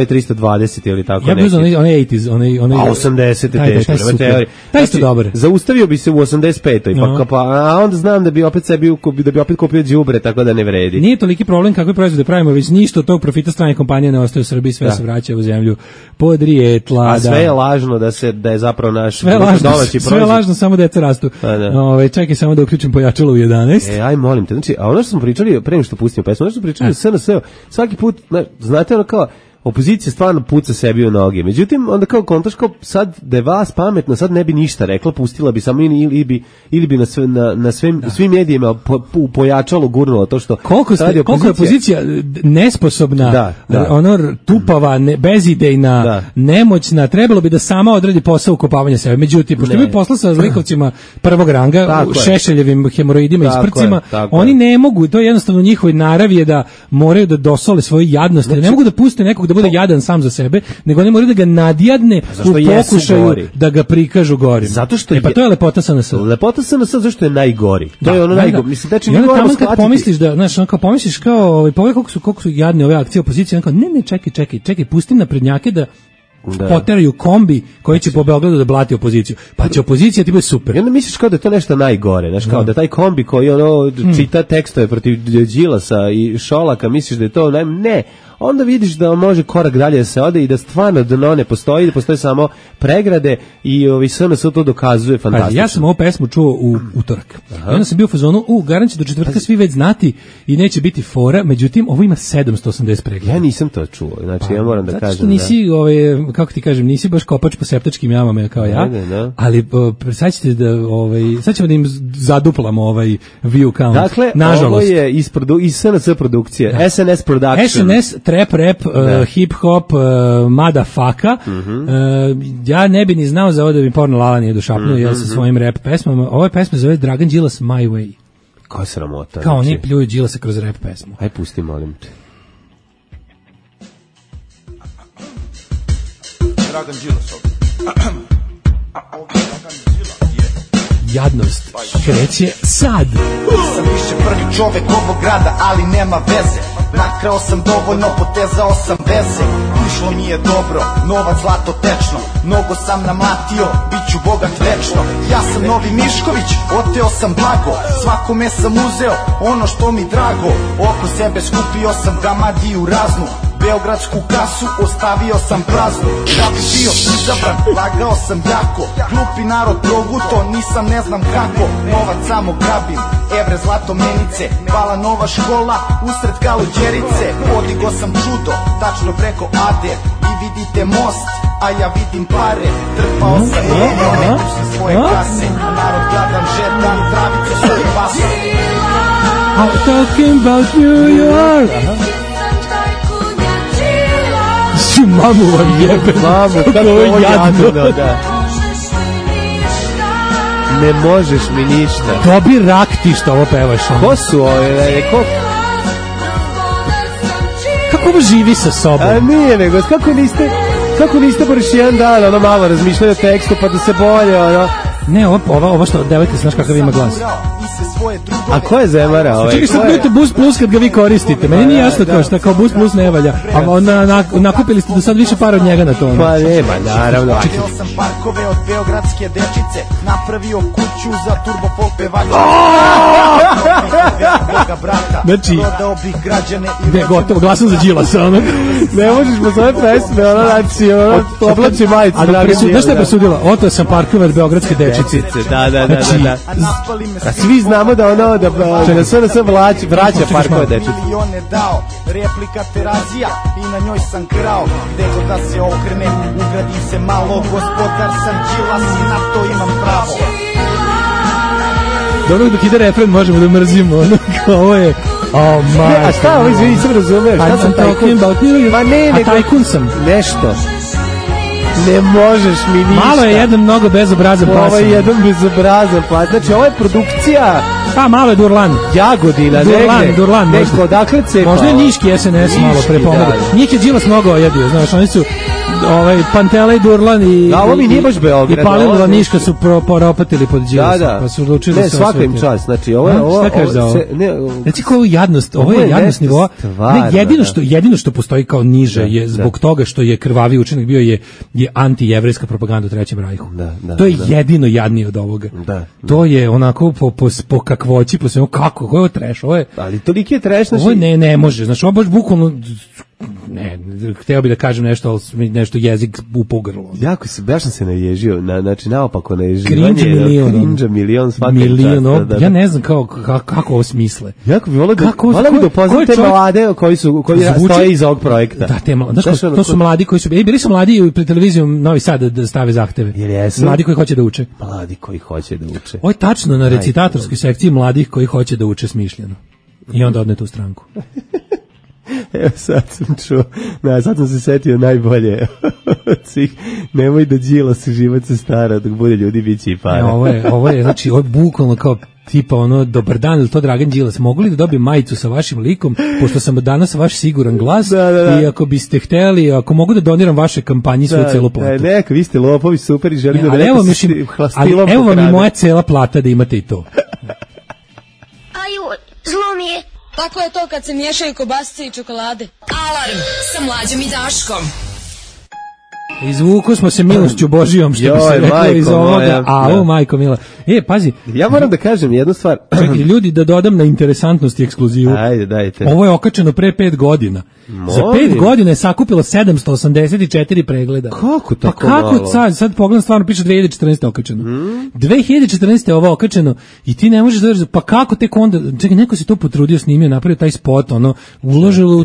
320 ili tako neki. Ja bi uzeo onaj 80s, onaj... A 80 teško, prema teoriji. Taj isto dobar. Zaustavio bi se u 85. A onda znam da bi opet kupio đubre, tako da ne vredi. Nije toliki problem kakve proizvode pravimo, već ništa od tog profita strane kompanije ne ostaje u Srbiji, sve se vraća u zemlju podrijetla. A sve je lažno da je zapravo naš domaći proizvod. Sve je lažno, samo deca rastu. Čekaj samo da uključim pojačalo u 11. Aj, molim te, znači, a ono što smo pričali, pre nego što pustimo pesmu, ono što smo pričali SNS, svaki put, znate ono kao, opozicija stvarno puca sebi u noge. Međutim, onda kao kontaš kao sad da je vas pametno, sad ne bi ništa rekla, pustila bi samo ili bi na svim medijima pojačalo, gurnula to što... Koliko je opozicija nesposobna, tupava, bezidejna, nemoćna, trebalo bi da sama odradi posao ukopavanja sebe. Međutim, pošto mi posla sa zlikovcima prvog ranga, Šešeljevim hemoroidima i sprcima, oni ne mogu, to je jednostavno njihovoj naravi je da moraju da dosole svoju jadnost, ne mogu da puste nekog da bude jadan sam za sebe, nego oni moraju da ga nadjadne u pokušaju da ga prikažu gorim. Zato što pa to je lepota SNS. Lepota SNS zašto je najgori. To je ono najgori. Mislim da mi moramo shvatiti. Pomisliš da, znaš, kao pomisliš kao, koliko su jadne ove akcije opozicije, kao ne, čekaj, pusti naprednjake da poteraju kombi koji će po Beogradu da blati opoziciju. Pa će opozicija ti bude super. I onda misliš kao da je to nešto najgore, znaš, kao da taj kombi koji čita tekstove protiv Đilasa i Šolaka, misliš da je to ne. Onda vidiš da može korak dalje da se ode i da stvarno dno ne postoji, da postoje samo pregrade i SNS to dokazuje fantastično. Ja sam ovu pesmu čuo u utorak. I onda sam bio u fazonu, garant će do četvrtka svi već znati i neće biti fora, međutim ovo ima 780 pregleda. Ja nisam to čuo, znači ja moram da kažem. Zato što nisi, kako ti kažem, nisi baš kopač po septačkim jamama kao ja, ali sad ćemo da im zaduplamo ovaj view count. Dakle, ovo je iz SNS produkcije, SNS Production. Trap rap, hip-hop, motherfucka. Ja ne bi ni znao za ovo da bi porno Lala nije došapnuo sa svojim rap pesmama. Ove pesme zove Dragan Đilas My Way. Koja sramota. Kao oni pljuju Đilasa kroz rap pesmu. Aj pusti, molim te. Dragan Đilas Jadnost kreće sad. Sam više prvi čovek ovog grada, ali nema veze. Nakrao sam dovoljno, potezao sam veze. Išlo mi je dobro, novac zlato tečno. Mnogo sam namlatio, bit ću bogat večno. Ja sam Novi Mišković, oteo sam blago. Svakome sam uzeo ono što mi drago. Oko sebe skupio sam gamadiju raznu. Beogradsku kasu ostavio sam praznu. Da bi bio izabran, lagao sam jako. Glupi narod proguto, nisam ne znam kako. Novac samo grabim, evre zlato menice. Pala nova škola, usred Kaluđerice. Podigo sam čudo, tačno preko Ade. Vi vidite most, a ja vidim pare. Trpao sam milijone sa svoje kase. Narod gladan žeta, travicu svoje pase. I'm talking about New York. Mamu vam jebe. Mamu, kako ovo jadno, da. Ne možeš mi ništa. Dobi rak ti što ovo pevaš. Ko su ove? Kako ovo živi sa sobom? A nije nego, kako niste baš jedan dan ono malo razmišljali o tekstu pa da se bolje ono. Ne, ovo što devojka, znaš kakav ima glas. A ko je Zemara? Čekaj, sad budete Bus Plus kad ga vi koristite. Meni nije jasno kao šta, kao Bus Plus ne valja. A nakupili ste do sad više para od njega na to. Pa nema, naravno. Čekaj. Sam parkove od beogradske dečice, napravio kuću za turbo folk pevača. Znači, prodao bih građane i ne, gotovo, glasam za Đilasa, ono. Ne možeš po svoje pesme, ono, znači, ono, oblači majicu. Znaš šta je presudila? Oto sam parkove od beogradske dečice. Da. A svi znamo da ono, da sve vraća parkove dečice. Milione dao, replika terazija i na njoj sam krao. Gde god da se okrene, ugradim se malo, gospodar sam Đilas i na to imam pravo. Dobro, dok ide refren možemo da mrzimo, ono, kao ovo je... Oh, a šta ovo, izvini, sam razumeo, šta sam tajkun? Ma ne, a tajkun sam. Nešto. Ne možeš mi ništa. Malo je jedan mnogo bezobrazan pas. Ovo je jedan bezobrazan pas. Znači, ovo je produkcija... Pa, malo je Durlan. Jagodina, Durlan. Neko, odakle cepa? Možda je Niški SNS malo prepomogao. Njih je Đilas mnogo ojadio, znaš, oni su... Pantela i Durlan i ovo mi nije baš Beograd. I Palilula Niška su poropatili pod Đilasa. Da. Pa su odlučili ne, svaka im čast. Znači, ovo šta kažeš za ovo? Znači, kao jadnost, ovo je jadnost nivoa. Jedino što postoji kao niže je zbog toga što je krvavi učinak bio je antijevrejska propaganda u Trećem rajhu. To je jedino jadnije od ovoga. To je onako po kakvoći, po svemu, kako, ovo je trash, ovo je... Ali toliki je trash, znači... Ovo ne može, znači, ovo baš bukvalno... Ne, hteo bih da kažem nešto, ali nešto jezik upao grlo. Baš sam se naježio, znači naopako naježio. Cringe milion svaki čast. Ja ne znam kako ovo smisle. Jako bi volio da upoznam te mlade koji stoje iza ovog projekta. Da, to su mladi koji su, bili su mladi i pred televizijom Novi Sad da stave zahteve. Mladi koji hoće da uče. Mladi koji hoće da uče. Ovo je tačno na recitatorskoj sekciji mladih koji hoće da uče smišljeno. I onda odne tu stranku. Evo sad sam čuo, sad sam se setio najbolje od svih, nemoj da Đilas život se stara, dok bude ljudi biće i para. Ovo je, znači, ovo je bukvalno kao tipa ono, dobar dan, ili to Dragan Đilas, mogu li da dobijem majicu sa vašim likom, pošto sam danas vaš siguran glas, i ako biste hteli, ako mogu da doniram vaše kampanji svoju celu platu. Neka, vi ste lopovi, super i želim da evo vam i moja cela plata da imate i to. Aju, zlo mi je. Tako je to kad se miješaju kobasice i čokolade. Alarm sa Mlađom i Daškom. Izvuku smo se milošću Božijom, što bi se reklo iz ovoga. Majko mila. Pazi. Ja moram da kažem jednu stvar. Čekaj, ljudi, da dodam na interesantnost i ekskluzivu. Ajde, dajte. Ovo je okačeno pre 5 godina. Za 5 godina je sakupilo 784 pregleda. Kako tako pa kako malo? Sad pogledam, stvarno piše 2014. okačeno. 2014. je ovo okačeno i ti ne možeš da veriš, pa kako tek onda, čekaj, neko se to potrudio, snimio, napravio taj spot, ono,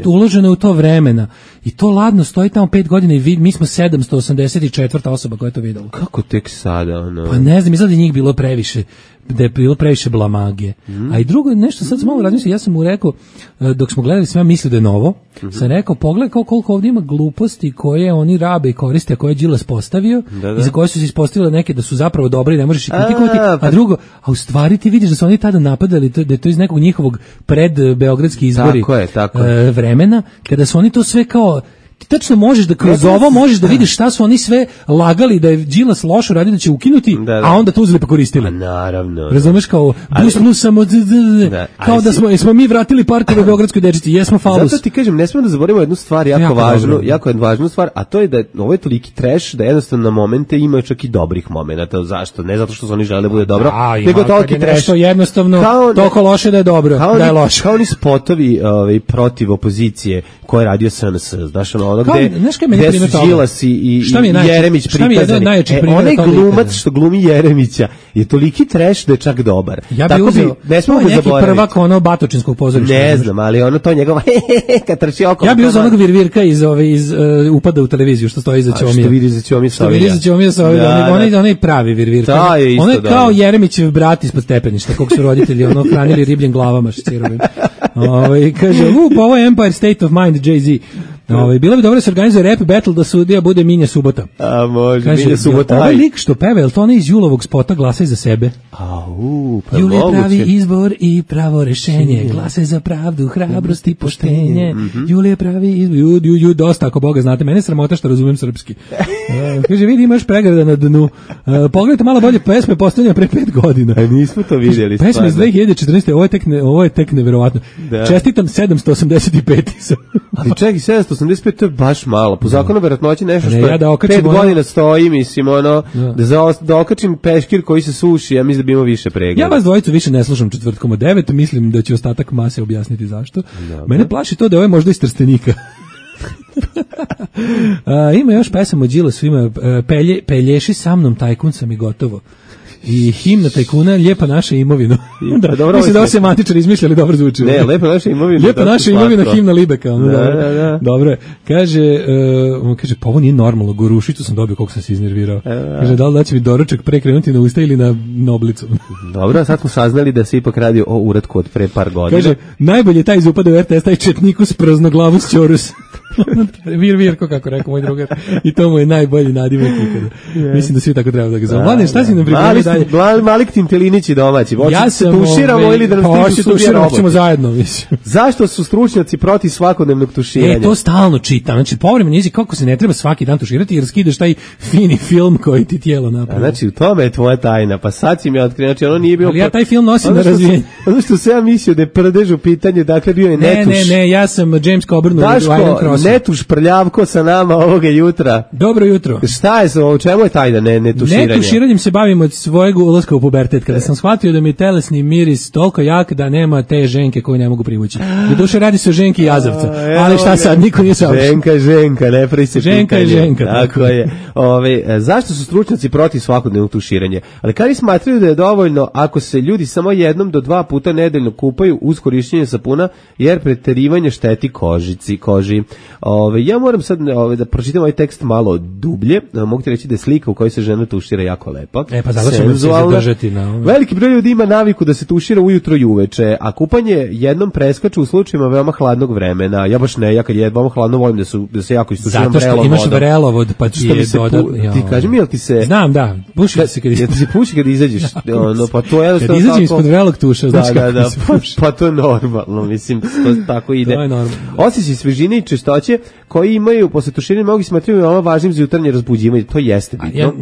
uloženo u to vremena. I to ladno stoji tamo 5 godina i mi smo 784. osoba koja je to videla. Kako tek sada, ono? Pa ne znam, izgleda da je njih bilo previše, da je bilo previše blamage. A i drugo, nešto sad sam malo razmislio, ja sam mu rekao, dok smo gledali, sam ja mislio da je novo, sam rekao, pogledaj koliko ovdje ima gluposti koje oni rabe i koriste, a koje je Đilas postavio, i za koje su se ispostavile neke da su zapravo dobre i ne možeš ih kritikovati, a drugo, a u stvari ti vidiš da su oni tada napadali, da je to iz nekog njihovog predbeogradski izbori vremena, kada su oni to sve kao, tačno možeš da kroz ovo možeš da vidiš šta su oni sve lagali da je Đilas loše radio da će ukinuti, a onda to uzeli pa koristili. Naravno. Razumeš, kao kao da smo mi vratili parkove beogradskoj dečici, jesmo falus. Zato ti kažem, ne smemo da zaboravimo jednu stvar jako važnu stvar, a to je da ovo je toliki trash da jednostavno na momente ima čak i dobrih momenata. Zašto? Ne zato što su oni žele da bude dobro, nego toliki trash. Jednostavno toliko loše da je dobro, da je loše. Kao oni spotovi protiv opozicije koje je radio SNS, znaš, ono gde su Đilas i Jeremić prikazani. Onaj glumac što glumi Jeremića je toliki trash da je čak dobar. Ja bih uzeo, to je neki prvak ono batočinskog pozorišta. Ne znam, ali ono to njegova kad trči oko. Ja bih uzeo onog virvirka iz upada u televiziju što stoji iza Ćomija. Što vidi za Ćomija Savija. Onaj pravi virvirka. On je kao Jeremićev brat ispod stepeništa, kog su roditelji ono hranili ribljim glavama šcirovim. Kaže, pa ovo je Empire State of Mind, Jay-Z. Bilo bi dobro da se organizuje rap battle da sudija bude Minja Subota. A može, kaže, Minja Subota. Ovaj lik što peva, je li to onaj iz Julovog spota Glasaj za sebe? Pa Jul je pravi izbor i pravo rešenje, glasaj za pravdu, hrabrost i poštenje. Jul je pravi izbor, dosta ako Boga znate, mene sramota što razumem srpski. Kaže, vidi imaš pregrada na dnu. Pogledajte malo bolje pesme postavljene pre 5 godina. Nismo to vidjeli. Pesme iz 2014. Ovo je tek neverovatno. Da. Čestitam 785. Ali čekaj, 785 to je baš malo. Po zakonu verovatnoće nešto što ja da 5 godina stoji, mislim, da okačim peškir koji se suši, ja mislim da bi imao više pregleda. Ja vas dvojicu više ne slušam četvrtkom od 9, mislim da će ostatak mase objasniti zašto. Dobre. Mene plaši to da je možda iz Trstenika. Ima još pesama od Đilasu, ima Pelješi sa mnom, tajkun sam i gotovo. I himna tajkuna Lijepa naša imovina. Da, mislim da ovo semantičar izmišljali, dobro zvuči. Ne, Lijepa naša imovina. Lijepa naša imovina, himna Libeka. Da. Dobro je. Kaže, pa ovo nije normalno, gorušicu sam dobio koliko sam se iznervirao. Kaže, da li da će mi doručak pre krenuti na usta ili na oblicu? Dobro, sad smo saznali da se ipak radi o uratku od pre par godina. Kaže, najbolje je taj iz upada u RTS, taj četnikus praznoglavus ćorus. Virko, kako rekao moj drugar. I to mu je najbolji nadimak ikada. Mislim da svi tako treba da ga zove. Mladen, šta si nam pripremio dalje? Malik Tintelinići domaći. Ja sam tuširamo ili da nas tuširamo, hoćemo zajedno, mislim. Zašto su stručnjaci protiv svakodnevnog tuširanja? To stalno čitam. Znači, povremeno jezik kako se ne treba svaki dan tuširati jer skidaš taj fini film koji ti tijelo napravi. Znači, u tome je tvoja tajna. Pa sad si mi otkrio, znači ono nije bio. Ali ja taj film nosim na razvijenje. Ono što se ja mislio da je prdež u pitanju, dakle bio je netuš. Ne, ja sam James Coburn u Iron Cross. Netuš prljavko sa nama ovoga jutra. Dobro jutro. Šta je o čemu je tajna netuširanje? Netuširanjem se bavim od svojeg ulaska u pubertet, kada sam shvatio da mi je telesni miris toliko jak da nema te ženke koju ne mogu privući. Do duše radi se o ženki jazavca, ali šta sad, niko nije savršen. Ženka, ne pravi se pitanje. Ženka. Tako je. Zašto su stručnjaci protiv svakodnevnog tuširanja? Ali kada smatraju da je dovoljno ako se ljudi samo jednom do 2 puta nedeljno kupaju uz korišćenje sapuna, jer preterivanje šteti koži. Ja moram sad da pročitam ovaj tekst malo dublje. Mogu ti reći da je slika u kojoj se žena tušira jako lepa. Pa zato ćemo se zadržati na ovo. Veliki broj ljudi ima naviku da se tušira ujutro i uveče, a kupanje jednom preskače u slučajima veoma hladnog vremena. Ja baš ne, ja kad je veoma hladno volim da se jako istuširam vrelom vodom. Zato što imaš vrelovod, pa ti je dodatno. Ti kaži mi, jel ti se... Znam, da. Puši se kad izađeš. Ti se puši kad izađeš. Pa to je jednostavno kad izađem ispod vrelog tuša, znači da, pa to je normalno, mislim, to tako ide. To je normalno. Osjećaj svežine i čistoće koji imaju posle tuširanja mnogi smatraju veoma važnim za jutarnje razbuđivanje. To jeste bitno.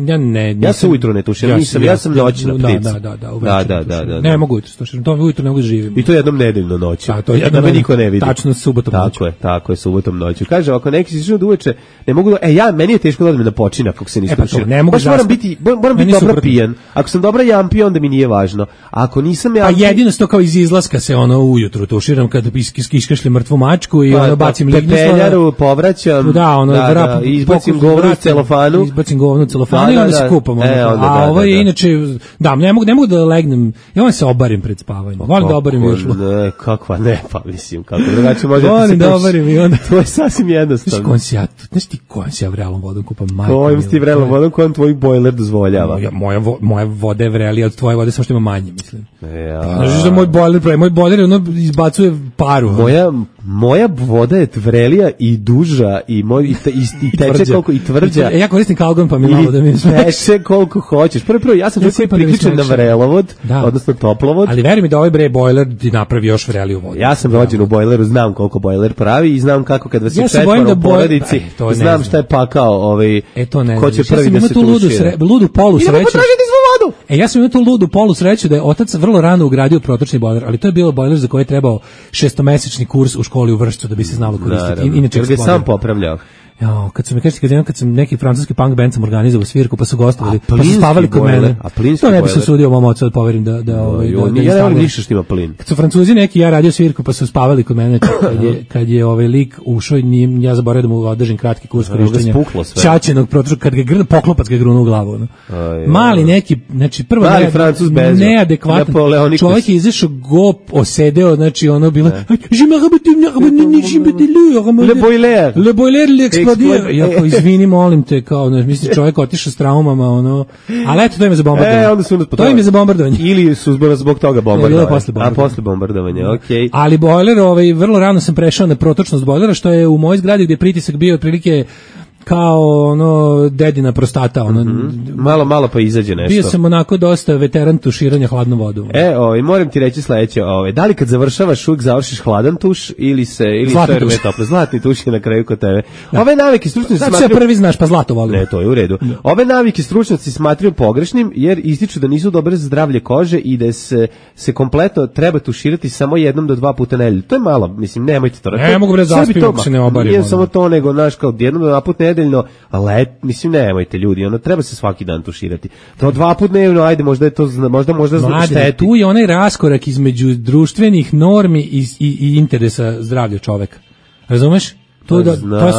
Ja se ujutro ne tuširam, ja sam noćna ptica. Da. Ne mogu ujutro tuširam, to ujutro ne mogu da živim. I to jednom nedeljno noću. Da me niko ne vidi. Tačno subotom noću. Tako je, subotom noću. Kaže, ako neki se do uveče, ne mogu meni je teško da odem na počinak ako se ne istuširam. Moram biti dobro pijan. Ako sam dobra jampi, onda mi nije važno. Ako nisam jampi... Pa jedino sto kao iz izlaska se ujutru tuširam kad iskašljem mrtvu mačku i bacim lignju. Pepeljaru povraćam. Izbacim govno u celofanu. I onda se kupam. A ovo je inače, ne mogu da legnem, ja volim se obarim pred spavanjem. Volim da obarim viršlu. Ne, kakva ne, pa mislim, kako drugačije može da se volim da obarim i onda... To je sasvim jednostavno. Znaš ti kojom se ja vrelom vodom kupam? Kojom si ti vrelom vodom, kojom tvoj bojler dozvoljava? Moja voda je vrelija od tvoje vode, samo što ima manje, mislim. Znaš da moj bojler izbacuje paru. Moja voda je vrelija i duža i teče koliko i tvrđa. Ja koristim kalgon pa mi malo da mi teče koliko hoćeš. Prvo, ja sam priključen na vrelovod, odnosno toplovod. Ali veri mi da ovaj bojler ti napravi još vreliju vodu. Ja sam rođen u bojleru, znam koliko bojler pravi i znam kako kad vas je četvoro u porodici, znam šta je pakao ko će prvi da se tušira. Ludu polu sreću. Idemo potražiti svu vodu! Ja sam imao tu ludu polu sreću da je otac vrlo rano ugradio protočni bojler, ali to je bilo bojler za koji je trebao 6-mesečni kurs u školi u Vršcu da bi se znalo koristiti. Inače ga sam popravljao. Kad sam neki francuski punk band sam organizovao svirku pa su gostovali, pa su spavali kod mene. To ne bi se sudio mom ocu da poverim da ja ne volim ništa što ima plin. Kad su Francuzi neki, ja radio svirku pa su spavali kod mene kad je lik ušao i ja zaboravio da mu održim kratki kurs korištenja ćaćenog protočka, kad ga poklopac ga grunuo u glavu. Mali neki, znači prvo neadekvatan čovjek je izašao go osedeo, znači ono bilo le boiler Jako izvini, molim te, kao, mislim, čovjek otišao s traumama, ono, ali eto, to im je za bombardovanje. Onda su to im je za bombardovanje. Ili su zbog toga bombardovanje. Posle bombardovanja, okej. Ali bojler, vrlo rano sam prešao na protočnost bojlera, što je u mojoj zgradi gdje je pritisak bio otprilike kao ono dedina prostata, ono malo pa izađe nešto. Bio sam onako dosta veteran tuširanja hladnom vodom. Moram ti reći sledeće, da li kad završavaš uvijek završiš hladan tuš ili zlatni tuš je na kraju kod tebe. Ove navike stručnjaci smatraju, sve prvi znaš, pa zlato volim. Ne, to je u redu. Ove navike stručnjaci smatraju pogrešnim jer ističu da nisu dobre za zdravlje kože i da se kompletno treba tuširati samo 1 do 2 puta nedeljno. To je malo, mislim, nemojte to. Ne mogu bre zaspim ako se ne obarim. Nije samo to, nego naš kao 1 do 2 puta nedeljno, ali mislim nemojte ljudi, ono treba se svaki dan tuširati. To 2 puta dnevno, ajde, možda je to možda šteti. Tu je onaj raskorak između društvenih normi i interesa zdravlja čoveka. Razumeš? To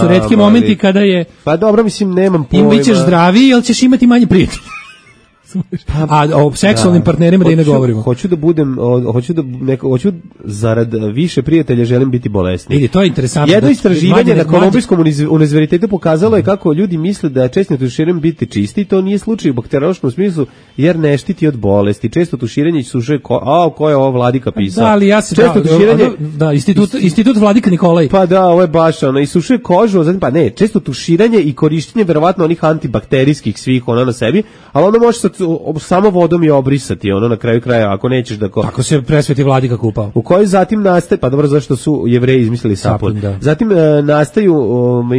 su retki momenti kada je... Pa dobro, mislim, nemam pojma. Bićeš zdraviji, jel ćeš imati manje prijatelja. A o seksualnim partnerima da i ne govorimo. Hoću zarad više prijatelja želim biti bolesni. Vidi, to je interesantno. Jedno istraživanje na Kolumbijskom univerzitetu pokazalo je kako ljudi misle da je često tuširanje biti čisti, to nije slučaj u bakteriološkom smislu jer ne štiti od bolesti. Često tuširanje i suše ko je ovo Vladika pisao? Da, ali ja se institut Vladika Nikolaj. Pa da, ovo je baš i suše kožu, zatim često tuširanje i korištenje verovatno onih antibakterijskih svih na sebi, ali onda može samo vodom je obrisati, na kraju kraja, ako nećeš da... Ako se presveti Vladika kupao. U kojoj zatim nastaje, pa dobro, zašto su Jevreji izmislili sapun. Zatim nastaju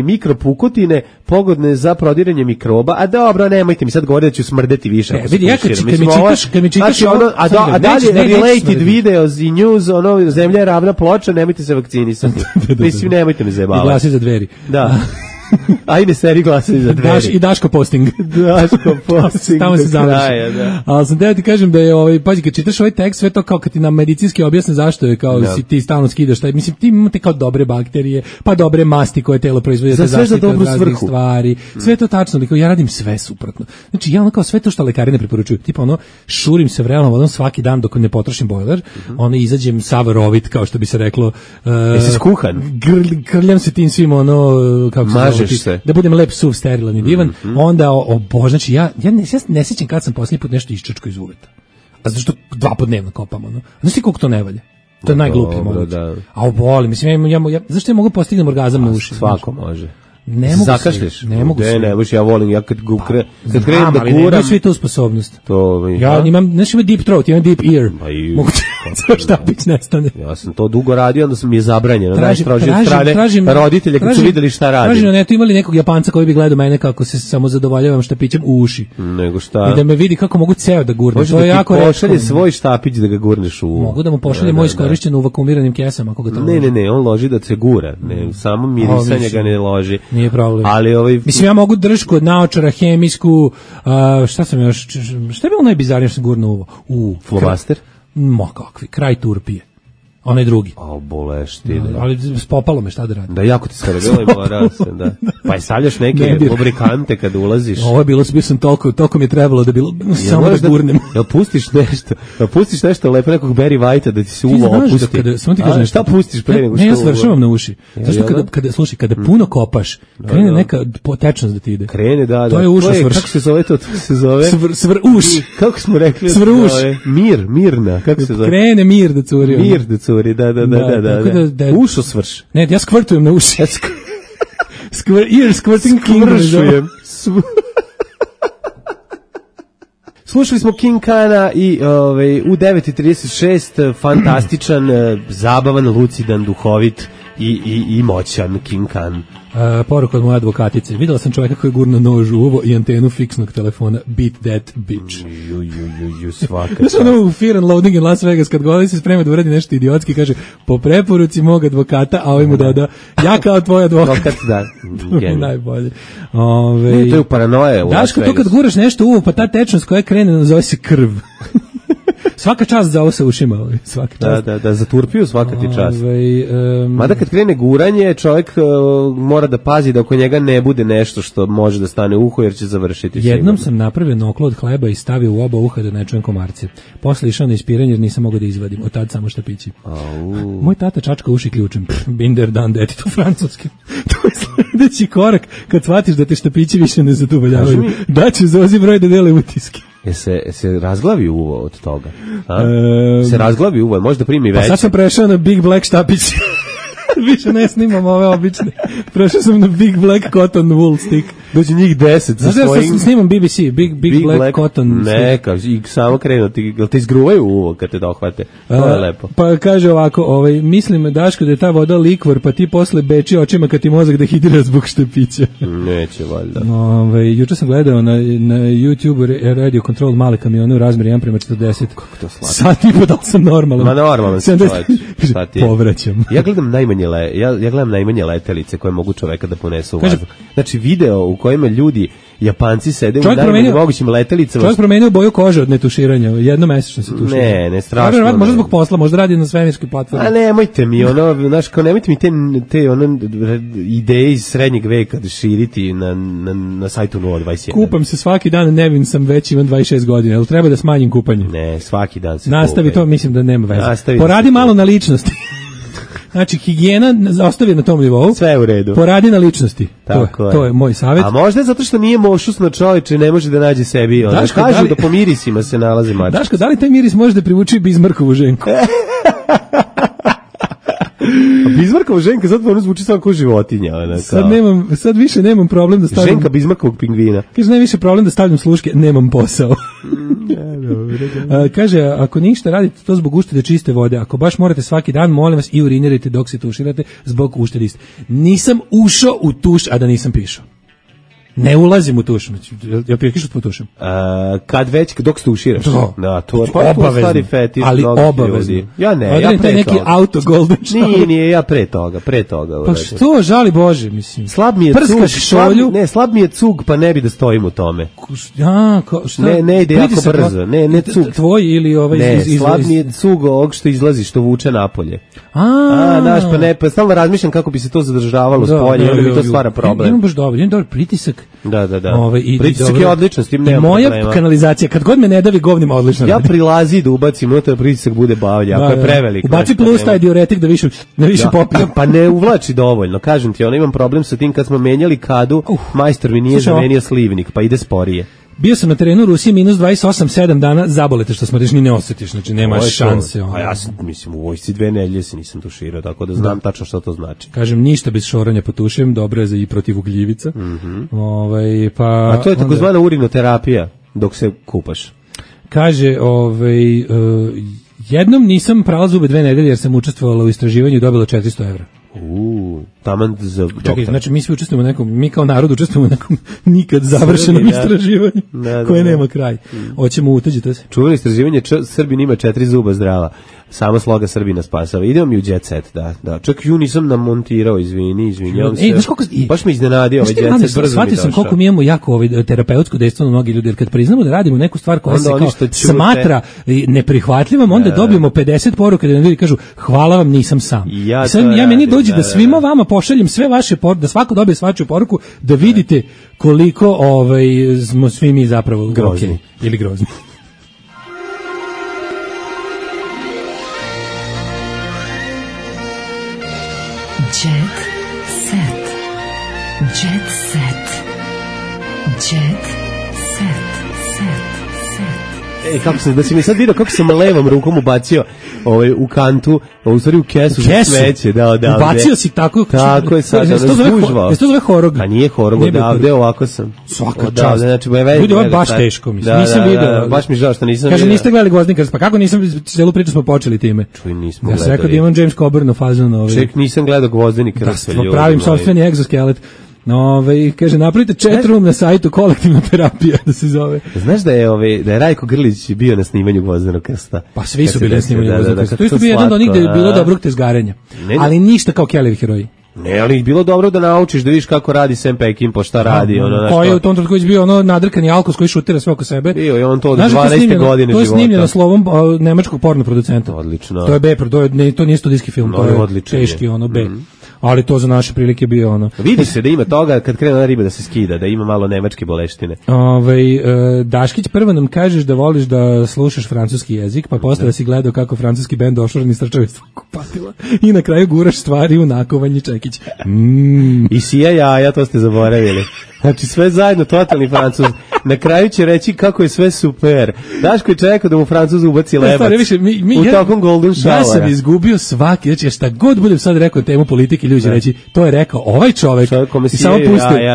mikropukotine pogodne za prodiranje mikroba, a dobro, nemojte mi sad govoriti da ću smrdeti više. Vidi, kad mi čitaš a dalje related videos i news, zemlja je ravna ploča, nemojte se vakcinisati. Mislim, nemojte me zajebavati. I glasi za dveri. Da. Ajde seri glasaju za dveri. I Daško posting. Tamo se završi. Ali sam teo ti kažem da je, pazi, kad čitaš ovaj tekst, sve to kao kad ti nam medicinski objasne zašto je, kao si ti stalno skidaš, mislim, ti imate kao dobre bakterije, pa dobre masti koje telo proizvodi za zaštitu od raznih stvari. Sve to tačno, ja radim sve suprotno. Znači, ja kao sve to što lekari ne preporučuju, tipa šurim se vrelom vodom svaki dan dok ne potrošim bojler, izađem sav rovit, kao što bi se reklo. Jesi skuhan? Grljam se tim svim, kako se da budem lep, suv, sterilan i divan, onda znači ja ne sjećam kad sam posljednji put nešto iščačko iz uveta. A zato što 2 puta dnevno kopam, Znaš ti koliko to ne valja? To je najgluplje moguće. A oboli, mislim, zašto ja mogu postignem orgazam na uši? Svako može. Ne mogu zakašliš. Ne mogu se. Ne možeš, ja volim, ja kad krenem da kuram. Nemam svi tu sposobnost. Ja imam deep throat, imam deep ear. Mogu štapić nestane. Ja sam to dugo radio, onda sam mi je zabranjeno. Tražim roditelja kad su vidjeli šta radim. Tražim na netu, imali nekog Japanca koji bi gledao mene kako se samo zadovoljavam štapićem u uši. Nego šta? I da me vidi kako mogu ceo da gurnem. To je jako retko. Pošalje svoj štapić da ga gurneš u... Mogu da mu pošalje moj iskorišćen u vakuumiranim kesama. Ne, on loži da se gura. Samo mirisanje ga ne loži. Nije problem. Ali mislim, ja mogu držku od naočara, hemijsku, šta sam još, šta je bilo najbizarnije što sam gurno uvo? Flomaster? Ma kakvi, kraj turpije. Onaj drugi. Boleštine. Ali spopalo me, šta da radim? Da, jako ti skoro bilo i morao se, da. Pa i stavljaš neke lubrikante kad ulaziš. Ovo je bilo, bio sam toliko mi je trebalo da bilo, samo da gurnem. Jel pustiš nešto lepo nekog Barry Whitea da ti se uvo opusti? Samo ti kažem, šta pustiš pre nego što... Ne, ja svršavam na uši. Zašto kada puno kopaš, krene neka tečnost da ti ide. Krene, da. To je uša svrš. Kako se zove to? To se zove... Svrš. Kako smo rekli? Svrš. Mirna, kako se zove? Krene mir da curi. Mir da curi. Da. Ušo svrš. Ne, ja skvrtujem na uši. Squirting King. Slušali smo King Kana i u 9:36 fantastičan, zabavan, lucidan, duhovit i moćan King Kan. Poruka od moje advokatice. Videla sam čovjeka koji gurna nož u uvo i antenu fiksnog telefona. Beat that bitch. Svaka. Znaš u Fear and Loathing in Las Vegas kad govori se sprema da uradi nešto idiotski, kaže po preporuci mog advokata, a ovaj mu doda ja kao tvoj advokat. Da. Najbolje. To je u paranoje u Las Daško, to kad guraš nešto u uvo, pa ta tečnost koja krene nazove se krv. Svaka čast za ovo sa ušima. Svaka čast. Da, za turpiju svaka ti čast. Mada kad krene guranje, čovjek mora da pazi da oko njega ne bude nešto što može da stane u uho jer će završiti. Jednom sam napravio noklo od hleba i stavio u oba uha da ne čujem komarce. Posle išao na ispiranje jer nisam mogao da izvadim. Od tad samo štapići. Moj tata čačka uši ključem. Binder dan deti, to francuski. To je sledeći korak kad shvatiš da te štapići više ne zadovoljavaju. Daću Zozi broj da dele utiske. Se razglavi uvo od toga? Se razglavi uvo, možda primi veće. Pa sad sam prešao na Big Black štapić. Više ne snimam ove obične. Prešao sam na Big Black Cotton Wool Stick. Dođe njih 10 sa svojim... Sad snimam BBC, Big Black Cotton Stick. Neka, i samo krenu, te izgruvaju uvo kad te dohvate. To je lepo. Pa kaže ovako, mislim, Daško, da je ta voda likvor, pa ti posle beči očima kad ti mozak dehidrira zbog štapića. Neće, valjda. Juče sam gledao na YouTube Radio Control male kamione u razmeri 1:40. Kako to slatko. Sad i da sam normalan. Ma normalan si čovječ. Šta ti je? Povraćam. Ja gledam najmanje letelice koje mogu čoveka da ponesu u vazduh. Znači video u kojima ljudi, Japanci sede u najmanjim mogućim letelicama. Čovjek promenio boju kože od netuširanja, jednomesečno se tušira. Ne, strašno. Možda zbog posla, možda radi na svemirskoj platformi. A nemojte mi, znaš, kao nemojte mi te ideje iz srednjeg veka da širiti na sajtu 021. Kupam se svaki dan, nevin sam već, imam 26 godina, ali treba da smanjim kupanje. Ne, svaki dan se nastavi kupaj. To, mislim da nema veze. Poradi malo na ličnosti. Znači, higijena ostavi na tom nivou. Sve je u redu. Poradi na ličnosti. To je moj savjet. A možda je zato što nije mošusno čovječe, ne može da nađe sebi. Kažu da po mirisima se nalazi mačka. Daško, da li taj miris može da privuči Bizmarkovu ženku? Bizmarkova ženka, zato ono zvuči samo kao životinja. Sad više nemam problem da stavljam... Ženka Bizmarkovog pingvina. Kaže, najviše problem da stavljam sluške, nemam posao. Kaže, ako ništa radite to zbog uštede čiste vode, ako baš morate svaki dan, molim vas i urinirajte dok se tuširate zbog uštede iste. Nisam ušao u tuš, a da nisam pišao. Ne ulazim u tuš. Ja pišem po tušem. Kad već, dok se tuširaš. To je obavezno. Ali obavezno. Ja ne, ja pre toga. Neki auto golden shower. Nije, ja pre toga. Pa što, žali Bože, mislim. Slab mi je cug. Slab mi je cug, pa ne bi da stojim u tome. Ne ide jako brzo. Ne cug. Tvoj ili ovaj Ne, slab mi je cug ovog što izlazi, što vuče napolje. Znaš, pa stalno razmišljam kako bi se to zadržavalo s polja, onda mi to stvara problem. Imam baš dobar pritisak. Da. Pritisak je odličan, s tim nema problema. Moja kanalizacija, kad god me ne davi govnima, odlično. Ja prilazi da ubacim, da pritisak bude bavlja, ako je prevelik. Ubaci plus taj diuretik da više popije. Pa ne uvlači dovoljno, kažem ti, imam problem sa tim kad smo menjali kadu, majstor mi nije zamenio slivnik, pa ide sporije. Bio sam na terenu u Rusiji minus 28, 7 dana, zabolete što smo rešni, ne osjetiš, znači nemaš šanse. A ja sam, mislim, u vojsci 2 nedelje se nisam tuširao, tako da znam tačno što to znači. Kažem, ništa bez šoranja potušem, dobro je za i protiv ugljivica. A to je takozvana urinoterapija dok se kupaš. Kaže, jednom nisam prala zube 2 nedelje jer sam učestvovala u istraživanju i dobila 400 evra. Taman za doktor. Čekaj, znači mi svi učestvujemo u nekom, mi kao narod učestvujemo u nekom nikad završenom istraživanju koje nema kraj. Hoćemo uteđiti se. Čuveno istraživanje, Srbin ima 4 zuba zdrava. Samo sloga Srbina spasava. Idemo mi u jet set, da. Čak ju nisam namontirao, izvinjavam se. Baš me iznenadio ovaj jet set, brzo mi došao. Shvatio sam koliko mi imamo jako terapeutsko dejstvo na mnogi ljudi, jer kad priznamo da radimo neku stvar koja se kao smatra neprihvatljivom, onda dobijemo 50 poruka da nam ljudi kažu hvala vam, nisam sam. Ja meni dođe da svima vama pošaljem sve vaše poruke, da svako dobije svačiju poruku, da vidite koliko smo svi mi zapravo grozni ili grozni. Jet set. Jet set. Jet set. Kako se, da si mi sad vidio kako sam levom rukom ubacio u kantu, u stvari u kesu za smeće. Da, ubacio si tako. Tako je sad, zgužvao. Jesi to zove horog? A nije horog, odavde, ovako sam. Svaka čast. Znači, ljudi, ovo je baš teško, mislim. Nisam vidio. Baš mi žao što nisam vidio. Kaže, niste gledali Gvozdenika, pa kako nisam, celu priču smo počeli time. Čuj, nismo gledali. Ja sam rekao da imam James Coburn u fazonu. Ček, nisam gledao Gvozdenika. Da, pravim sopstveni egzoskelet. Kaže, napravite chat room na sajtu Kolektivna terapija, da se zove. Znaš da je Rajko Grlić bio na snimanju Gvozdenog krsta? Pa svi su bili na snimanju Gvozdenog krsta. To je bio jedan od onih gde je bilo dobrog tezgarenja. Ali ništa kao Kellyvi heroji. Ne, ali bilo dobro da naučiš, da vidiš kako radi Sam Peckinpah, šta radi. Ko je u tom trenutku bio nadrkani alkos koji šutira sve oko sebe. Bio je on to od 12. godine života. To je snimljeno slovom nemačkog porno producenta. Odlično. To je B, to nije studijski film, to je teški B. Ali to za naše prilike bio Vidi se da ima toga kad krene na riba da se skida, da ima malo nemačke boleštine. Daškić, prvo nam kažeš da voliš da slušaš francuski jezik, pa posle da si gledao kako francuski bend ošoreni strčave kupatila i na kraju guraš stvari u nakovanje Čekić. I sija jaja, to ste zaboravili. Znači sve zajedno, totalni Francuz. Na kraju će reći kako je sve super. Daško je čekao da mu Francuz ubaci lebac u tokom Golden Showera. Ja sam izgubio svaki, znači šta god budem sad rekao temu politike, ljudi reći, to je rekao ovaj čovek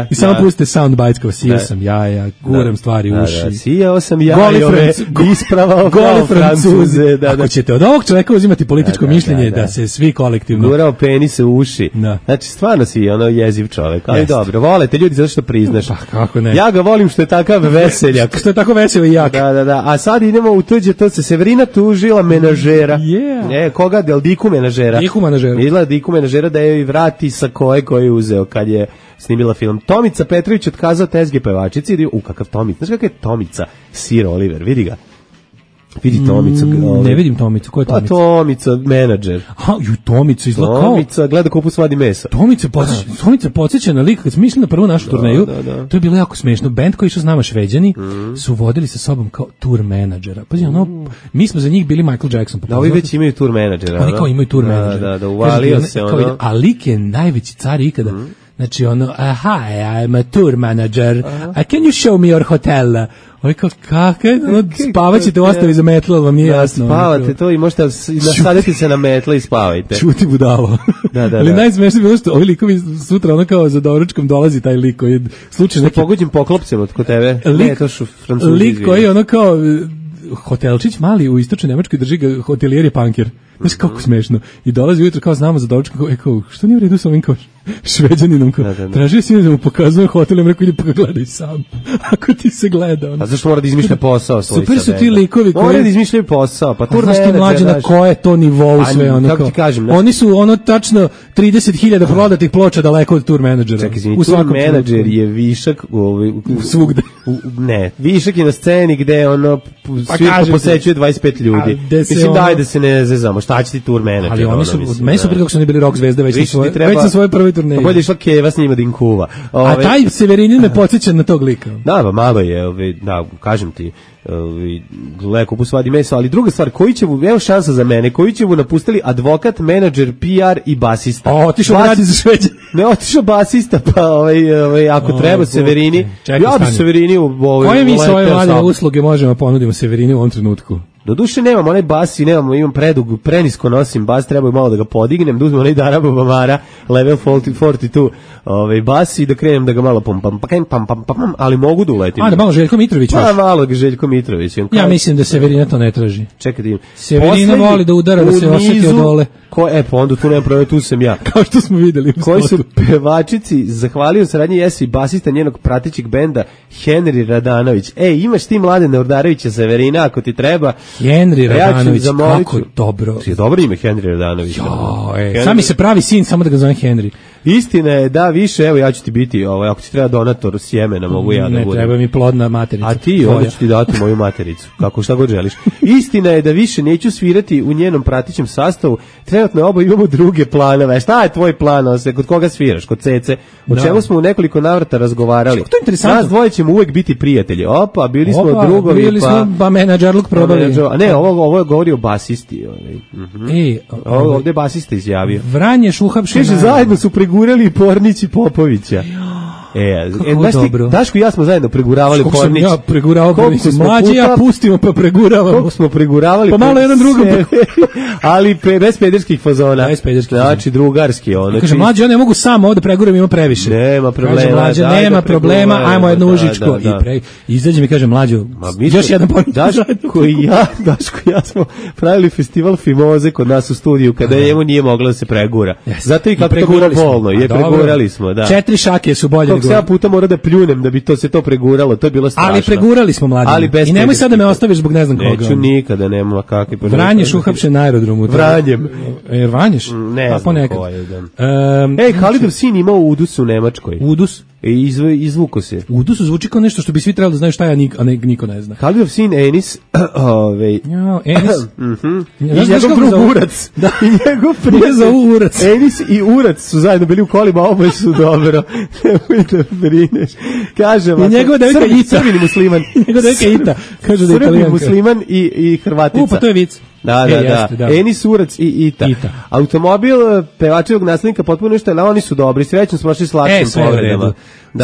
i samo puste soundbites kao sijao sam jaja, guram stvari u uši. Sijao sam jajove, ispravao kao Francuze. Ako ćete od ovog čoveka uzimati političko mišljenje, da se svi kolektivno... Gurao penise u uši. Znači stvarno si jeziv čovek, ali dobro, volete ljudi zato što priznaš. Pa kako ne. Ja ga volim što je takav veseljak. Što je tako vesel i jak. Da. A sad idemo u tuđe, to se Severina tužila menažera. Koga? Del Diku menažera. Videla Diku menažera da je vrati sa koje je uzeo kad je snimila film. Tomica Petrović otkazao tezge pevačici. Kakav Tomica. Znaš kakav je Tomica? Sir Oliver, vidi ga. Vidi Tomicu. Ne vidim Tomicu, ko je Tomica? Pa Tomica, menadžer. Tomica izgleda kao... Tomica, gleda kupu svadi mesa. Tomica podsjeća na lik, kad smo išli na prvu našu turneju, to je bilo jako smešno. Band koji išao s nama Šveđani su vodili sa sobom kao tour menadžera. Pazi, mi smo za njih bili Michael Jackson. Da, ovi već imaju tour menadžera. Oni kao imaju tour menadžera. Da, uvalio se ono. A lik je najveći car ikada. Znači hi, I'm a tour manager. Can you show me your hotel? Ovo kao, spavaćete u ostavi za metlo, ali vam nije jasno. Spavate to i možete nasaditi se na metlo i spavajte. Čuti budalo. Ali najsmešnije bilo što ovi likovi sutra kao za doručkom dolazi taj lik koji slučaj neki... Pogođim poklopcem od kod tebe. Lik koji kao hotelčić mali u istočnoj Nemačkoj drži ga hotelijer je punker. Znaš kako smešno. I dolazi ujutro kao znamo za doručak, kao što nije u redu sa ovim kao Šveđaninom, kao tražio si da mu pokazujem hotel, im rekao idi pa ga gledaj sam. Ako ti se gleda. A zašto mora da izmišlja posao svoj? Super su ti likovi koji... Mora da izmišljaju posao, pa tur menadžer. Znaš ti mlađe na koje to nivou sve ono kao... Oni su tačno 30.000 prodatih ploča daleko od tur menadžera. Čekaj, tur menadžer je višak svugde. Ne, višak je na sceni gde svirka posećuje 25 ljudi. Mislim daj da se ne zezamo. Šta će ti tur menadžer? Ali oni su, meni su kako su oni bili rock zvezde već na svojoj prvoj turneji. Bolje išla Keva s njima da im kuva. A taj Severinin me podsjeća na tog lika. Da, malo je, kažem ti, leko pusvadi meso, ali druga stvar, koji će mu, evo šansa za mene, koji će mu napustili advokat, menadžer, PR i basista. Otišao radi za Šveđe. Ne, otišao basista, pa ako treba Severini, ja bi Severini koje mi svoje mlade usluge možemo ponudimo Severini u ovom trenutku? Doduše nemam onaj bas i imam prenisko nosim bas, treba malo da ga podignem, da uzmem onaj Darabo Bamara, level 42, bas i da krenem da ga malo pam, ali mogu da uletim. Da malo Željko Mitrović još. Malo Željko Mitrović. Ja mislim da Severina to ne traži. Čekaj da im. Severina voli da udara, da se osjeti od dole. Pa onda tu nema problema, tu sam ja. Kao što smo videli. Koji su pevačici, zahvalio saradnji Jesi basista njenog pratećeg benda Henry Radanović. Imaš ti Mladena Urdarevića Severina ako ti treba. Henry Radanović, kako dobro. Je dobro ime Henry Radanović. Sami se pravi sin, samo da ga zove Henry. Istina je da više, evo ja ću ti biti, ako ti treba donator sjemena, mogu ja da budem. Ne treba mi plodna materica. A ti, onda ću ti dati moju matericu, kako šta god želiš. Istina je da više neću svirati u njenom pratećem sastavu, trenutno oba imamo druge planove. Šta je tvoj plan, kod koga sviraš, kod Cece? O čemu smo u nekoliko navrata razgovarali. To je interesantno. Nas dvoje ćemo uvek biti prijatelji. Bili smo drugovi, bili smo menadžerluk probali. Ne, ovo govori o basisti. Ovdje je basista izjavio. Vranješ uhapšena. Kaže, zajedno su pregurali Pornić i Popovića. Dobro. Daško i ja smo zajedno preguravali Pornić. Koliko sam ja preguravao Pornić. Mlađi ja pustimo pa preguravamo. Koliko smo preguravali. Pa malo jedan drugom. Ali bez pederskih fazona. Znači drugarski. Kaže, mlađi ja ne mogu sam ovdje preguram, ima previše. Nema problema. Kaže, mlađi nema problema, ajmo jednu užičko. Izađe mi kaže, mlađo, još jedan Pornić. Daško i ja smo pravili festival Fimoze kod nas u studiju, kada njemu nije moglo da se pregura. Zato i kako to bilo bolno. Pregurali smo. 4 šake su bolje koliko ja puta mora da pljunem da bi se to preguralo, to je bilo strašno. Ali pregurali smo mlađi. I nemoj sad da me ostaviš zbog ne znam koga. Neću nikada, nema kakvi. Vranješ uhapšen na aerodromu. Vranjem. Vanješ? Ne znam ko je. Halidov sin imao udus u Nemačkoj. Udus? Izvuko se. Udus zvuči kao nešto što bi svi trebali da znaju šta je, a niko ne zna. Halidov sin Enis, Enis? I njegov drug Urac. Da. I njegov prijezao Urac. Enis i Urac su zajedno bili u kolima, oboje su dobro. Nemoj da brineš. Kaže vam. I njegova devojka Ita. Srbin musliman. Njegova devojka Ita. Kaže da je Italijanka. Srbin musliman i Hrvatica. Pa to je vic. Da. Enis, Urac i Ita. Automobil pevačevog naslednika potpuno ništa, ali oni su dobri. Srećno smo šli s lakšim povredama.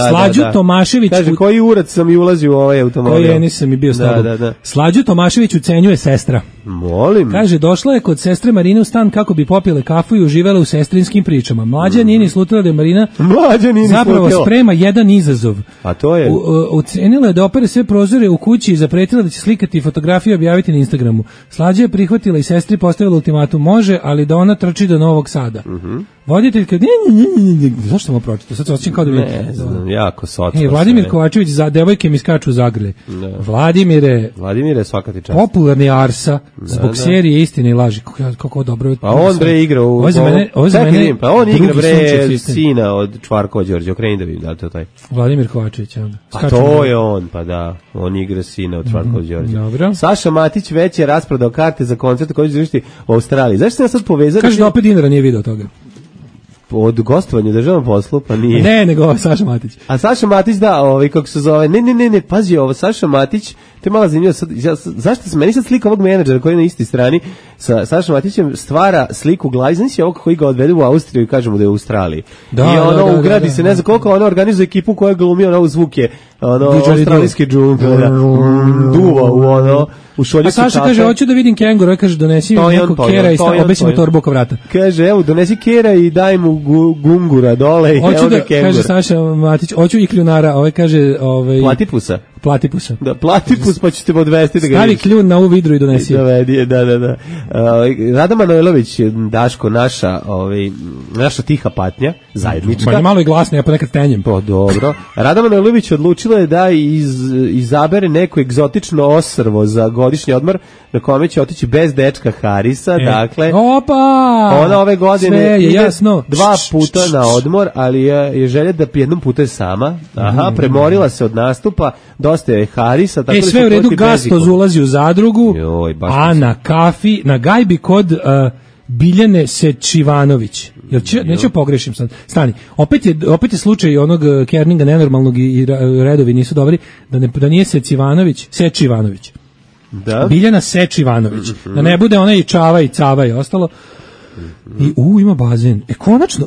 Slađu Tomašević. Kaže, koji Urac sam i ulazio u ovaj automobil? Koji Enis sam i bio s tobom. Slađu Tomašević ucenjuje sestra. Molim. Kaže, došla je kod sestre Marine u stan kako bi popile kafu i uživala u sestrinskim pričama. Mlađa nije ni slutila da je Marina zapravo sprema jedan izazov. A to je? Ucenila je da opere sve prozore u kući i zapretila da će slikati fotografije i objaviti na Instagramu. Slađa je prihvatila i sestri postavila ultimatum, može, ali da ona trči do Novog Sada. Voditeljka, zašto sam ovo pročitao? Sad se osjećam kao da vidim. Ne znam, jako socko. Vladimir Kovačević, devojke mi skaču u zagrlje. Vladimire, svaka ti čast. Popularni Arsa, zbog serije Istine i laži. Kako dobro. Pa on bre igra u... Pa on igra bre sina od Čvarkova Đorđe, okreni da vidim da to taj. Vladimir Kovačević. Pa to je on, pa da. On igra sina od Čvarkova Đorđe. Dobro. Saša Matić već je rasprodao karte za koncert koji će završiti u Australiji. Zašto se ja sad povezao? Kaže da opet dinara nije video toga. Od gostovanja u državnom poslu, pa nije. Ne, nego Saša Matić. A Saša Matić, da, kako se zove, ne, pazi ovo, Saša Matić, to je malo zanimljivo, zašto se meni sad slika ovog menadžera koji je na istoj strani sa Sašom Matićem stvara sliku glavi, znači ovog koji ga odvede u Austriju i kažemo da je u Australiji. I ono ugradi se, ne znam koliko, ono organizuje ekipu koja glumi ono zvuke, ono australijski džungl, duva u ono, u šolju. A Saša kaže, hoću da vidim kenguru, kaže, donesi mi nekog kera i obesi mu torbu oko vrata. Kaže, evo, donesi kera i daj mu gungura dole i evo ga kengura. Kaže Saša Matić, hoću i kljunara, kaže... Platipusa. Platipusa. Da, platipus pa ćete odvesti da ga stavi kljun na ovu vidru i donesi. Da. Rada Manojlović, Daško, naša tiha patnja, zajednička. Pa malo i glasno, ja ponekad tenjem. Pa dobro. Rada Manojlović odlučila je da izabere neko egzotično ostrvo za godišnji odmor na kome će otići bez dečka Harisa, dakle. Opa! Ona ove godine ide jasno. 2 puta na odmor, ali je želja da jednom puta je sama. Aha, premorila se od nastupa, dosta je Harisa, tako da sve u redu, Gastoz ulazi u zadrugu, a na kafi, na gajbi kod Biljane Sečivanović. Neću pogrešim sad. Stani. Opet je slučaj onog Kerninga nenormalnog i redovi nisu dobri, da nije Sečivanović. Da. Biljana Sečivanović. Da ne bude ona i Čava i Cava i ostalo. I ima bazen.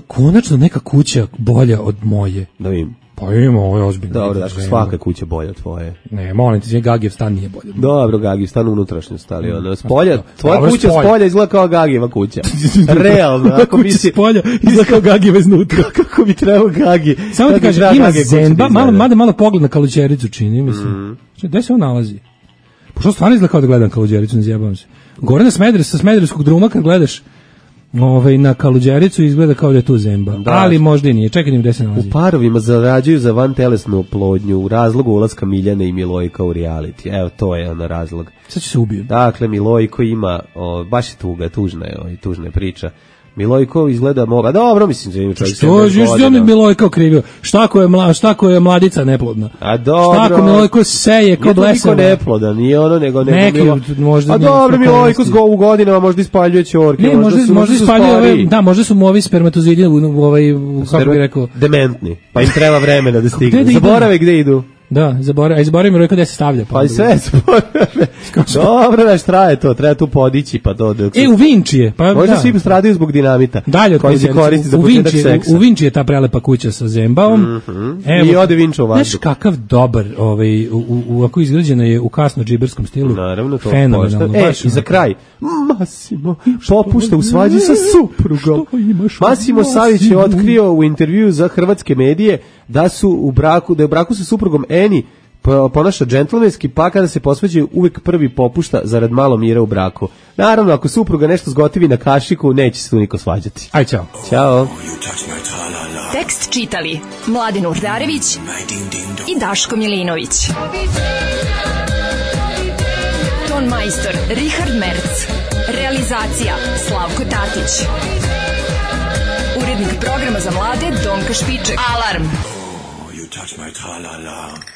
Konačno neka kuća bolja od moje. Da vidim. Pa ima, ovo je ozbiljno. Dobro, daš, svaka kuća bolja od tvoje. Ne, molim ti, Gagijev stan nije bolja. Dobro, Gagijev stan unutrašnjost, ali ono, spolja, tvoja kuća spolja izgleda kao Gagijeva kuća. Realno, ako mi si... spolja izgleda kao Gagijeva iznutra. Kako bi trebao Gagi? Samo ti kažem, ima Zenba, malo pogled na Kaluđericu čini, mislim. Gde se on nalazi? Pošto stvarno izgleda kao da gledam Kaluđericu, ne zjebavam se. Gore na sa Smederevskog druma kad gledaš na Kaluđericu izgleda kao da je tu Zemba, ali možda i nije. Čekaj, gde se nalazi. U parovima zarađuju za vantelesnu oplodnju u razlogu ulaska Miljane i Milojka u reality. Evo, to je ono razlog. Sad će se ubiju. Dakle, Milojko ima, baš je tužna je priča. Milojko izgleda moga. Dobro, mislim da ima čovjek. Što je Milojko krivio? Šta ko je mladica neplodna? A dobro. Šta ko Milojko seje ko blesava? Nije neplodan, nije ono nego možda. A dobro, Milojko u godinama možda ispaljuje ćorke, ne, možda ispaljuje, da, možda su mu ovi spermatozoidi kako bih rekao, dementni. Pa im treba vremena da stignu. Zaborave gde idu. Da, zaboravim rekao da se stavlja. Pa sve zaborave. Dobro, već treba tu podići, pa to. U Vinčije. Pa, možda svi stradaju zbog dinamita. Dalje koji se koristi za početak seksa. U Vinčije je ta prelepa kuća sa Zembaom. I ode Vinča u vazduh. Znaš kakav dobar, ovako izgrađena je u kasno džiberskom stilu. Naravno, to fenomenalno. I za kraj, Massimo popušta u svađi sa suprugom. Massimo Savić je otkrio u intervjuu za hrvatske medije da je u braku sa suprugom Eni ponaša džentlmenski, pa kada se posvađaju uvek prvi popušta zarad malo mira u braku. Naravno, ako supruga nešto zgotivi na kašiku, neće se tu niko svađati. Aj, čao. Ćao. Tek Tekst čitali Mladin Urdarević i Daško Milinović. Ton majstor Richard Merc. Realizacija Slavko Tatić. Urednik programa za mlade Donka Špiček. Alarm! You touch my tra-la-la.